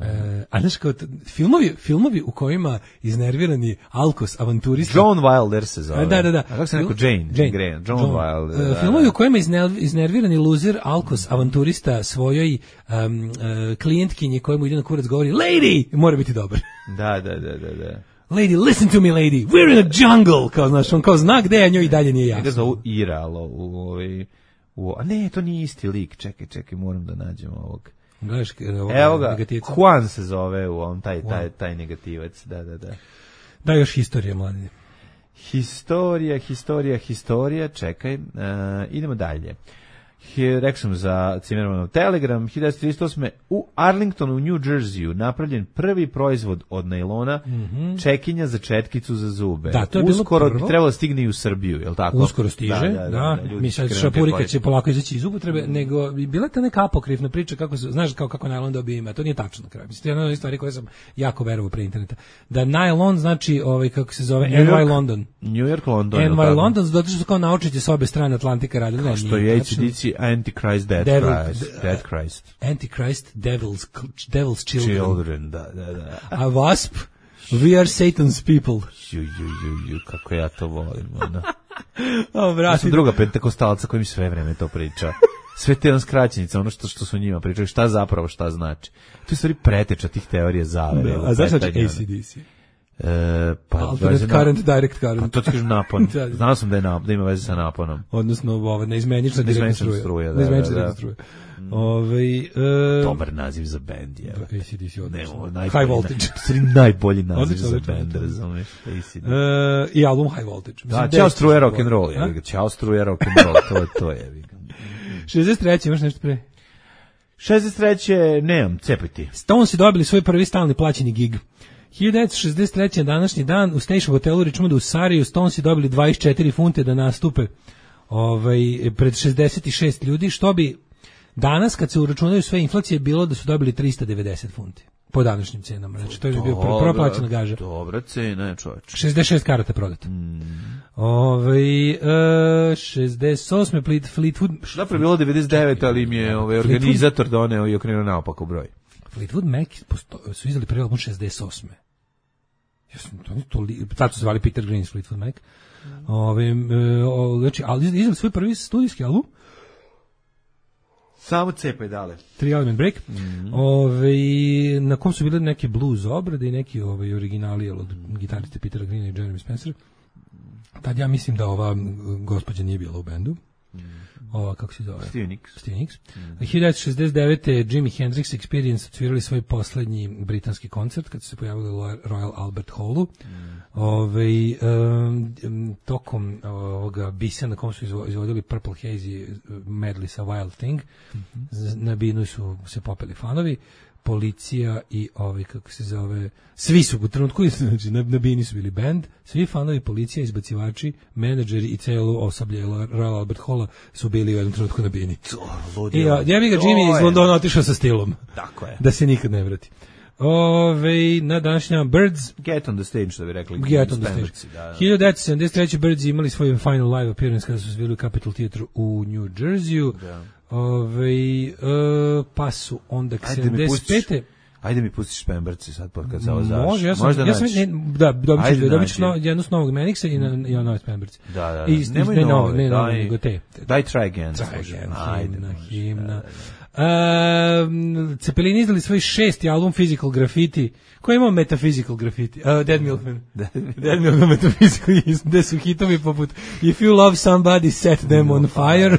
E, a znaš kao, t- filmovi, filmovi u kojima iznervirani alkos avanturista... John Wilder se zove. A, da, da, da. A kako se rekao? Fil- Jane? Jane. Graham. John, Wilder. E, da, filmovi da. u kojima izne- iznervirani luzer, alkos, avanturista svojoj um, uh, klijentkinji kojemu ide na kurac govori Lady! Mora biti dobar. Da, da, da, da, da. Lady, listen to me, lady. We're in a jungle. Kao, znaš, on kao zna gde je, a njoj i dalje nije Njega jasno. zovu Iralo u ovaj... U, a ne, to nije isti lik. Čekaj, čekaj, moram da nađem ovog. Gledaš, ovoga Evo ga, negativca? Juan se zove u ovom, taj, taj, taj negativac. Da, da, da. Da, još historije, mladine. Historija, historija, historija, čekaj, uh, idemo dalje. Rekao sam za Cimermanov Telegram, hiljadu devetsto trideset osme u Arlingtonu, u New Jerseyu, napravljen prvi proizvod od najlona, mm-hmm. čekinja za četkicu za zube. Da, to je Uskoro bilo bi trebalo stigne i u Srbiju, je li tako? Uskoro stiže, da. da, da, da, da mi sad šapurika će polako izaći iz upotrebe, mm. nego bila ta neka apokrifna priča, kako se, znaš kao kako najlon dobio ime, to nije tačno na kraju. Mislim, jedna od stvari koje sam jako verovao pre interneta. Da najlon znači, ovaj, kako se zove, New N Y York, London. New York, London. N Y London, zato što su kao naučnici s obe strane Atlantika radili. Kao što je A C D C Antichrist, Dead Devil, Christ. Dead Christ. Antichrist, Devil's, Devil's Children. Children, da, da, da. A Wasp, We are Satan's people. Ju, ju, ju, ju, kako ja to volim. Ono. O, brati. Ja sam druga pentekostalca koji mi sve vreme to priča. Sve te on skraćenice, ono što, što su njima pričali, šta zapravo šta znači. To je stvari preteča tih teorija zavere. Da, a zašto znači A C D C? E, pa, Alternate current, na, direct current. Pa to ti kažu napon. Znao sam da, je nap, da ima veze sa naponom. Odnosno, ovo, neizmenična direktna struja. struja. Neizmenična da, direktna struja. Ove, e, dobar naziv za bend je. A C D C odlično. High Voltage. To je najbolji naziv za bend, razumiješ? E, I album High Voltage. Da, Ćao struja rock and roll. Ćao struja rock and roll, to je to je. šezdeset treće imaš nešto pre? šezdeset treće nemam, cepaj ti. Stones dobili svoj prvi stalni plaćeni gig. hiljadu devetsto šezdeset treće današnji dan u Station hotelu u Richmondu u Sariju Stones dobili dvadeset četiri funte da nastupe ovaj, pred šezdeset šest ljudi, što bi danas kad se uračunaju sve inflacije bilo da su dobili trista devedeset funti po današnjim cenama. Znači to je bio prva plaćena gaža. Dobra cena, čoveče. šezdeset šest karata prodata. Mm. Ovaj e, šezdeset osme Fleetwood. Da pre bilo devedeset devet, ali im je ovaj organizator doneo i okrenuo naopako broj. Fleetwood Mac posto, su izdali prvi album šezdeset osme. Jesu to ni to tad su zvali Peter Green Fleetwood Mac. Mm. Ovaj e, znači ali izdali svoj prvi studijski album. Samo cepaj dale. Three Element Break. Mm-hmm. Ove, na kom su bile neke blues obrade i neki ovaj, originali od gitariste Petera Greena i Jeremy Spencer. Tad ja mislim da ova gospođa nije bila u bendu. Mm-hmm. Ova, kako se zove? Steve Nicks. Steve Nicks. Mm-hmm. hiljadu devetsto šezdeset devete. Jimi Hendrix Experience odsvirali svoj poslednji britanski koncert kad su se pojavili u Royal Albert Hallu. Mm-hmm. Ove, um, tokom ovoga bisa na kom su izvodili Purple Haze medley sa Wild Thing. Mm-hmm. Na binu su se popeli fanovi. Policija i ovi, kako se zove, svi su u trenutku, znači na, na bini su bili band, svi fanovi, policija, izbacivači, menadžeri i celo osoblje Royal Albert Halla su bili u jednom trenutku na bini. I ja bi ga Jimmy iz Londona otišao sa stilom. Tako je. Da se nikad ne vrati. Ove, na današnjama Birds. Get on the stage, što bi rekli. Get on the stage. Da, da. hiljadu devetsto sedamdeset treće. Birds imali svoj final live appearance kada su svili u Capitol Theatre u New Jerseyu. Da. Ove, uh, pa su onda sedamdeset pete. Ajde mi pustiš Pemberci sad kad se ovo završi. Može, ja sam, Možda ja sam ne, da, dobit ću, dobit ću no, jednu s novog Menixa i na, i na nove Pemberci. Da, da, da. I, Nemoj ne nove, ne daj, nego te. Daj Try Again. Try Again, Ajde, himna, može, himna. Da, da. Uh, Cepelini izdali svoj šesti album Physical Graffiti, koji ima Metaphysical Graffiti, uh, Dead Milkman. Dead Milkman Metaphysical, gde su hitovi poput If You Love Somebody, Set Them on Fire.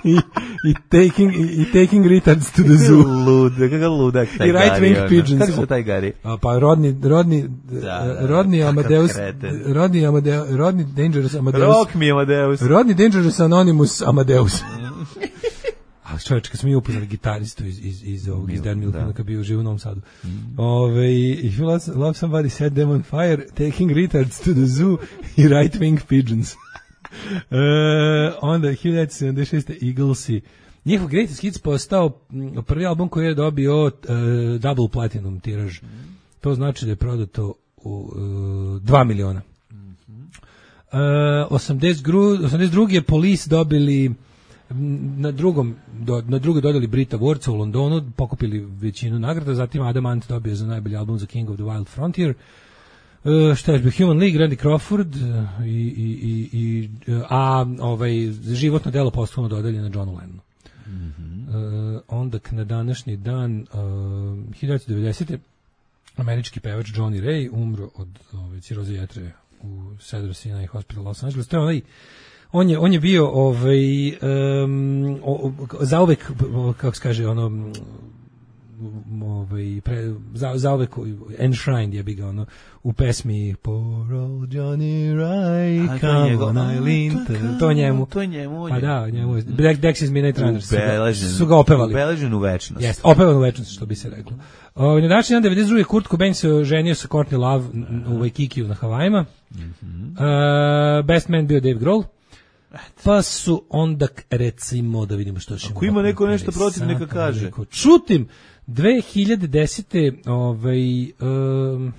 I, i taking i, i taking retards to the zoo. Lud, kakav ludak taj. I right wing pigeons. Kako se taj gari? A pa rodni rodni da, da, rodni Amadeus, rodni Amadeus, rodni Dangerous Amadeus. Rock mi Amadeus. Rodni Dangerous Anonymous Amadeus. A čovječ, kad smo mi upoznali gitaristu iz, iz, iz ovog, iz Dan Milkmana, kad bio živ u Novom Sadu. Mm. Ove, if you love, love somebody, set them on fire, taking retards to the zoo i right wing pigeons. Uh, onda hiljadu devetsto sedamdeset šeste. Eaglesi, njihov Greatest Hits postao prvi album koji je dobio uh, double platinum tiraž. Mm. To znači da je prodato u uh, dva miliona. Mm-hmm. uh, osamdeset druge. Police dobili na drugom do, na drugoj dodali Brit Awardsa u Londonu, pokupili većinu nagrada, zatim Adam Ant dobio za najbolji album za King of the Wild Frontier. Uh, šta je bio Human League, Randy Crawford uh, i, i, i, uh, a ovaj, životno delo posthumno dodeljeno Johnu Lennonu. Mm-hmm. Uh, onda na današnji dan uh, hiljadu devetsto devedesete. američki pevač Johnny Ray umro od ove, ciroze jetre u Cedar Sinai Hospital Los Angeles. To je onaj On je, on je bio ovaj, um, o, zauvek, kako se kaže, ono, ovaj pre, za za ove enshrined je bi ga ono u pesmi Poor old Johnny Rye, come on Eileen, to njemu, to njemu, pa da, njemu Dexys Midnight Runners ubeležen, su ga opevali, ubeležen u večnost, jeste, opevan u večnost, što bi se reklo. O, na današnji dan devedeset druge Kurt Cobain se ženio sa Courtney Love u Waikikiju na Havajima. Mm-hmm. Uh, best man bio Dave Grohl. Pa su onda, recimo, da vidimo što će... Ako ima neko nešto protiv, neka kaže. Neko, čutim, dve hiljade desete ovaj, um,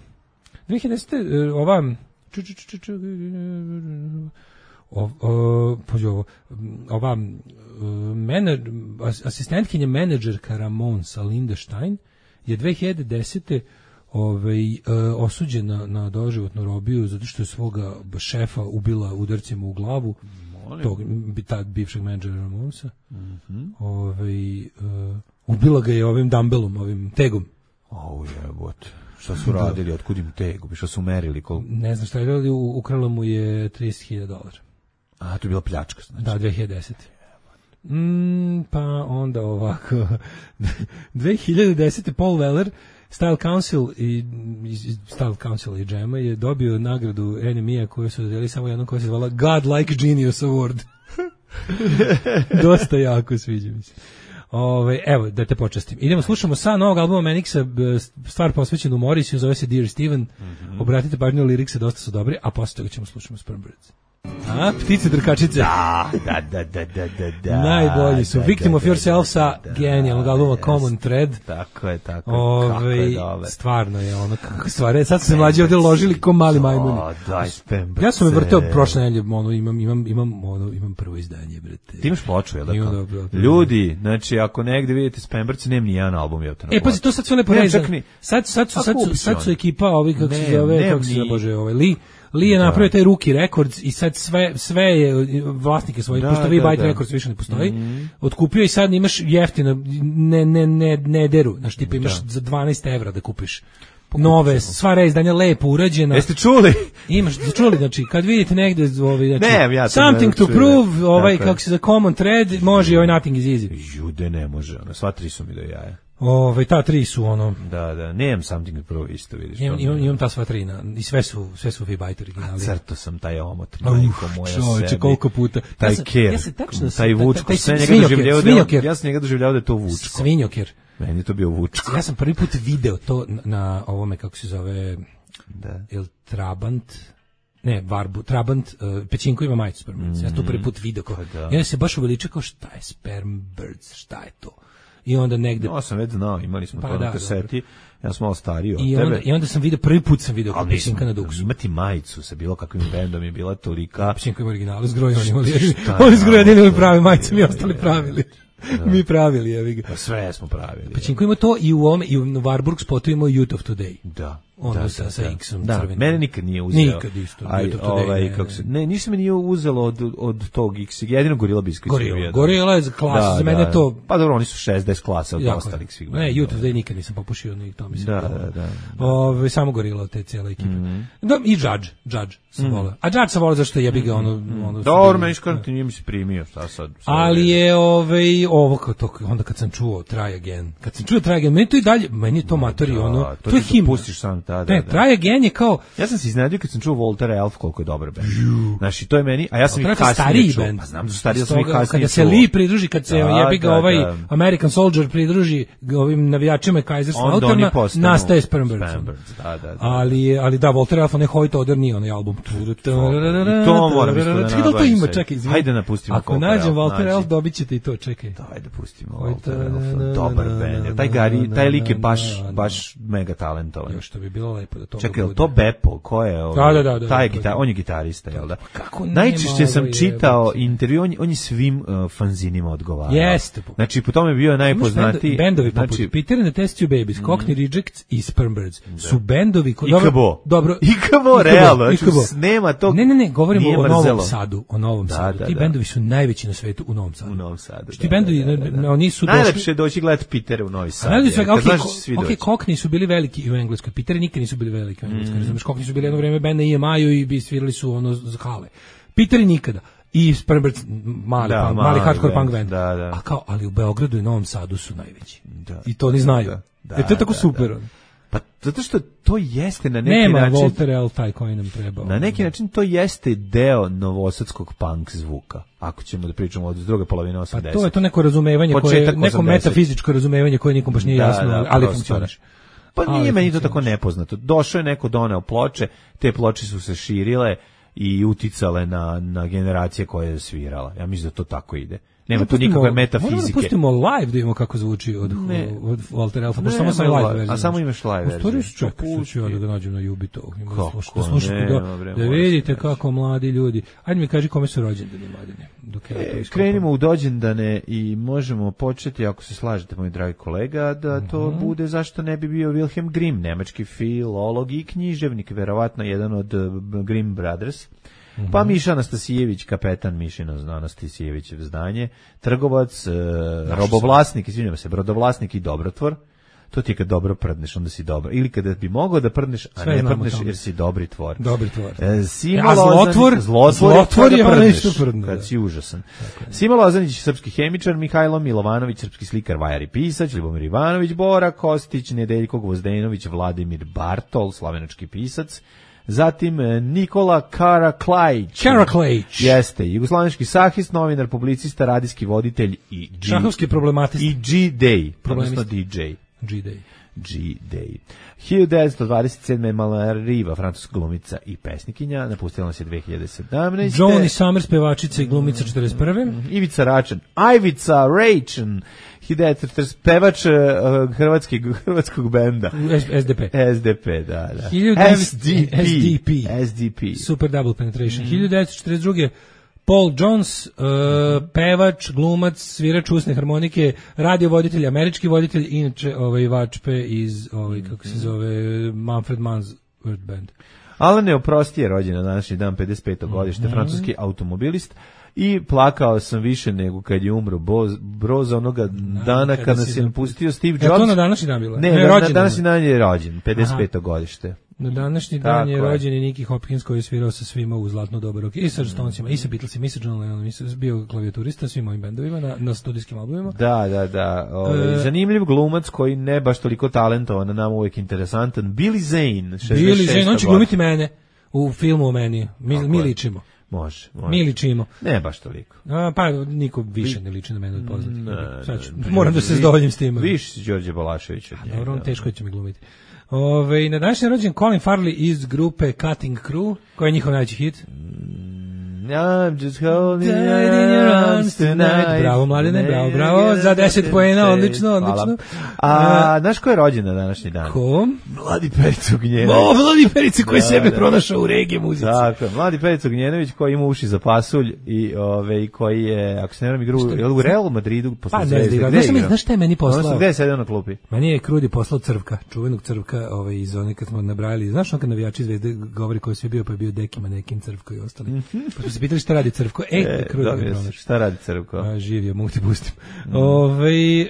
dve hiljade desete ova... Ču, ču, ču, ču, o, o, ovo, ova menadž, asistentkinja menadžerka Ramonsa Linda Stein je dve hiljade desete ovaj, uh, osuđena na doživotnu robiju zato što je svoga šefa ubila udarcima u glavu. Molim. Tog tad bivšeg menadžera Ramonsa. Mm-hmm. Ovaj, uh, ubila ga je ovim dumbbellom, ovim tegom. Au jebote. Šta su radili, otkud im tegu, šta su merili? Kol... Ne znam šta je radili, ukrala mu je trideset hiljada dolara. A, to je bila pljačka, znači. Da, dve hiljade desete. Mm, pa onda ovako. dve hiljade desete Paul Weller, Style Council i Style Council i Džema je dobio nagradu N M I-a koju su dodijeli samo jednom koja se zvala God Like Genius Award. Dosta jako sviđa mi se. Ove, evo, da te počastim. Idemo, slušamo sa novog albuma Manixa, stvar posvećenu Morrisiju, zove se Dear Steven. Mm-hmm. Obratite pažnju, lirikse dosta su dobri, a posle toga ćemo slušamo Sperm Birds. A, ptice drkačice. Da, da, da, da, da, da. Najbolji su. Da, Victim da, of Yourself sa da, genijalnog albuma yes. Common Thread. Tako je, tako Ove, kako je dobar. Stvarno je ono, kako stvari. Sad su se mlađi ovdje ložili ko mali majmuni. O, daj, Spembrce. Ja sam me vrteo prošle nedelje, ono, imam, imam, imam, ono, imam prvo izdanje, brate. Ti imaš ploču, je li tako? Ljudi, znači, ako negde vidite Spembrce, nema ni jedan album, je to na E, pazi, to sad sve lepo reći. Sad, sad, su, sad, su, sad su ekipa, ovi, kako se zove, kako se zove, ovaj, Lee, Lee je napravio taj Rookie Records i sad sve sve je vlasnike svojih, da, pošto vi Byte Records više ne postoji, mm-hmm. otkupio i sad imaš jeftino, ne, ne, ne, ne deru, znaš, tipa imaš da. za dvanaest evra da kupiš nove, sva reizdanja lepo urađena. Jeste čuli? Imaš, čuli, znači, kad vidite negde, ovaj, znači, ne, ja Something to čuli, Prove, ovaj, tako kako se za Common Thread, može i ovaj Nothing is Easy. Jude ne može, ono, sva tri su mi do jaja. Ove, ta tri su ono. Da, da, nemam Something to Prove isto, vidiš. Imam, imam, imam ta sva tri na, i sve su, sve su V-Byte originali. A crto sam taj omot, majko moja čovječe, sebi. koliko puta. Taj ja sam, ker, ja sam tačno, taj Vučko, taj, taj, taj, taj, njega svinjoker, ja sam njega doživljavao da je to Vučko. Svinjoker. Meni je to bio Vučko. Ja sam prvi put video to na, na ovome, kako se zove, da. Il Trabant, ne, Varbu, Trabant, uh, Pećinko ima majicu Sperm Birds. Mm-hmm. Ja sam to prvi put video. Kao, da. I onda se baš uveliča kao šta je Sperm Birds, šta je to? I onda negde... No, sam već znao, imali smo pa to da, na kaseti, ja sam malo stariji od I tebe. Onda, I onda sam video, prvi put sam video kao Pećinka na Duksu. Imati majicu sa bilo kakvim bendom je bila tolika... Pećinko ima originalu, zgroji oni imali. Oni zgroji imali pravi majice, mi ostali pravili. Da. Mi pravili, evi ga. Sve smo pravili. Pećinko ima to i u ome, i u Warburg spotu ima Youth of Today. Da. Ono da, sa, da, sa da. X-om da, crvenim. mene nikad nije uzeo. Nikad isto. Aj, ovaj, ne, kako se, ne, ništa me nije uzelo od, od tog X, jedino Gorilla Biscuit. Gorilla, Gorilla je klasa, da, za mene da. to... Pa dobro, oni su šezdeset klasa od ostalih svih. Ne, Youth of Today nikad nisam popušio, ni to mislim. Da, da, da, da. Ove, samo Gorilla od te cijele ekipe. Mm-hmm. Da, i Judge, Judge sam mm-hmm. volao. A Judge sam volao zašto jebi ga ono... ono dobro, meni škarno ti nije mi se primio, šta sad? Ali je ovaj, ovo, kao to, onda kad sam čuo Try Again, kad sam čuo Try Again, meni to i dalje, meni je to matori, ono, to je himna. Pustiš sam, da, da. Ne, Try Again je kao... Ja sam se iznenadio kad sam čuo Voltaire Elf koliko je dobar bend. Znači, to je meni, a ja sam ih kasnije čuo. Pa znam da su stariji, ja sam ih kasnije čuo. Kada se Lee pridruži, kad se jebi ga ovaj American Soldier pridruži ovim navijačima Kaiser Slaughterna, nastaje Sperm Birds. Da, da, ali, ali da, Voltaire Elf, ne Hoyt Oder nije onaj album. I to moram isto da nabavim. To ima, čekaj, izvini. Hajde napustimo. Ako nađem Voltaire Elf, dobit ćete i to, čekaj. Hajde pustimo Voltaire Elf, dobar bend. Taj Gari, taj lik je baš, baš mega talentovan. Još to bi bilo lepo da to. Čekaj, to Beppo, ko je ovaj? Da, da, da, taj da, gitar, da. on je gitarista, jel da? Kako najčešće sam čitao intervju, on, on je svim uh, fanzinima odgovarao. Jeste. Znači, po tome je bio najpoznatiji. Bendovi poput znači, Peter and the Test Tube Babies, mm. Cockney Rejects i Sperm Birds su bendovi koji... Ikabo. Dobro. Ikabo, realno. Znači, nema tog... Ne, ne, ne, govorimo o Novom Sadu. O Novom da, Sadu. Da, Ti da. bendovi su najveći na svetu u Novom Sadu. U Novom Sadu. Ti bendovi, da, da, da. oni su došli... Najlepše je doći gledati Pitera u Novi Sad. Najlepše je, okej, okay, Cockney su bili veliki u Engleskoj. Piteri nikad nisu bili veliki u Engleskoj. Mm. Znaš, Cockney su bili jedno vreme benda I M I-u i bi svirali su ono za hale. Piteri nikada. i Spremberc mali, Da, punk, mali mali hardcore band, punk band. da, da. A kao, ali u Beogradu i Novom Sadu su najveći. Da. I to oni znaju. Da, da, Jer to je tako da, super. da. Pa zato što to jeste na neki Nema način... Walter L. taj koji nam treba. Na neki način to jeste deo novosadskog punk zvuka. Ako ćemo da pričamo od druge polovine osamdesetih. Pa to je to neko razumevanje, koje, Početak neko osamdesetih. metafizičko razumevanje koje nikom baš nije Da, jasno, da, ali prosto, funkcioniše. Pa Ali nije meni to funkcioniše. tako nepoznato. Došao je neko, doneo ploče, te ploče su se širile i uticale na, na generacije koje je svirala. Ja mislim da to tako ide. Nema tu nikakve metafizike. Moramo da pustimo live da imamo kako zvuči od, Ne. od Walter Elfa, pošto Ne, samo sam nema live live. verziju. A samo imaš live U stvari verziju. čekaj, Pa sad ću ja da ga nađem na Jubito. Kako Da slušate, nema, da, bre, da mora vidite se kako mladi ljudi. Ajde mi kaži kome su rođendani mladine. Dok ja to E, iskopam. krenimo u dođendane i možemo početi, ako se slažete, moj dragi kolega, da to Mhm. bude zašto ne bi bio Wilhelm Grimm, nemački filolog i književnik, verovatno jedan od uh, Grimm Brothers. Mhm. Pa Miša Anastasijević, kapetan Mišino Anastasijevićev zdanje, trgovac, uh, robovlasnik, izvinjam se, brodovlasnik i dobrotvor. To ti je kad dobro prdneš, onda si dobro. Ili kada bi mogao da prdneš, a Sve ne znamo prdneš tamo. jer si dobri tvor. Dobri tvor. E, Simo A zlotvor? Lozanić- zlotvor, Zlotvor je kada onaj prdneš, što prdne, kad da. si užasan. Simo Lozanić, srpski hemičar, Mihajlo Milovanović, srpski slikar, vajar i pisac, Ljubomir Ivanović, Bora Kostić, Nedeljko Gvozdenović, Vladimir Bartol, slavenački pisac. Zatim e, Nikola Karaklajić. Karaklajić. Jeste, jugoslavenički sahist, novinar, publicista, radijski voditelj i G, Šahovski problematist. i G-Day, Problemist. odnosno D J. G-Day. G-Day. hiljadu devetsto dvadeset sedme. Malala Riva, francuska glumica i pesnikinja, napustila nas je dve hiljade sedamnaeste. Johnny Summers, pevačica i glumica četrdeset prve. Ivica Račan, Ivica Račan, hiljadu devetsto četrdeset pevač uh, hrvatski, hrvatskog benda. S D P. S D P, da, da. hiljadu devetsto S D P. S D P. S D P. Super Double Penetration. hiljadu devetsto četrdeset druge. Paul Jones, uh, pevač, glumac, svirač usne harmonike, radio voditelj, američki voditelj, inače ovaj vačpe iz ovaj kako se zove Manfred Mann's Earth Band. Alan Neoprosti je rođen na današnji dan, pedeset peto godište, Mhm. francuski automobilist. I plakao sam više nego kad je umro Boz, Broz onoga dana kada kada si se napustio. napustio Steve Je Jobs. to na današnji dan bilo? Ne, Ne, na, na rođendan današnji je. dan je rođen, pedeset peto godište. Na današnji dan Tako je je. rođen i Nicky Hopkins koji je svirao sa svima u zlatno doba roka. I sa Stonesima, i sa Beatlesima, i sa John Lennonom, i sa bio klavijaturista svim ovim bendovima na, na studijskim albumima. Da, da, da. Ovaj, E, zanimljiv glumac koji ne baš toliko talentovan, a nam uvijek interesantan. Billy Zane, šezdeset šesta. Billy Zane, on će godina. glumiti mene u filmu o meni. Mi, Tako mi je. ličimo. Može, može. Mi ličimo. Ne baš toliko. A, pa niko više ne liči na mene od poznatih. Ne, Sad ću- ne, moram da se vi- zadovoljim s tim. Više si Đorđe Balašević od njega. Dobro, on teško će mi glumiti. Ove, na današnji je rođen Colin Farley iz grupe Cutting Crew, koji je njihov najveći hit. I'm just holding Died in your your arms arms tonight. tonight. Bravo, mladene, bravo, bravo. Za deset poena, odlično, Hvala. odlično. A, znaš ko je rođen na današnji dan? Ko? Mladi Perica Ognjenović. O, Vladi Perica koji Da, sebe da. pronašao u regije muzici. Tako, je, mladi Perica Ognjenović koji ima uši za pasulj i ove i koji je, ako se ne varam, igru Šta- je li u Real Madridu posle Pa, ne Zvezde. znam, Gde znaš šta mi- igrao? znaš šta je meni poslao? Odnosno, gde je sedeo na klupi? Meni je Krudi poslao Crvka, čuvenog Crvka, ovaj, iz one kad smo nabrajali. Znaš on kad navijači Zvezde govori ko je sve bio, pa je bio Deki, Manekin, Crvko i ostali. Pa smo se pitali šta radi Crvko. E, E, Krudi dobro, ga jesi. pronašao. Šta radi Crvko? A, živio, mogu ti pustim. Ovaj, e,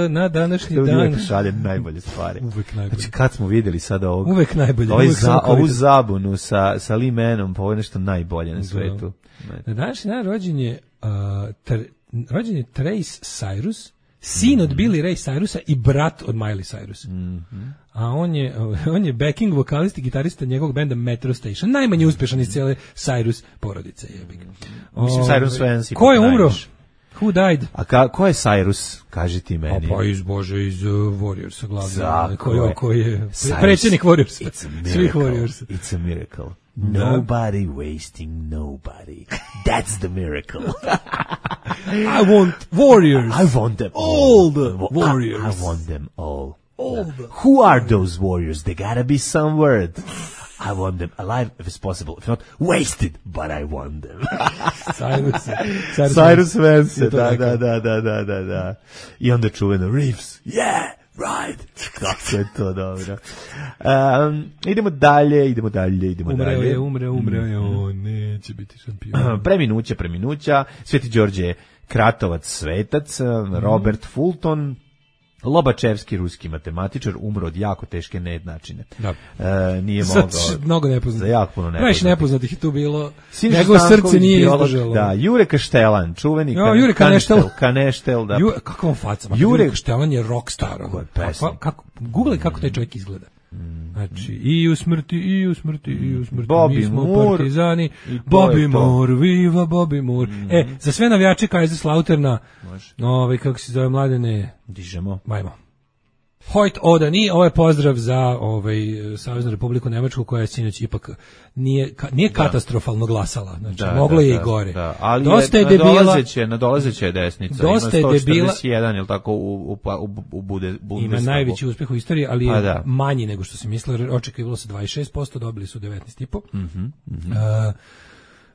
na današnji Crvko dan... uvijek šalje najbolje stvari. Uvek najbolje. Znači, kad smo videli sada ovog, Uvek najbolje, ovaj uvek za, samo ovu kvalitet. zabunu sa, sa Lee Manom, pa ovo je nešto najbolje na svetu. Na današnji dan rođen je, uh, tr, rođen je Trace Cyrus, sin od Billy Ray Cyrusa i brat od Miley Cyrus. A on je, on je backing vokalist i gitarista njegovog benda Metro Station. Najmanje uspešan iz cijele Cyrus porodice. Jebik. Mislim, Cyrus Vance Ko je ipak umro? najviše. Who died? A ka, ko je Cyrus? Kaži ti A meni. pa iz Bože, iz uh, Warriorsa glavno. Tako Koji, je. koji je Cyrus, predsjednik Warriorsa. It's a Svih miracle. Warriorsa. It's a miracle. Nobody wasting nobody. That's the miracle. I want Warriors. I want them all. All the I- warriors. I, want them all. All the- Who are those warriors? They gotta be some word. I want them alive if it's possible. If not, wasted, but I want them. Cyrus. Cyrus, Cyrus Vance, Je to da, rekao. da, da, da, da, da, da. I onda čuveno Reeves. Yeah, right. Kako je to dobro. Um, idemo dalje, idemo dalje, idemo Umreo dalje. je, umreo, umreo je, on neće biti šampion. Preminuća, preminuća. Sveti Đorđe Kratovac, svetac. Robert Fulton, Lobačevski, ruski matematičar, umro od jako teške nejednačine. Da. E, nije mogao. Mnogo nepoznatih. Za jako puno nepoznatih. Previše nepoznatih je tu bilo. Siniša Njegovo srce Stanković, nije biolog, izdržalo. Da, Jure Kaštelan, čuveni Jo, Jure Kaneštel. Kaneštel. Kaneštel, da. Ju, kakva on faca. Jure- Jure Kaštelan je rockstar. Kako je Kako, pesnik. kako, googlej kako taj čovjek izgleda. Znači, i u smrti, i u smrti, i u smrti, Bobby mi smo Moore. partizani, I to Bobby je to. Moore, viva Bobby Moore. E, za sve navijače Kaiserslauterna, ovaj, kako se zove, Mladene, Dižemo. majmo. Hojt Odani, ovo je pozdrav za ovaj Saveznu Republiku Nemačku koja je sinoć ipak nije ka, nije katastrofalno glasala, znači Da, moglo da, je da, i gore. Da, ali dosta je, je debila, nadolazeće, nadolazeće je desnica. Dosta je Ima debila- sto četrdeset jedan, je li tako, u, u, u, u bude, ima Bundestagu. najveći uspeh u istoriji, ali je Pa da. manji nego što se mislilo. Očekivalo se dvadeset šest posto, dobili su devetnaest zarez pet. Mhm, mhm. Uh,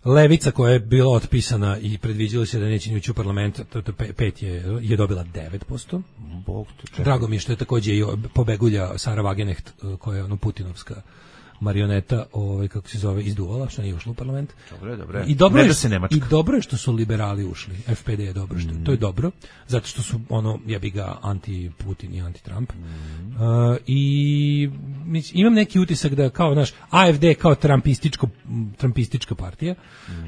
Levica koja je bila otpisana i predviđalo se da neće ni ući u parlament, to, to pe- pet je, je dobila devet posto. Bog te čekaj. Drago mi je što je takođe i pobegulja Sara Wagenknecht, uh, koja je ono Putinovska marioneta, ovaj kako se zove, izduvala, što nije ušla u parlament. Dobro, dobro. I dobro Ne je da što- se Nemačka. i dobro je što su liberali ušli. F P D je dobro što to je dobro, zato što su ono jebi ga anti Putin i anti Trump. Uh, i mislim, imam neki utisak da kao naš A F D kao trampističko trampistička partija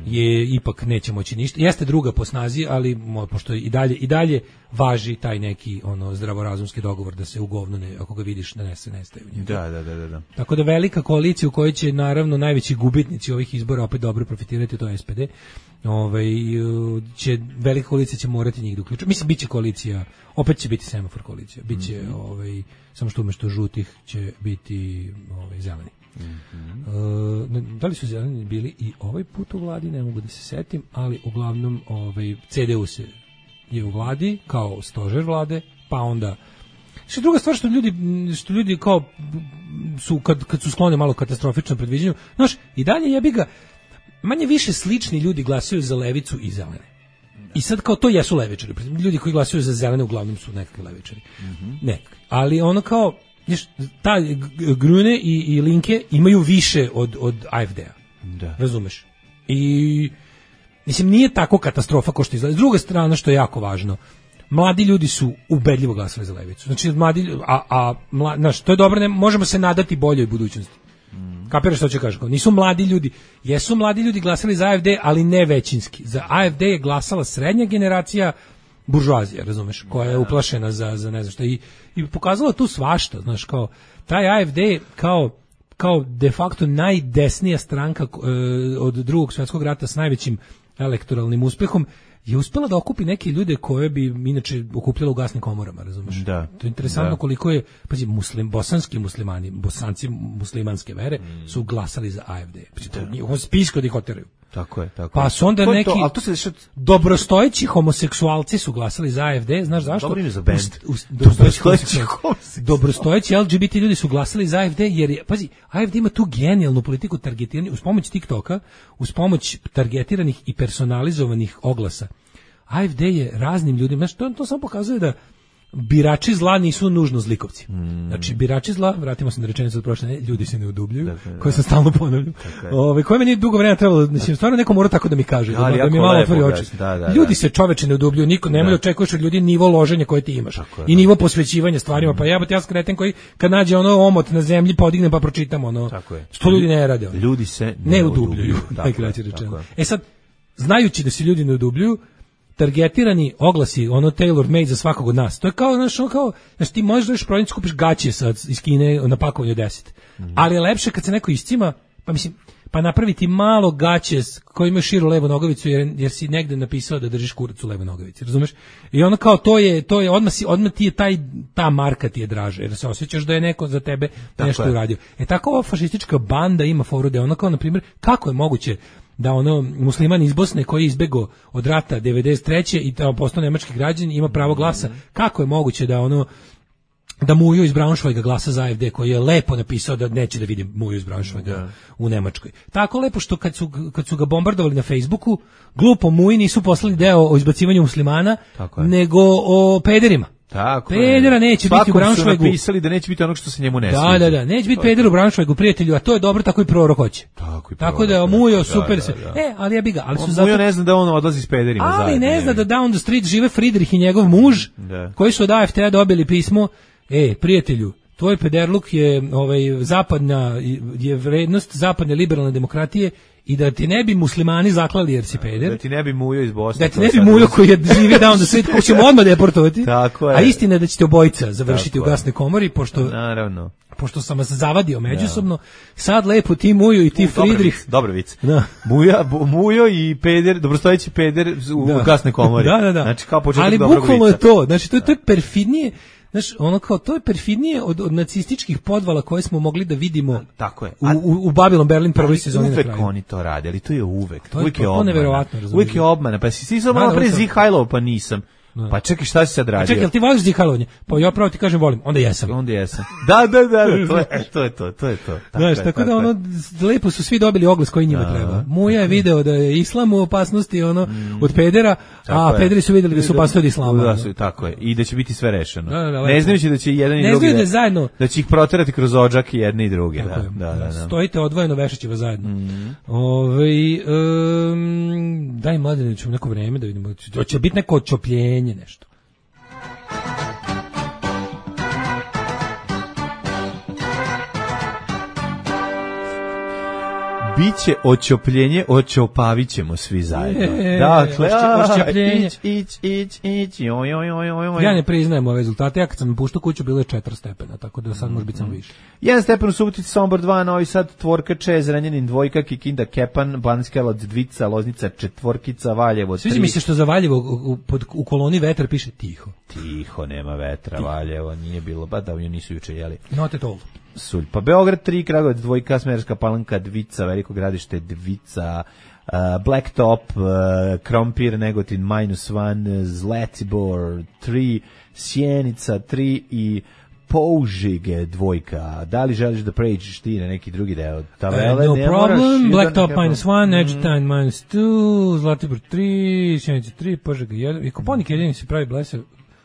je ipak neće moći ništa. Jeste druga po snazi, ali mo- pošto i dalje i dalje važi taj neki ono zdravorazumski dogovor da se u govnu ne, ako ga vidiš da ne se nestaje u njemu. Da, da, da, da, da. Tako da velika koalicija u kojoj će naravno najveći gubitnici ovih izbora opet dobro profitirati, to je S P D. Ovaj će velika koalicija će morati njih da uključi. Mislim biće koalicija, opet će biti semafor koalicija. Biće Mhm. ovaj samo što umesto žutih će biti ovaj zeleni. E, ne- da li su zeleni bili i ovaj put u vladi, ne mogu da se setim, ali uglavnom ovaj C D U se je u vladi kao stožer vlade, pa onda što druga stvar što ljudi što ljudi kao su kad kad su skloni malo katastrofičnom predviđanju, znaš, i dalje jebi ga manje više slični ljudi glasaju za levicu i zelene. I sad kao to jesu levičari. Ljudi koji glasaju za zelene uglavnom su nekakvi levičari. Nekakvi. Ali ono kao znaš, ta G- Grune i, i Linke imaju više od, od A F D-a. Da. Razumeš? I mislim nije tako katastrofa kao što izgleda. S druge strane što je jako važno, mladi ljudi su ubedljivo glasali za levicu. Znači mladi lju- a a mla, znaš, to je dobro, ne možemo se nadati boljoj budućnosti. Kapiraš što ću kažem? Kao, nisu mladi ljudi, jesu mladi ljudi glasali za A F D, ali ne većinski. Za A F D je glasala srednja generacija buržoazija, razumeš, koja je uplašena za, za ne znam šta. I, i pokazala tu svašta, znaš, kao, taj A F D kao, kao de facto najdesnija stranka e, od drugog svjetskog rata s najvećim elektoralnim uspehom, je uspela da okupi neke ljude koje bi inače okupljala u gasnim komorama, razumeš? Da. To je interesantno Da. koliko je, pazi, muslim, bosanski muslimani, bosanci muslimanske vere su glasali za A F D. Pazi, to je njihov spisko da ih oteraju. Tako je, tako Pa je. su onda To je neki to, ali to se dešava- dobrostojeći homoseksualci su glasali za A F D, znaš zašto? Dobro ime za bend. Ust- ust- Dobrostojeći dobrostojeći homoseksualci. Dobrostojeći L G B T ljudi su glasali za A F D jer je, pazi, A F D ima tu genijalnu politiku targetiranja uz pomoć TikToka, uz pomoć targetiranih i personalizovanih oglasa. A F D je raznim ljudima, znači to, to samo pokazuje da birači zla nisu nužno zlikovci. Znači birači zla, vratimo se na rečenicu od prošle, nedelje, ljudi se ne odubljuju, koje sam stalno ponavljam. Ove koje meni dugo vremena trebalo, mislim stvarno neko mora tako da mi kaže, da, Ali da mi jako malo lepo otvori oči. objasni, da, da, Ljudi da. se čoveče ne odubljuju, niko nemoj da očekuješ od ljudi nivo loženja koje ti imaš je, i da. nivo posvećivanja stvarima, pa jebote ja skreten koji kad nađe ono omot na zemlji podignem pa pročitam ono. Tako je. Što ljudi ne rade. ono. Ljudi se ne ne udubljuju, udubljuju. Tako najkraće je, rečeno. tako je. E sad, znajući da se ljudi ne udubljuju, targetirani oglasi, ono tailor made za svakog od nas. To je kao, znaš, ono kao, znaš, ti možeš doći prodavnicu, kupiš gaće sa, iz Kine na pakovanju deset. Ali je lepše kad se neko iscima, pa mislim, pa napraviti malo gaće s- koji imaju širu levu nogavicu jer, jer si negde napisao da držiš kurac u levoj nogavici, razumeš? I ono kao to je, to je odmah, si, odmah ti je taj, ta marka ti je draže, jer se osjećaš da je neko za tebe nešto je. uradio. E tako ova fašistička banda ima foru da je ono kao, na primjer, kako je moguće da ono musliman iz Bosne koji je izbegao od rata devedeset treće i tamo postao nemački građanin ima pravo glasa, kako je moguće da ono da Mujo iz Braunschweiga glasa za A F D koji je lepo napisao da neće da vidi Mujo iz Braunschweiga u Nemačkoj. Tako lepo što kad su, kad su ga bombardovali na Facebooku, glupo Muji nisu poslali deo o izbacivanju muslimana, Tako je. nego o pederima. Tako pedera neće biti u Braunschweigu. Svakom su napisali da neće biti onog što se njemu ne sviđa. Da, da, da, neće biti pedera u Braunschweigu, prijatelju, a to je dobro, tako i prorok hoće. Tako i Tako da Mujo super se. E, ali ja bi ga, ali su zato Mujo ne zna da on odlazi s pederima zajedno. Ali ne zna da down the street žive Friedrich i njegov muž, da. Koji su od A F T-a dobili pismo, e, prijatelju, tvoj pederluk je ovaj zapadna je vrednost zapadne liberalne demokratije i da ti ne bi muslimani zaklali jer si peder. Da ti ne bi Mujo iz Bosne. Da ti ne bi Mujo koji je živi down the street, koji ćemo odmah deportovati. Tako je. A istina je da ćete obojica završiti Tako u gasnoj komori, pošto naravno. Pošto sam vas zavadio međusobno, sad lepo ti Mujo i ti Friedrich. Dobar vic. Da. Muja, Mujo i peder, dobrostojeći peder u da. gasnoj komori. Da, da, da. Znači kao početak ali dobrog vica. Ali bukvalno je to, znači to je, to je perfidnije. Znaš, ono kao, to je perfidnije od, od nacističkih podvala koje smo mogli da vidimo. Tako je. U, u, u Babylon Berlin prvoj sezoni na kraju. Uvek oni to rade, ali to je uvek. To je, uvek je to, obmana. Neverovatno, uvek je obmana. Pa si ti samo malo pre Zihajlov, pa nisam. No. Pa čekaj, šta si sad radio? A čekaj, jel ti voliš Zihajlovnje? Pa ja pravo ti kažem volim, onda jesam. Onda jesam. Da, da, da, da to, je, to je to, to je to. Tako, Znaš, je, tako, tako da ono, lepo su svi dobili oglas koji njima da, treba. Muja je video da je islam u opasnosti ono, mm. od pedera, a je. pederi su vidjeli da su opasnosti od islama. Da, su, tako je. I da će biti sve rešeno. Da, da, da, ne znajući da će jedan i ne drugi da, zajedno. Da će ih proterati kroz odžak i jedni i drugi. Da, da, da, da. Stojite odvojeno, vešaće vas zajedno. Mm. Ove, um, daj Mladenoviću neko vreme da vidimo. Hoće biti neko odčopljenje, nešto. Biće očopljenje, očopavit ćemo svi zajedno. E, dakle, očopljenje. Ić, ić, ić, ić, joj, joj, joj, joj. Ja ne priznajem ove rezultate, ja kad sam puštao kuću bilo je četiri stepena, tako da sad može biti samo više. Jedan stepen u Subotici, Sombor dva, Novi Sad, Tvorka, Če, Zrenjanin, dvojka, Kikinda, Kepan, Banatski Karlovac, dvica, Loznica, četvorkica, Valjevo, tri. Sviđa mi se što za Valjevo u, u, u koloni vetar piše tiho. Tiho, nema vetra, tiho. Valjevo, nije bilo, ba da u nju nisu juče jeli. Not at all. Sulj. Pa Beograd tri, Kragujevac dvojka, Smederevska Palanka dvica, Veliko Gradište dvica, uh, Blacktop, uh, Krompir, Negotin minus one, Zlatibor tri, Sjenica tri i Použige dvojka. Da li želiš da pređeš ti na neki drugi deo tabele? Uh, no ne problem, moraš, Blacktop minus one, Edgerton mm. minus two, Zlatibor tri, Sjenica tri, Požega jedan, i Koponik jedini se pravi blesav.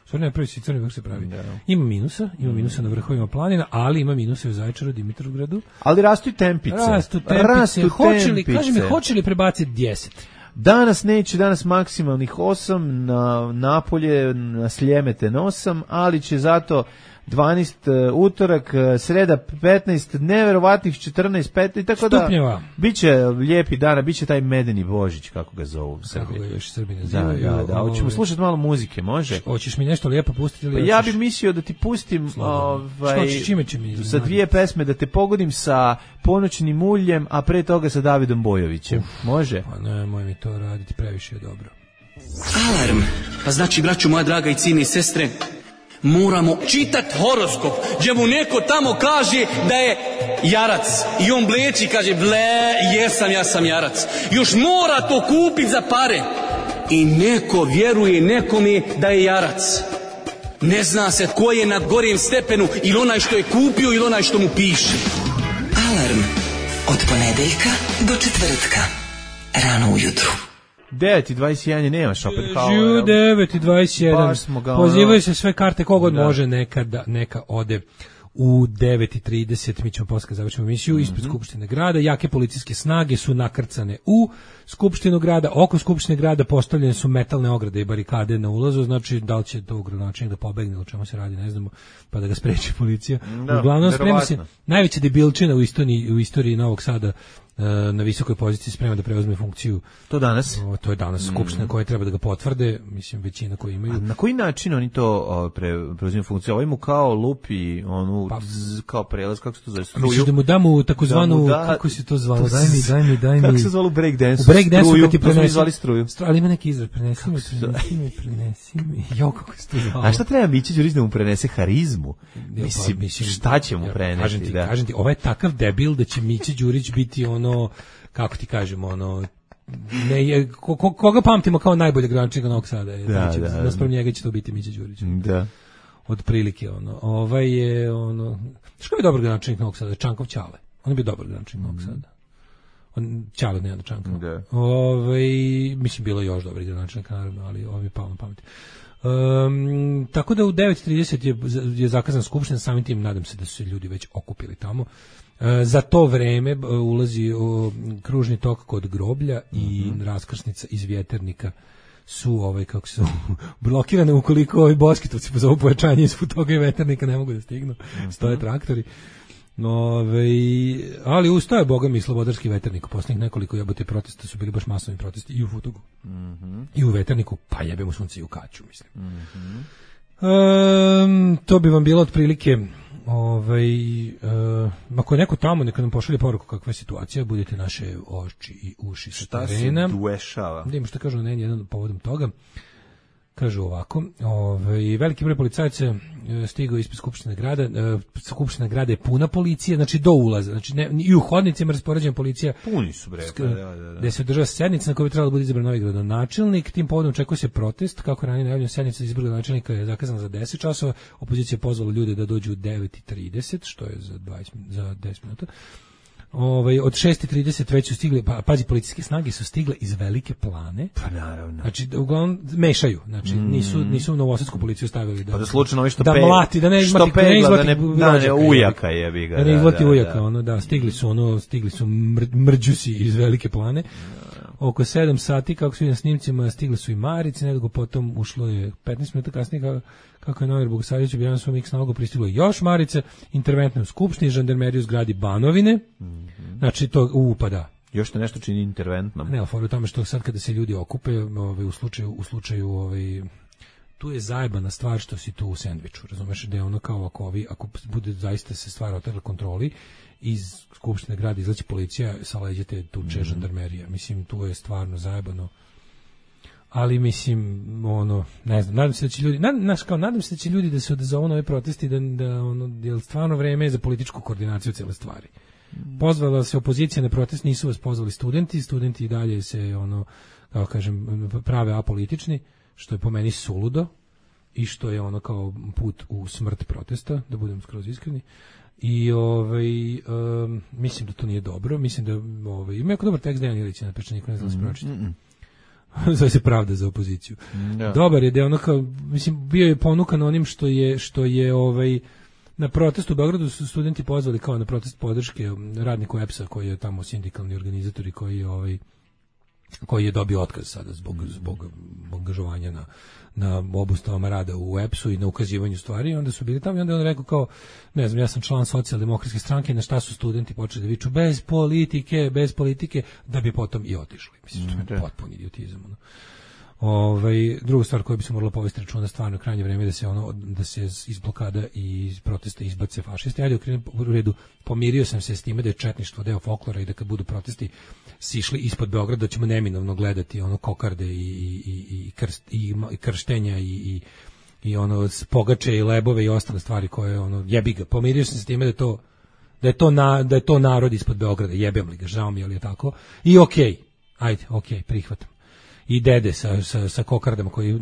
Stvarno je prvi si crni vrh se pravi. No. Ima minusa, ima minusa na vrhovima planina, ali ima minusa u Zaječaru, Dimitrovgradu. Ali rastu i tempice. Rastu tempice. Rastu hoće li, kaži mi, hoće li prebaciti deset? Danas neće, danas maksimalnih osam, na Napolje, na Sljemete osam, ali će zato dvanaest uh, utorak, uh, sreda petnaest, neverovatnih četrnaest, petnaest, tako stupnjeva. Da biće lijepi dana, biće taj medeni Božić, kako ga zovu u Srbiji. Kako ga još Srbi nazivaju. Da, da, da. Hoćemo slušati malo muzike, može? Hoćeš mi nešto lijepo pustiti? Ili pa ja bih mislio da ti pustim ovaj, što ćeš, čime će mi za dvije pesme, da te pogodim sa Ponoćnim uljem, a pre toga sa Davidom Bojovićem. Uf, može? Pa ne, moj mi to raditi, previše je dobro. Alarm! Pa znači, braću moja draga i cijene i sestre, moramo čitat horoskop, gdje mu neko tamo kaže da je jarac i on bleči, kaže ble, jesam, ja sam jarac. Još mora to kupit za pare i neko vjeruje nekome da je jarac. Ne zna se ko je na gorijem stepenu, ili onaj što je kupio ili onaj što mu piše. Alarm od ponedeljka do četvrtka rano ujutru. devet i dvadeset jedan nemaš opet kao... Žu devet i dvadeset jedan. Pozivaju se sve karte, kogod da. Može nekada, neka ode u devet i trideset. Mi ćemo posle završiti emisiju mm-hmm. ispred Skupštine grada. Jake policijske snage su nakrcane u Skupštinu grada. Oko Skupštine grada postavljene su metalne ograde i barikade na ulazu. Znači, da li će to gradonačelnik da pobegne, o čemu se radi, ne znamo, pa da ga spreči policija. Da, uglavnom, sprema se najveća debilčina u istoriji, u istoriji Novog Sada na visokoj poziciji sprema da preuzme funkciju. To danas? O, to je danas skupština mm. koja treba da ga potvrde, mislim većina koji imaju. A na koji način oni to o, pre, preuzimaju funkciju? Ovo mu kao lupi, onu pa, z, kao prelaz, kako se to zove? Struju? Misliš da mu damo takozvanu, da da, kako se to zvalo? Daj mi, daj mi, daj mi. Kako se zvalo break dance? U break dance kad ti prenesi. Zvali struju. Stru, ali ima neki izraz, prenesi mi, prenesi mi, prenesi mi. Jo, kako se to zvalo? A šta treba Mića Đurić da mu prenese harizmu? Ja, mislim, pa, mislim, šta će mu preneti? Kažem ti, da. kažem ti, ovaj je takav debil da će Mića Đurić biti ono, kako ti kažemo, ono, ne je, ko, ko, koga pamtimo kao najboljeg gradonačelnika Novog Sada, je, da, će, da, naspram njega će to biti Mića Đurić. Da. Od prilike, ono, ovaj je, ono, što je dobar gradonačelnik Novog Sada? Čankov Ćale. On je bio dobar gradonačelnik Novog Sada. On, Ćale ne da Čankov. Da. Ovaj, mislim, bilo još dobrih gradonačelnika, naravno, ali ovaj je pao na pamet. Um, tako da u devet i trideset je, je zakazan skupština, samim tim nadam se da su se ljudi već okupili tamo. Uh, za to vreme uh, ulazi uh, kružni tok kod groblja i mm-hmm. raskrsnica iz Vjeternika su ovaj kako su blokirane ukoliko ovi boskitovci pozovu pojačanje iz toga i Veternika ne mogu da stignu. Mm-hmm. Stoje traktori. Ove, ali ustaje boga mi slobodarski Veternik. Posljednjih nekoliko jebote protesta su bili baš masovni protesti i u Futogu. Mm-hmm. I u Veterniku, pa jebemo sunce i u Kaću, mislim. Mm-hmm. Um, to bi vam bilo otprilike ovaj, uh, ako je neko tamo, neka nam pošalje poruku kakva je situacija, budete naše oči i uši sa terena. Šta se dešava? Da ima što kažu na jedan povodom toga. Kažu ovako, ovaj, veliki broj policajaca stigao ispred Skupštine grada, Skupština grada je puna policije, znači do ulaza, znači ne, i u hodnicima raspoređena policija. Puni su bre, da, da, da. Gde se održava sednica na kojoj bi trebalo da bude izabran novi gradonačelnik, tim povodom očekuje se protest, kako ranije najavljeno sednica za izbor gradonačelnika je zakazana za deset časova, opozicija je pozvala ljude da dođu u devet i trideset, što je za dvadeset za deset minuta. Ovaj od šest i trideset već su stigli, pa pazi, policijske snage su stigle iz Velike Plane. Pa naravno. Znači uglavnom mešaju, znači mm. nisu nisu novosadsku policiju stavili da. Pa da slučajno ovi što da pe, mlati, da ne što ne pegla, da ne, da ne ujaka jebi ga. Da ne izlati da, ujaka, da. ono da stigli su ono stigli su mr, mrđusi iz Velike Plane. Oko sedam sati, kako su i na snimcima, stigli su i Marice, nedugo potom ušlo je petnaest minuta kasnije, kako, kako je Novar Bogosavljević objavio svom X nalogu, pristiglo još Marice, interventne u Skupštini, žandarmeriju u zgradi Banovine, mm-hmm. znači to upada. Još te nešto čini interventnom. Ne, ali u tome što sad kada se ljudi okupe, ovaj, u slučaju, u slučaju ovaj, tu je zajebana stvar što si tu u sendviču, razumeš, da je ono kao ako, ovi, ako bude zaista se stvar otrla kontroli, iz Skupštine grada izlazi policija, sa leđa te tuče mm-hmm. žandarmerija. Mislim, tu je stvarno zajebano. Ali, mislim, ono, ne znam, nadam se da će ljudi, nad, naš, kao, nadam se da će ljudi da se odazovu na ove protesti, da, da ono, je stvarno vreme za političku koordinaciju cele stvari. Pozvala se opozicija na protest, nisu vas pozvali studenti, studenti i dalje se, ono, kao kažem, prave apolitični, što je po meni suludo i što je ono kao put u smrt protesta, da budem skroz iskreni. I ovaj um, mislim da to nije dobro, mislim da ovaj ima jako dobar tekst Dejan Ilić na Pečaniku, ne znam da se pročita. Zove se Pravda za opoziciju. Mm, dobar je da ono kao, mislim, bio je ponukan onim što je što je ovaj na protestu u Beogradu su studenti pozvali kao na protest podrške radniku E P S-a koji je tamo sindikalni organizator i koji je ovaj koji je dobio otkaz sada zbog zbog angažovanja na na obustavama rada u E P S-u i na ukazivanju stvari, i onda su bili tamo i onda je on rekao kao, ne znam, ja sam član socijaldemokratske stranke, na šta su studenti počeli da viču bez politike, bez politike, da bi potom i otišli. Mislim, to je potpuni idiotizam. Ono. Ovaj, druga stvar koju bi se morala povesti računa, stvarno krajnje vreme da se ono da se iz blokada i iz protesta izbace fašisti. Ajde, u redu, pomirio sam se s time da je četništvo deo folklora i da kad budu protesti sišli ispod Beograda, da ćemo neminovno gledati ono kokarde i i i krst, i, i krštenja i i i ono pogače i lebove i ostale stvari koje ono jebi ga. Pomirio sam se s time da to da je to na, da je to narod ispod Beograda, jebem li ga, žao mi je, ali je tako. I okej. Okay, ajde, okej, okay, prihvatam. I dede sa, sa, sa kokardama koji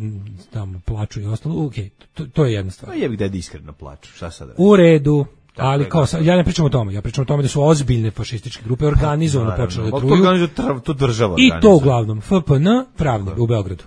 tamo plaču i ostalo, ok, to, to je jedna stvar. Pa jebi dede iskreno plaču, šta sad reći? U redu, tako ali kao, ja ne pričam o tome, ja pričam o tome da su ozbiljne fašističke grupe organizovano počele da truju. To, to država I to uglavnom, F P N, pravno, u Beogradu.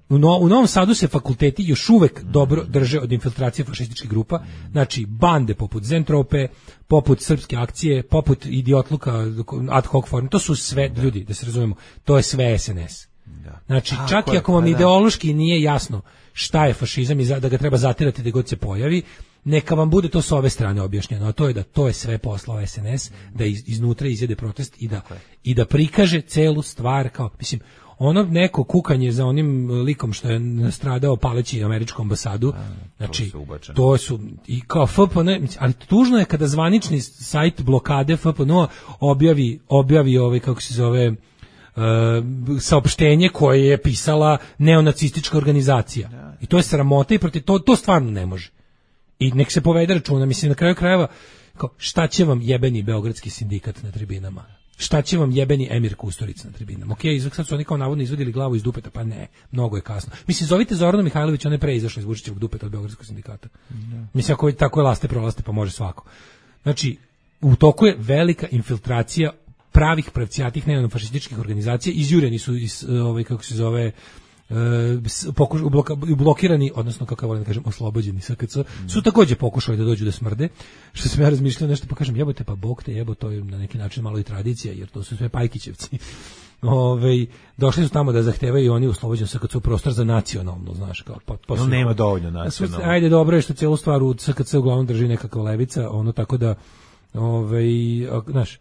U, no, u Novom Sadu se fakulteti još uvek mm. dobro drže od infiltracije fašističkih grupa, mm. znači bande poput Zentrope, poput Srpske akcije, poput Idiotluka, ad hoc form, to su sve, da. Ljudi, da se razumemo, to je sve S N S. Da. Znači, tako čak i ako vam ideološki nije jasno šta je fašizam i da ga treba zatirati da god se pojavi, neka vam bude to s ove strane objašnjeno, a to je da to je sve poslao S N S, da iz, iznutra izjede protest i da, i da prikaže celu stvar kao, mislim, ono neko kukanje za onim likom što je nastradao paleći američku ambasadu, a, znači, to, to su, i kao F P N, ali tužno je kada zvanični sajt blokade F P N objavi, objavi ovaj, kako se zove, Uh, saopštenje koje je pisala neonacistička organizacija. I to je sramota i protiv to to stvarno ne može. I nek se povede računa, mislim na kraju krajeva, kao, šta će vam jebeni beogradski sindikat na tribinama? Šta će vam jebeni Emir Kusturica na tribinama? Okej, okay, sad su oni kao navodno izvadili glavu iz dupeta, pa ne, mnogo je kasno. Mislim, zovite Zorana Mihajlović, on je pre izašao iz Vučićevog dupeta od beogradskog sindikata. Ne. Mislim, ako tako je laste prolaste, pa može svako. Znači, u toku je velika infiltracija pravih pravcijatih neonafašističkih organizacija, izjureni su iz ovaj kako se zove pokuš, bloka, blokirani, odnosno kako ja volim da kažem, oslobođeni S K C, su takođe pokušali da dođu da smrde, što sam ja razmišljao nešto, pa kažem, jebote, pa Bog te jebo, to je na neki način malo i tradicija, jer to su sve Pajkićevci. Ove, došli su tamo da zahtevaju oni oslobođen S K C prostor za nacionalno, znaš, kao pa, pa no, nema dovoljno nacionalno. Ajde, dobro je što celu stvar u S K C uglavnom drži nekakva levica, ono tako da, ovaj, znaš,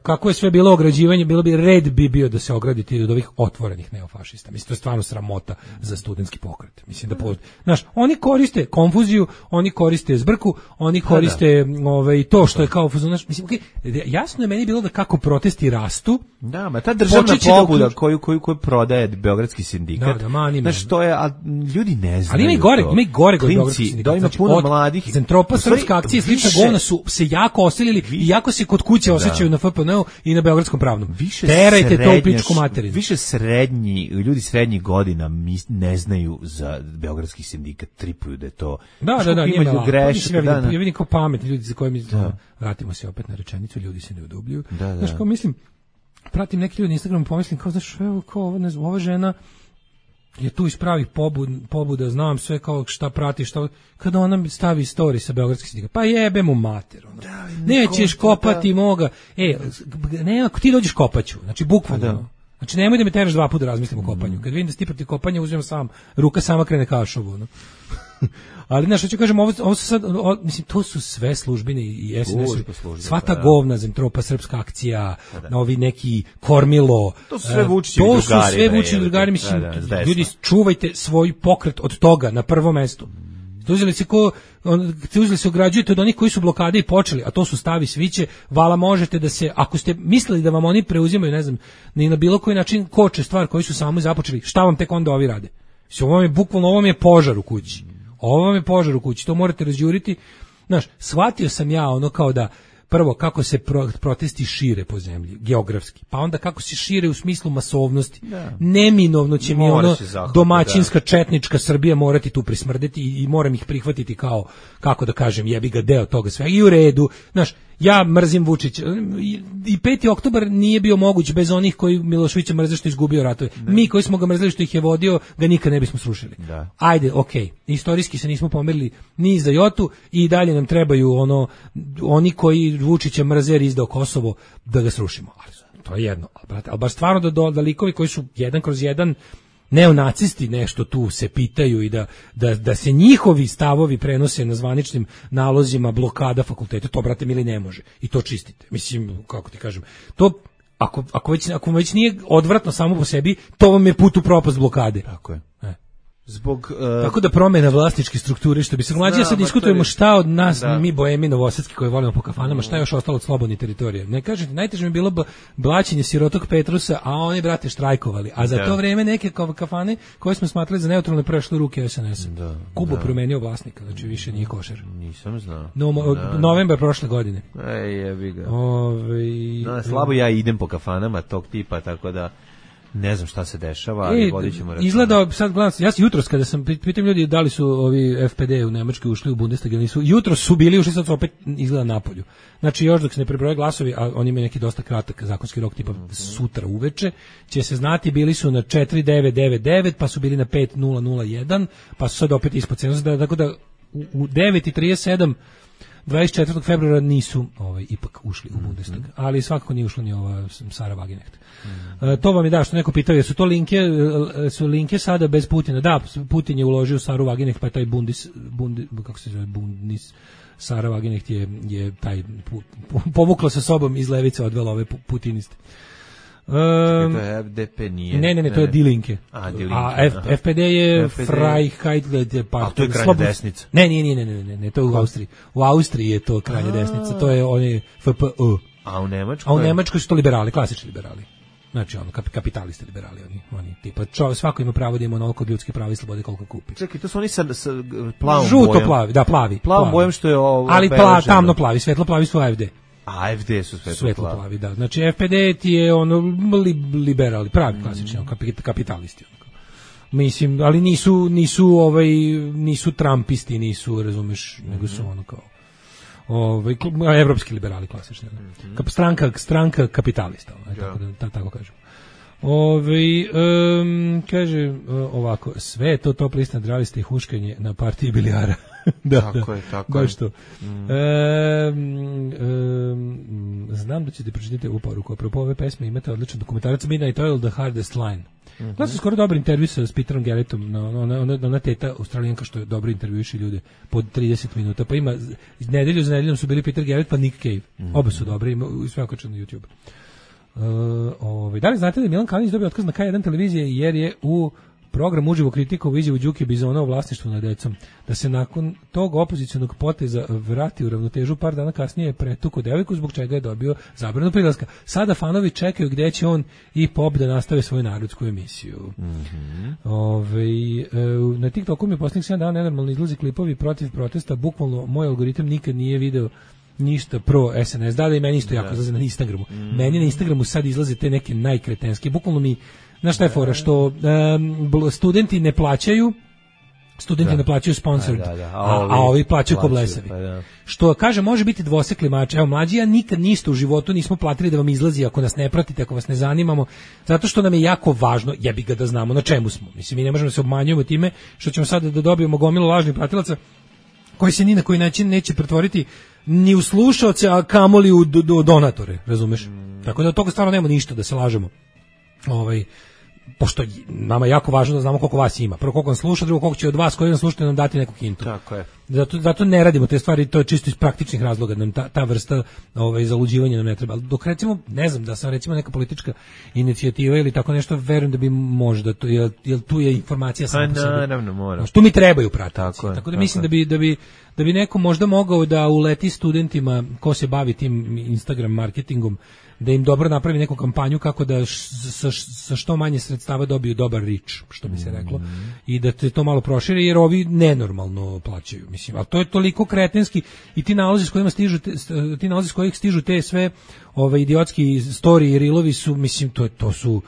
kako je sve bilo ograđivanje, bilo bi red bi bio da se ograditi od ovih otvorenih neofašista. Mislim, to je stvarno sramota za studentski pokret. Mislim da po, znaš, oni koriste konfuziju, oni koriste zbrku, oni koriste ovaj to što je kao znaš, mislim, okej, okay, jasno je meni bilo da kako protesti rastu. Da, ma ta državna pobuda da koju koju koju prodaje beogradski sindikat. Da, da, znaš, to je, a ljudi ne znaju. Ali ima i gore, ima i gore kod beogradskog sindikata. Da, ima znači, puno mladih. Zentropa, Srpska akcija, slična govna su se jako oselili i jako se kod kuće osjećaju na F P N-u i na beogradskom pravnom. Više terajte to u pičku materinu. Više srednji, ljudi srednjih godina ne znaju za beogradski sindikat, tripuju da je to. Da, da, da, ima greške. Ja vidim kao pametni ljudi za koje mi vratimo se opet na rečenicu, ljudi se ne udubljuju. Znaš, kao mislim, pratim neki ljudi na Instagramu, pomislim kao, znaš, evo, kao, ne znam, ova žena je tu iz pravih pobud, pobuda, znam sve kao šta prati, šta, kada ona stavi story sa beogradskih sindikata, pa jebe mu mater, ono. Da, nećeš kopati da. Moga, e, ne, ako ti dođeš kopaću, znači bukvalno, da. Znači nemoj da me teraš dva puta razmislim o kopanju, kad vidim da si ti protiv kopanja, uzmem sam, ruka sama krene kašovu, no. Ali znaš, hoću kažem, ovo, ovo su sad, ovo, mislim, to su sve službine i S N S, sva ta govna, Zentropa, Srpska akcija, da. Ovi neki Kormilo, to su sve Vučićevi drugari. To su sve Vučićevi drugari, mislim, da, da, ljudi, čuvajte svoj pokret od toga na prvom mestu. Uzeli se ko, on, uzeli se ograđujete od onih koji su blokade i počeli, a to su Stavi Sviće, vala možete da se, ako ste mislili da vam oni preuzimaju, ne znam, ni na bilo koji način koče stvar koji su sami započeli, šta vam tek onda ovi rade? Mislim, ovo vam je bukvalno, ovo vam je požar u kući. Ovo vam je požar u kući, to morate razđuriti. Znaš, shvatio sam ja ono kao da, prvo, kako se pro, protesti šire po zemlji, geografski, pa onda kako se šire u smislu masovnosti. Da. Neminovno će mi ono zahvati, domaćinska, da. Četnička Srbija morati tu prismrdeti i, i moram ih prihvatiti kao, kako da kažem, jebi ga deo toga svega. I u redu, znaš, ja mrzim Vučića. I peti oktobar nije bio moguć bez onih koji Miloševića mrze što je izgubio ratove. Da. Mi koji smo ga mrzeli što ih je vodio, ga nikad ne bismo srušili. Da. Ajde, okej. Okay. Istorijski se nismo pomerili ni za jotu i dalje nam trebaju ono oni koji Vučića mrze jer izdao Kosovo da ga srušimo. Ali to je jedno. Ali, brate, ali baš stvarno da, da, da likovi koji su jedan kroz jedan neonacisti nešto tu se pitaju i da, da, da se njihovi stavovi prenose na zvaničnim nalozima blokada fakulteta, to, brate mili, ne može. I to čistite. Mislim, kako ti kažem, to, ako, ako, već, ako već nije odvratno samo po sebi, to vam je put u propast blokade. Tako je. E. Zbog, uh, tako da promena vlasničke strukture, što bi se mlađe, sad diskutujemo šta od nas, da. Mi bojemi novosadski koji volimo po kafanama, šta je još ostalo od slobodne teritorije. Ne kažete, najteže mi je bilo blaćenje sirotog Petrusa, a oni, brate, štrajkovali. A za da. To vreme neke kafane koje smo smatrali za neutralne prešle ruke S N S-a. Da, Kubo da. Promenio vlasnika, znači više nije košer. Nisam znao. No, da. Novembar prošle godine. Ej, jebi ga. Ove, no, slabo ja idem po kafanama tog tipa, tako da ne znam šta se dešava, ali e, vodit ćemo računa. Izgleda, sad gledam, ja sam jutros kada sam, pitam ljudi da li su ovi F P D u Nemačkoj ušli u Bundestag ili nisu, jutros su bili, ušli, sad su opet izgleda napolju. Znači još dok se ne prebroje glasovi, a oni imaju neki dosta kratak zakonski rok, tipa mm-hmm. sutra uveče, će se znati, bili su na četiri devet devet devet, pa su bili na pet nula nula jedan, pa su sad opet ispod cenzusa, tako da u, u devet i trideset sedam dvadeset četvrtog februara nisu ovaj, ipak ušli u Bundestag, mm-hmm. ali svakako nije ušla ni ova Sara Wagenknecht. Mm-hmm. E, to vam je da, što neko pitao, jesu to linke, su linke sada bez Putina? Da, Putin je uložio Saru Wagenknecht, pa je taj Bundis, Bundi, kako se zove, Bundis, Sara Wagenknecht je, je taj, pu, pu, povukla sa sobom iz levice, odvela ove putiniste. Um, Čekaj, to je F D P nije. Ne, ne, ne, to je Die Linke. A, Die Linke. A F, F P D je Freiheit pa. A to je krajnja desnica. Ne, nije, nije, ne, ne, ne, to je u Austriji. U Austriji je to krajnja desnica, to je oni F P Ö. A u Nemačkoj? A u Nemačkoj su to liberali, klasični liberali. Znači, ono, kapitalisti liberali, oni, oni tipa, čo, svako ima pravo da ima onoliko ljudskih prava i slobode koliko kupi. Čekaj, to su oni sa, sa plavom Žuto bojem. plavi, da, plavi. Plavom bojem što je ovo. Ali pla, tamno plavi, svetlo plavi su A F D. A F D su svetlo, svetlo plavi. plavi, da. Znači F P D ti je ono li, liberali, pravi klasični mm. kapit, kapitalisti. Onako. Mislim, ali nisu nisu ovaj nisu trumpisti, nisu, razumeš, mm-hmm. nego su ono kao ovaj evropski liberali klasični. Mm-hmm. Kap, stranka stranka kapitalista, ovaj, tako da tako kažem. Ove, um, kaže uh, ovako, sve je to top list nadraviste i huškanje na partiji bilijara. da, tako da, je, tako baš je. to. Mm. Um, um, znam da ćete pročitati ovu poruku. Apropo ove pesme imate odličan dokumentarac Midnight Oil, The Hardest Line. Mm-hmm. Da su skoro dobar intervju sa Peterom Garrettom, na, ona, ona, ona teta Australijanka što je dobro intervjuiši ljude pod trideset minuta. Pa ima, nedelju za nedeljom su bili Peter Garrett pa Nick Cave. Mm-hmm. Oba su dobre, ima sve okačeno na YouTube. Uh, ovaj, da li znate da je Milan Kalinić dobio otkaz na K jedan televizije jer je u program uživo kritika u izjavu Đuke Bizona o vlasništvu nad decom, da se nakon tog opozicionog poteza vrati u ravnotežu, par dana kasnije je pretuko devojku zbog čega je dobio zabranu prilaska. Sada fanovi čekaju gde će on i Pop da nastave svoju narodsku emisiju. Mm-hmm. Ove, na TikToku mi je posljednjih sedam dana nenormalno izlazi klipovi protiv protesta, bukvalno moj algoritam nikad nije video ništa pro S N S, da li meni isto jako izlaze na Instagramu. Mm. Meni na Instagramu sad izlaze te neke najkretenske, bukvalno mi, znaš šta je fora, što um, studenti ne plaćaju, studenti da. ne plaćaju sponsored, da, da, da. A, a, ovi, a ovi plaćaju ko blesavi. Pa da. Što, kaže, može biti dvosekli mač. Evo, mlađi, ja nikad ništa u životu nismo platili da vam izlazi ako nas ne pratite, ako vas ne zanimamo, zato što nam je jako važno, jebi ga da znamo na čemu smo. Mislim, mi ne možemo da se obmanjujemo time što ćemo sada da dobijemo gomilu lažnih pratilaca koji se ni na koji način neće pretvoriti ni u slušaoce, a kamoli u do, do donatore, razumeš? Mm. Tako da od toga stvarno nema ništa da se lažemo. Ovaj, pošto nama je jako važno da znamo koliko vas ima. Prvo koliko nam sluša, drugo koliko će od vas koji nam slušate nam dati neku hintu. Tako je. Zato, zato ne radimo te stvari, to je čisto iz praktičnih razloga, nam ta, ta vrsta ovaj, zaluđivanja nam ne treba. Dok recimo, ne znam, da sam recimo neka politička inicijativa ili tako nešto, verujem da bi možda, to, jer, jer tu je informacija sama po sebi. Naravno, moram. Tu mi trebaju pratiti. Tako, je, tako da tako mislim je. da bi, da bi da bi neko možda mogao da uleti studentima ko se bavi tim Instagram marketingom, da im dobro napravi neku kampanju kako da sa, sa što manje sredstava dobiju dobar reach, što bi se reklo, mm. i da te to malo proširi, jer ovi nenormalno plaćaju, mislim, a to je toliko kretenski i ti nalazi s kojima stižu te, ti nalazi s kojih stižu te sve ove idiotski story i reelovi su, mislim, to, to su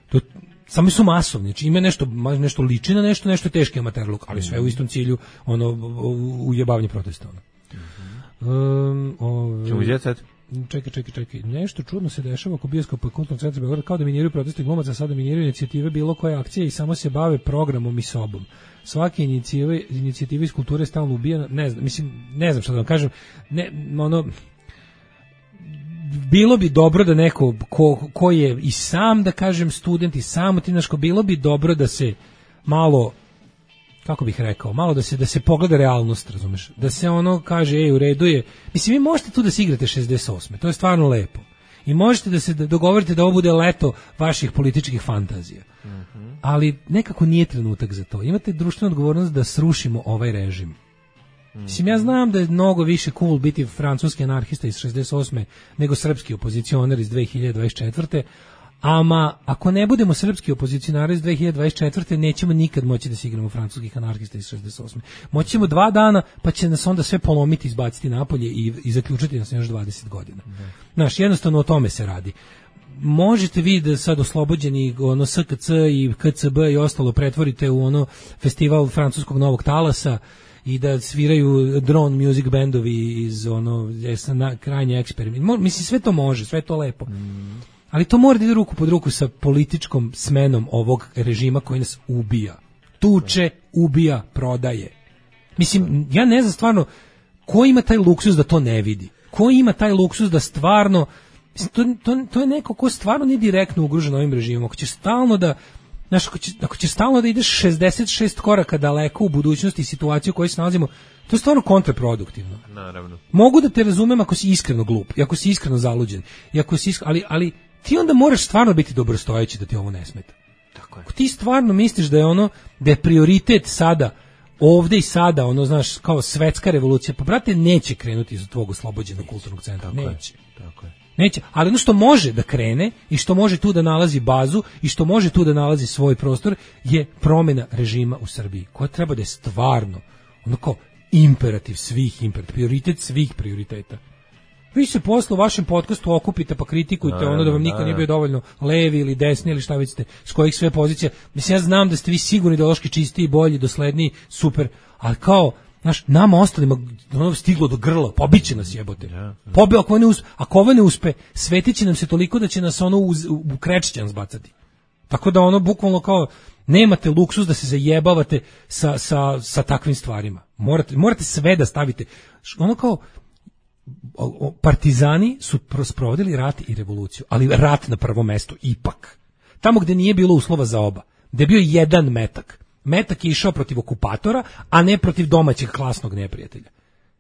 to, sami su masovni, znači ima nešto, nešto liči na nešto, nešto teški amaterluk, ali sve u istom cilju, ono, ujebavanje protesta. Ono. Mm-hmm. Um, ove, Čemu je sad? Čekaj, čekaj, čekaj. Nešto čudno se dešava oko bioskopa i kulturnog centra Beograda, kao da miniraju protesti glumaca, sada miniraju inicijative bilo koje akcije i samo se bave programom i sobom. Svake inicijative, inicijative iz kulture stalno ubija, ne znam, mislim, ne znam šta da vam kažem, ne, ono, bilo bi dobro da neko ko, ko je i sam, da kažem, student i sam tinaško, bilo bi dobro da se malo, kako bih rekao, malo da se da se pogleda realnost, razumeš? Da se ono kaže, ej, u redu je. Mislim, vi možete tu da se igrate šezdeset osme. To je stvarno lepo. I možete da se da dogovorite da ovo bude leto vaših političkih fantazija. Mm-hmm. Ali nekako nije trenutak za to. Imate društvenu odgovornost da srušimo ovaj režim. Mm-hmm. Mislim, ja znam da je mnogo više cool biti francuski anarhista iz šezdeset osme nego srpski opozicionar iz dve hiljade dvadeset četvrte. Ama, ako ne budemo srpski opozicionari iz dve hiljade dvadeset četvrte nećemo nikad moći da se igramo francuskih anarhista iz šezdeset osme. Moći ćemo dva dana, pa će nas onda sve polomiti, izbaciti napolje i, i zaključiti nas još dvadeset godina. Znaš, jednostavno o tome se radi. Možete vi da sad oslobođeni ono S K C i K C B i ostalo pretvorite u ono festival francuskog novog talasa i da sviraju drone music bandovi iz ono, na krajnje eksperiment. Mislim, sve to može, sve to lepo. Mm. Ali to mora da ide ruku pod ruku sa političkom smenom ovog režima koji nas ubija. Tuče, ubija, prodaje. Mislim, ja ne znam stvarno ko ima taj luksuz da to ne vidi. Ko ima taj luksuz da stvarno, mislim, to, to, to je neko ko stvarno nije direktno ugrožen ovim režimom. Ako ćeš stalno da, znaš, ako, će, ako ćeš stalno da ideš šezdeset šest koraka daleko u budućnosti i situaciju u kojoj se nalazimo, to je stvarno kontraproduktivno. Naravno. Mogu da te razumem ako si iskreno glup, i ako si iskreno zaluđen, i ako si iskreno, ali, ali ti onda moraš stvarno biti dobrostojeći da ti ovo ne smeta. Tako je. Ako ti stvarno misliš da je ono, da je prioritet sada, ovde i sada, ono, znaš, kao svetska revolucija, pa brate, neće krenuti iz tvog oslobođenog kulturnog centra. Tako neće. Je. Tako je. Neće, ali ono što može da krene i što može tu da nalazi bazu i što može tu da nalazi svoj prostor je promjena režima u Srbiji, koja treba da je stvarno, ono kao imperativ svih imperativ, prioritet svih prioriteta. Vi se posle u vašem podcastu okupite pa kritikujte no, ono da vam niko no, nije bio dovoljno levi ili desni ili šta već ste, s kojih sve pozicija. Mislim, ja znam da ste vi sigurni ideološki čistiji, bolji, dosledniji, super, ali kao, znaš, nama ostalima ono stiglo do grla, pobiće nas jebote. Ja, ja. Pobe, ako, ne uspe, ako ovo ne uspe, svetit će nam se toliko da će nas ono uz, u krečćan zbacati. Tako da ono bukvalno kao nemate luksuz da se zajebavate sa, sa, sa takvim stvarima. Morate, morate sve da stavite. Ono kao partizani su sprovodili rat i revoluciju, ali rat na prvo mesto ipak. Tamo gde nije bilo uslova za oba, gde je bio jedan metak. Metak je išao protiv okupatora, a ne protiv domaćeg klasnog neprijatelja.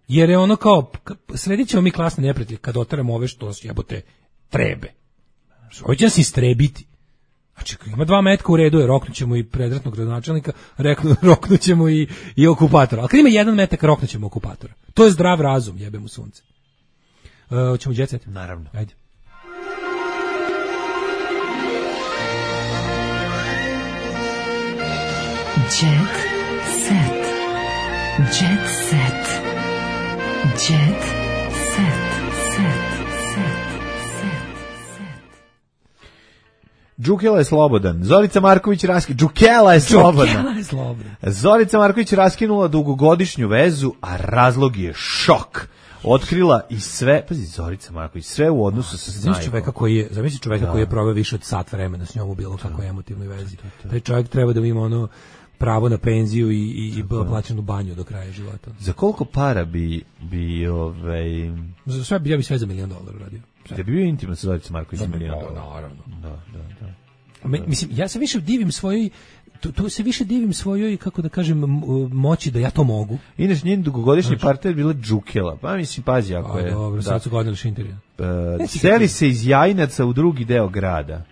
Jer je ono kao, sredit ćemo mi klasne neprijatelje kad otaramo ove što jebote trebe. Ovo će nas istrebiti. Znači, ima dva metka u redu, je roknućemo i predratnog gradonačelnika, roknućemo i, i okupatora. Ali kad ima jedan metak, roknućemo okupatora. To je zdrav razum, jebe mu sunce. Uh, hoćemo jet set? Naravno. Ajde. Jet set. Jet set. Jet set. Set. Set. Đukela je slobodan. Zorica Marković raski... Đukela je slobodna. Đukela je slobodna. Zorica Marković raskinula dugogodišnju vezu, a razlog je šok. Otkrila i sve, pazi, Zorica Marković, sve u odnosu sa Zamisli čoveka koji je, zamisli čoveka da. koji je proveo više od sat vremena s njom u bilo kakvoj emotivnoj vezi. Taj čovjek treba da ima ono pravo na penziju i, i, i plaćenu banju do kraja života. Za koliko para bi, bi ovaj... Za sve, ja bi sve za milijon dolara radio. Da bi bio intiman sa Zoricom Marković za milijon dolara. Naravno. Da, da, da. Me, mislim, ja se više divim svojoj, tu, tu se više divim svojoj, kako da kažem, moći da ja to mogu. Inače, njen dugogodišnji znači, partner bila Đukela. Pa mislim, pazi, ako a, je... Dobro, sad su godili Šinterija. Uh, seli se iz Jajinaca u drugi deo grada.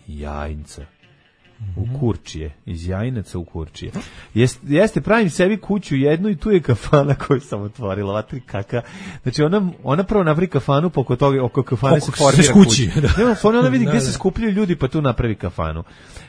Jajinca. U Kurčije, iz Jajinaca u Kurčije. Jeste, jeste, pravim sebi kuću jednu i tu je kafana koju sam otvorila. Vatri kaka. Znači ona, ona prvo napravi kafanu, pa oko, toga, oko kafane oko se formira kući. kuća. Da. Ona, ona vidi gdje se skupljaju ljudi, pa tu napravi kafanu.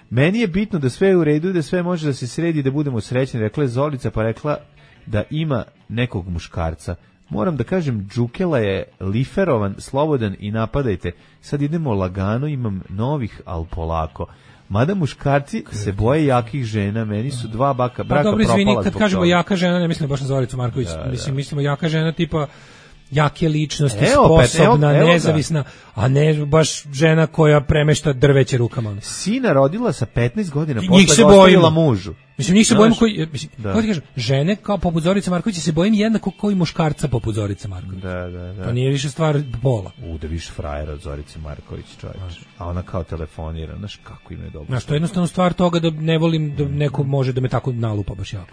Meni je bitno da sve je u redu i da sve može da se sredi, da budemo srećni. Rekla je Zolica, pa rekla da ima nekog muškarca. Moram da kažem, Đukela je liferovan, slobodan i napadajte. Sad idemo lagano, imam novih, al polako. Mada muškarci se boje jakih žena, meni su dva baka braka pa, dobro, propala izvini, zbog kad kažemo toga. Jaka žena, ne mislim baš na Zoricu Marković, da, mislim, da. mislimo jaka žena tipa jake ličnosti, evo, sposobna, evo, evo nezavisna, a ne baš žena koja premešta drveće rukama. Sina rodila sa petnaest godina, njih posle se ga ostavila bojimo. mužu. Mislim, njih se Znaš, bojimo koji, mislim, da. kako ti kažem, žene kao poput Zorice Markovića se bojim jednako kao i muškarca poput Zorice Marković. Da, da, da. To nije više stvar pola. U, da više frajera od Zorice Marković, čovječ. A ona kao telefonira, znaš kako im je dobro. Znaš, to je jednostavno stvar toga da ne volim da neko može da me tako nalupa baš jako.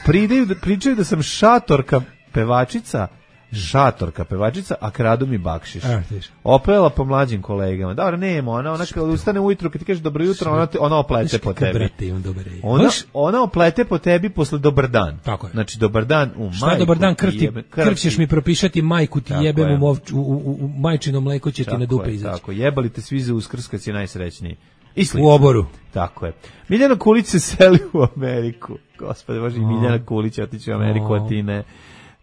Pridaju, pričaju da sam šatorka pevačica, šatorka pevačica, a kradu mi bakšiš. E, Opela po mlađim kolegama. Dobro, nema, ona, ona kada ustane ujutro, kad ti kažeš dobro jutro, ona, te, ona oplete po tebi. Brate, on dobar ona, ona oplete po tebi posle dobar dan. Tako je. Znači, dobar dan u majku. Šta dobar dan, krv, jebe, krv ćeš mi propišati, majku ti tako jebem je. u, u, u, u majčino mleko će tako ti na dupe je, izaći. Tako, jebali te svi za Uskrs kad si najsrećniji. I u oboru. Tako je. Miljana Kulić se seli u Ameriku. Gospode Bože, i Miljana Kulić otići u Ameriku, a ti ne.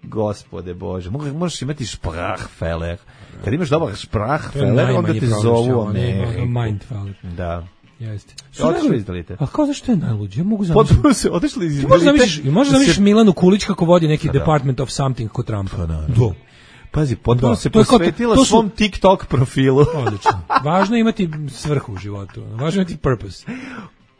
Gospode Bože, možeš imati sprachfeller. Kad imaš dobar sprachfeller, onda te zovu Ameriku. Mindfeller. Da. Jeste. Otišli iz Dalite. A kao zašto je najluđe? Ja mogu zamisliti. Potpuno se otišli iz Dalite. Možeš zamišliš se... Milanu Kulić kako vodi neki pa da. Department of Something kod Trumpa. Pa da. Do. Pazi, potpuno da. se to posvetila to su... svom TikTok profilu. Odlično. Važno je imati svrhu u životu. Važno je imati purpose.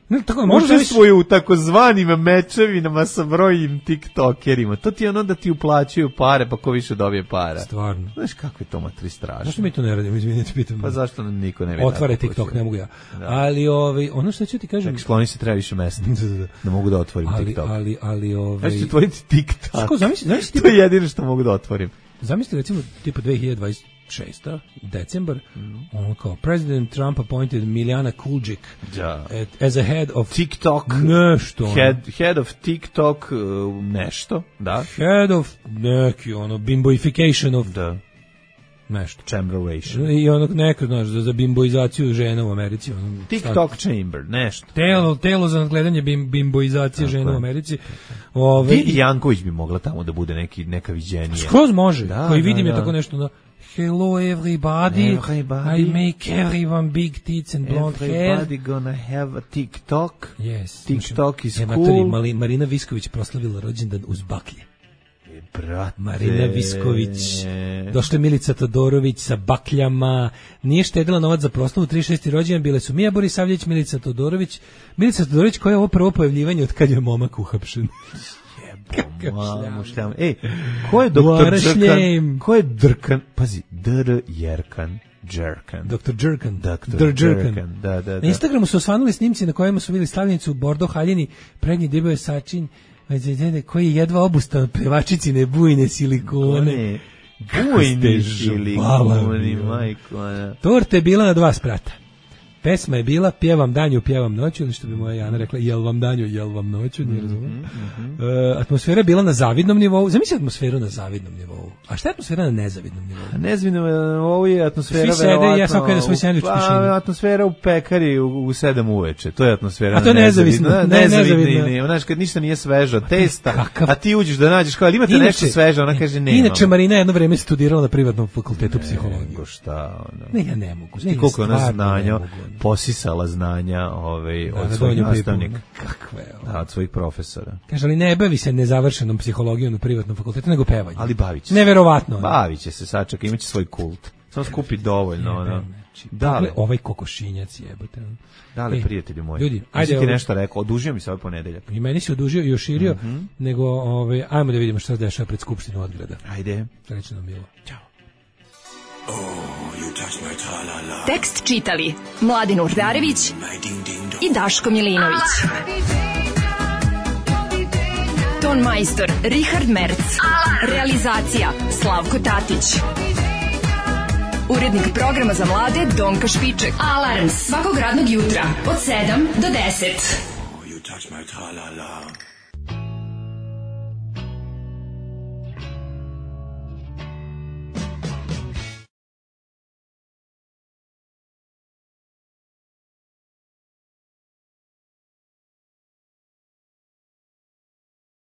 Ne, tako, može svoju u takozvanim mečevinama sa brojnim tiktokerima. To ti je ono da ti uplaćuju pare, pa ko više dobije para. Stvarno. Znaš kako je to matri strašno. Zašto mi to ne radimo? Izvinite, pitam. Pa zašto nam niko ne vidi? Otvore TikTok, ne mogu ja. Da. Ali ovaj, ono što ću ti kažem... Čak, skloni se, treba više mesta. Da mogu da otvorim ali, TikTok. Ali, ali, ovaj... Ja ću otvoriti TikTok. Kako, zamisli, zamisli, to je jedino što mogu da otvorim. Zamisli, recimo, tipa dve hiljade dvadeset šesta decembar, mm. ono kao, President Trump appointed Miljana Kuljic ja. as a head of TikTok, nešto, head, head of TikTok uh, nešto, da. Head of neki, ono, bimboification of da. nešto. Chamberation. I ono neko, znaš, za, za bimboizaciju žena u Americi. Ono, TikTok stat... chamber, nešto. Telo, telo za nadgledanje bim, bimboizacije tako žena je. U Americi. Ove, Vidi Janković bi mogla tamo da bude neki, neka viđenija. Skroz može, da, koji da, vidim da. je tako nešto na hello everybody, everybody, I make everyone big tits and blonde hair. Everybody gonna have a TikTok. Yes. TikTok is je cool. Mali, Marina Visković proslavila rođendan uz baklje. brate. Marina Visković. Došla je Milica Todorović sa bakljama. Nije štedila novac za proslavu trideset šesti rođendan. Bile su Mija Borisavljević, Milica Todorović. Milica Todorović koja je ovo prvo pojavljivanje od kad je momak uhapšen. Mamu šljam. Ej, ko je doktor Đerkan? Ko je Drkan? Pazi, D R Jerkan. Jerkan. doktor Jerkan. doktor Jerkan. Da, da, da. Na Instagramu su osvanuli snimci na kojima su bili stavljenicu Bordo Haljini, prednji debeo je sačin, koji je jedva obustao pevačicine bujne silikone. Bujne silikone, majko. Torta je bila na dva sprata. Pesma je bila Pjevam danju, pjevam noću, ili što bi moja Jana rekla, jel vam danju, jel vam noću, nije razumno. Mm -hmm. uh, atmosfera je bila na zavidnom nivou. Zamisli atmosferu na zavidnom nivou. A šta je atmosfera na nezavidnom nivou? A nezavidnom nivou je atmosfera svi sede i ja sam kada svoj sendvič u tišini. Atmosfera u pekari u, u sedam uveče, to je atmosfera. A to je nezavisno. Ne, nezavidno. Ne, znaš, kad ništa nije sveže, testa, kakav... a ti uđeš da nađeš kao, ali imate inače, nešto sveže, ona kaže nema. Inače, Marina jedno vreme studirala na privatnom fakultetu psihologije. Ko šta, ono. Ne, ja ne mogu. Ne, koliko ona znanja, posisala znanja ovaj, od svojih nastavnika. Kakve? Da, od svojih profesora. Kaže, ali ne bavi se nezavršenom psihologijom na privatnom fakultetu, nego pevanjem. Ali bavit će se. Neverovatno. Bavit će se, sačeka, imaće svoj kult. Samo skupi dovoljno. Ono. Da li ovaj kokošinjac jebote. Da li, prijatelji moji? Ljudi, ajde, ti nešto rekao, odužio mi se ovaj ponedeljak. I meni se odužio i oširio, mm -hmm. nego ovaj, ajmo da vidimo šta se dešava pred Skupštinu Odgrada. Ajde. Srećno nam bilo. Ćao. Oh, you touch my tra-la-la. Tekst čitali Mladin Urdarević i Daško Milinović. Ton majstor Richard Merc. Realizacija Slavko Tatić. Urednik programa za mlade Donka Špiček. Alarms svakog radnog jutra od sedam do deset. Oh, you touch my tra-la-la.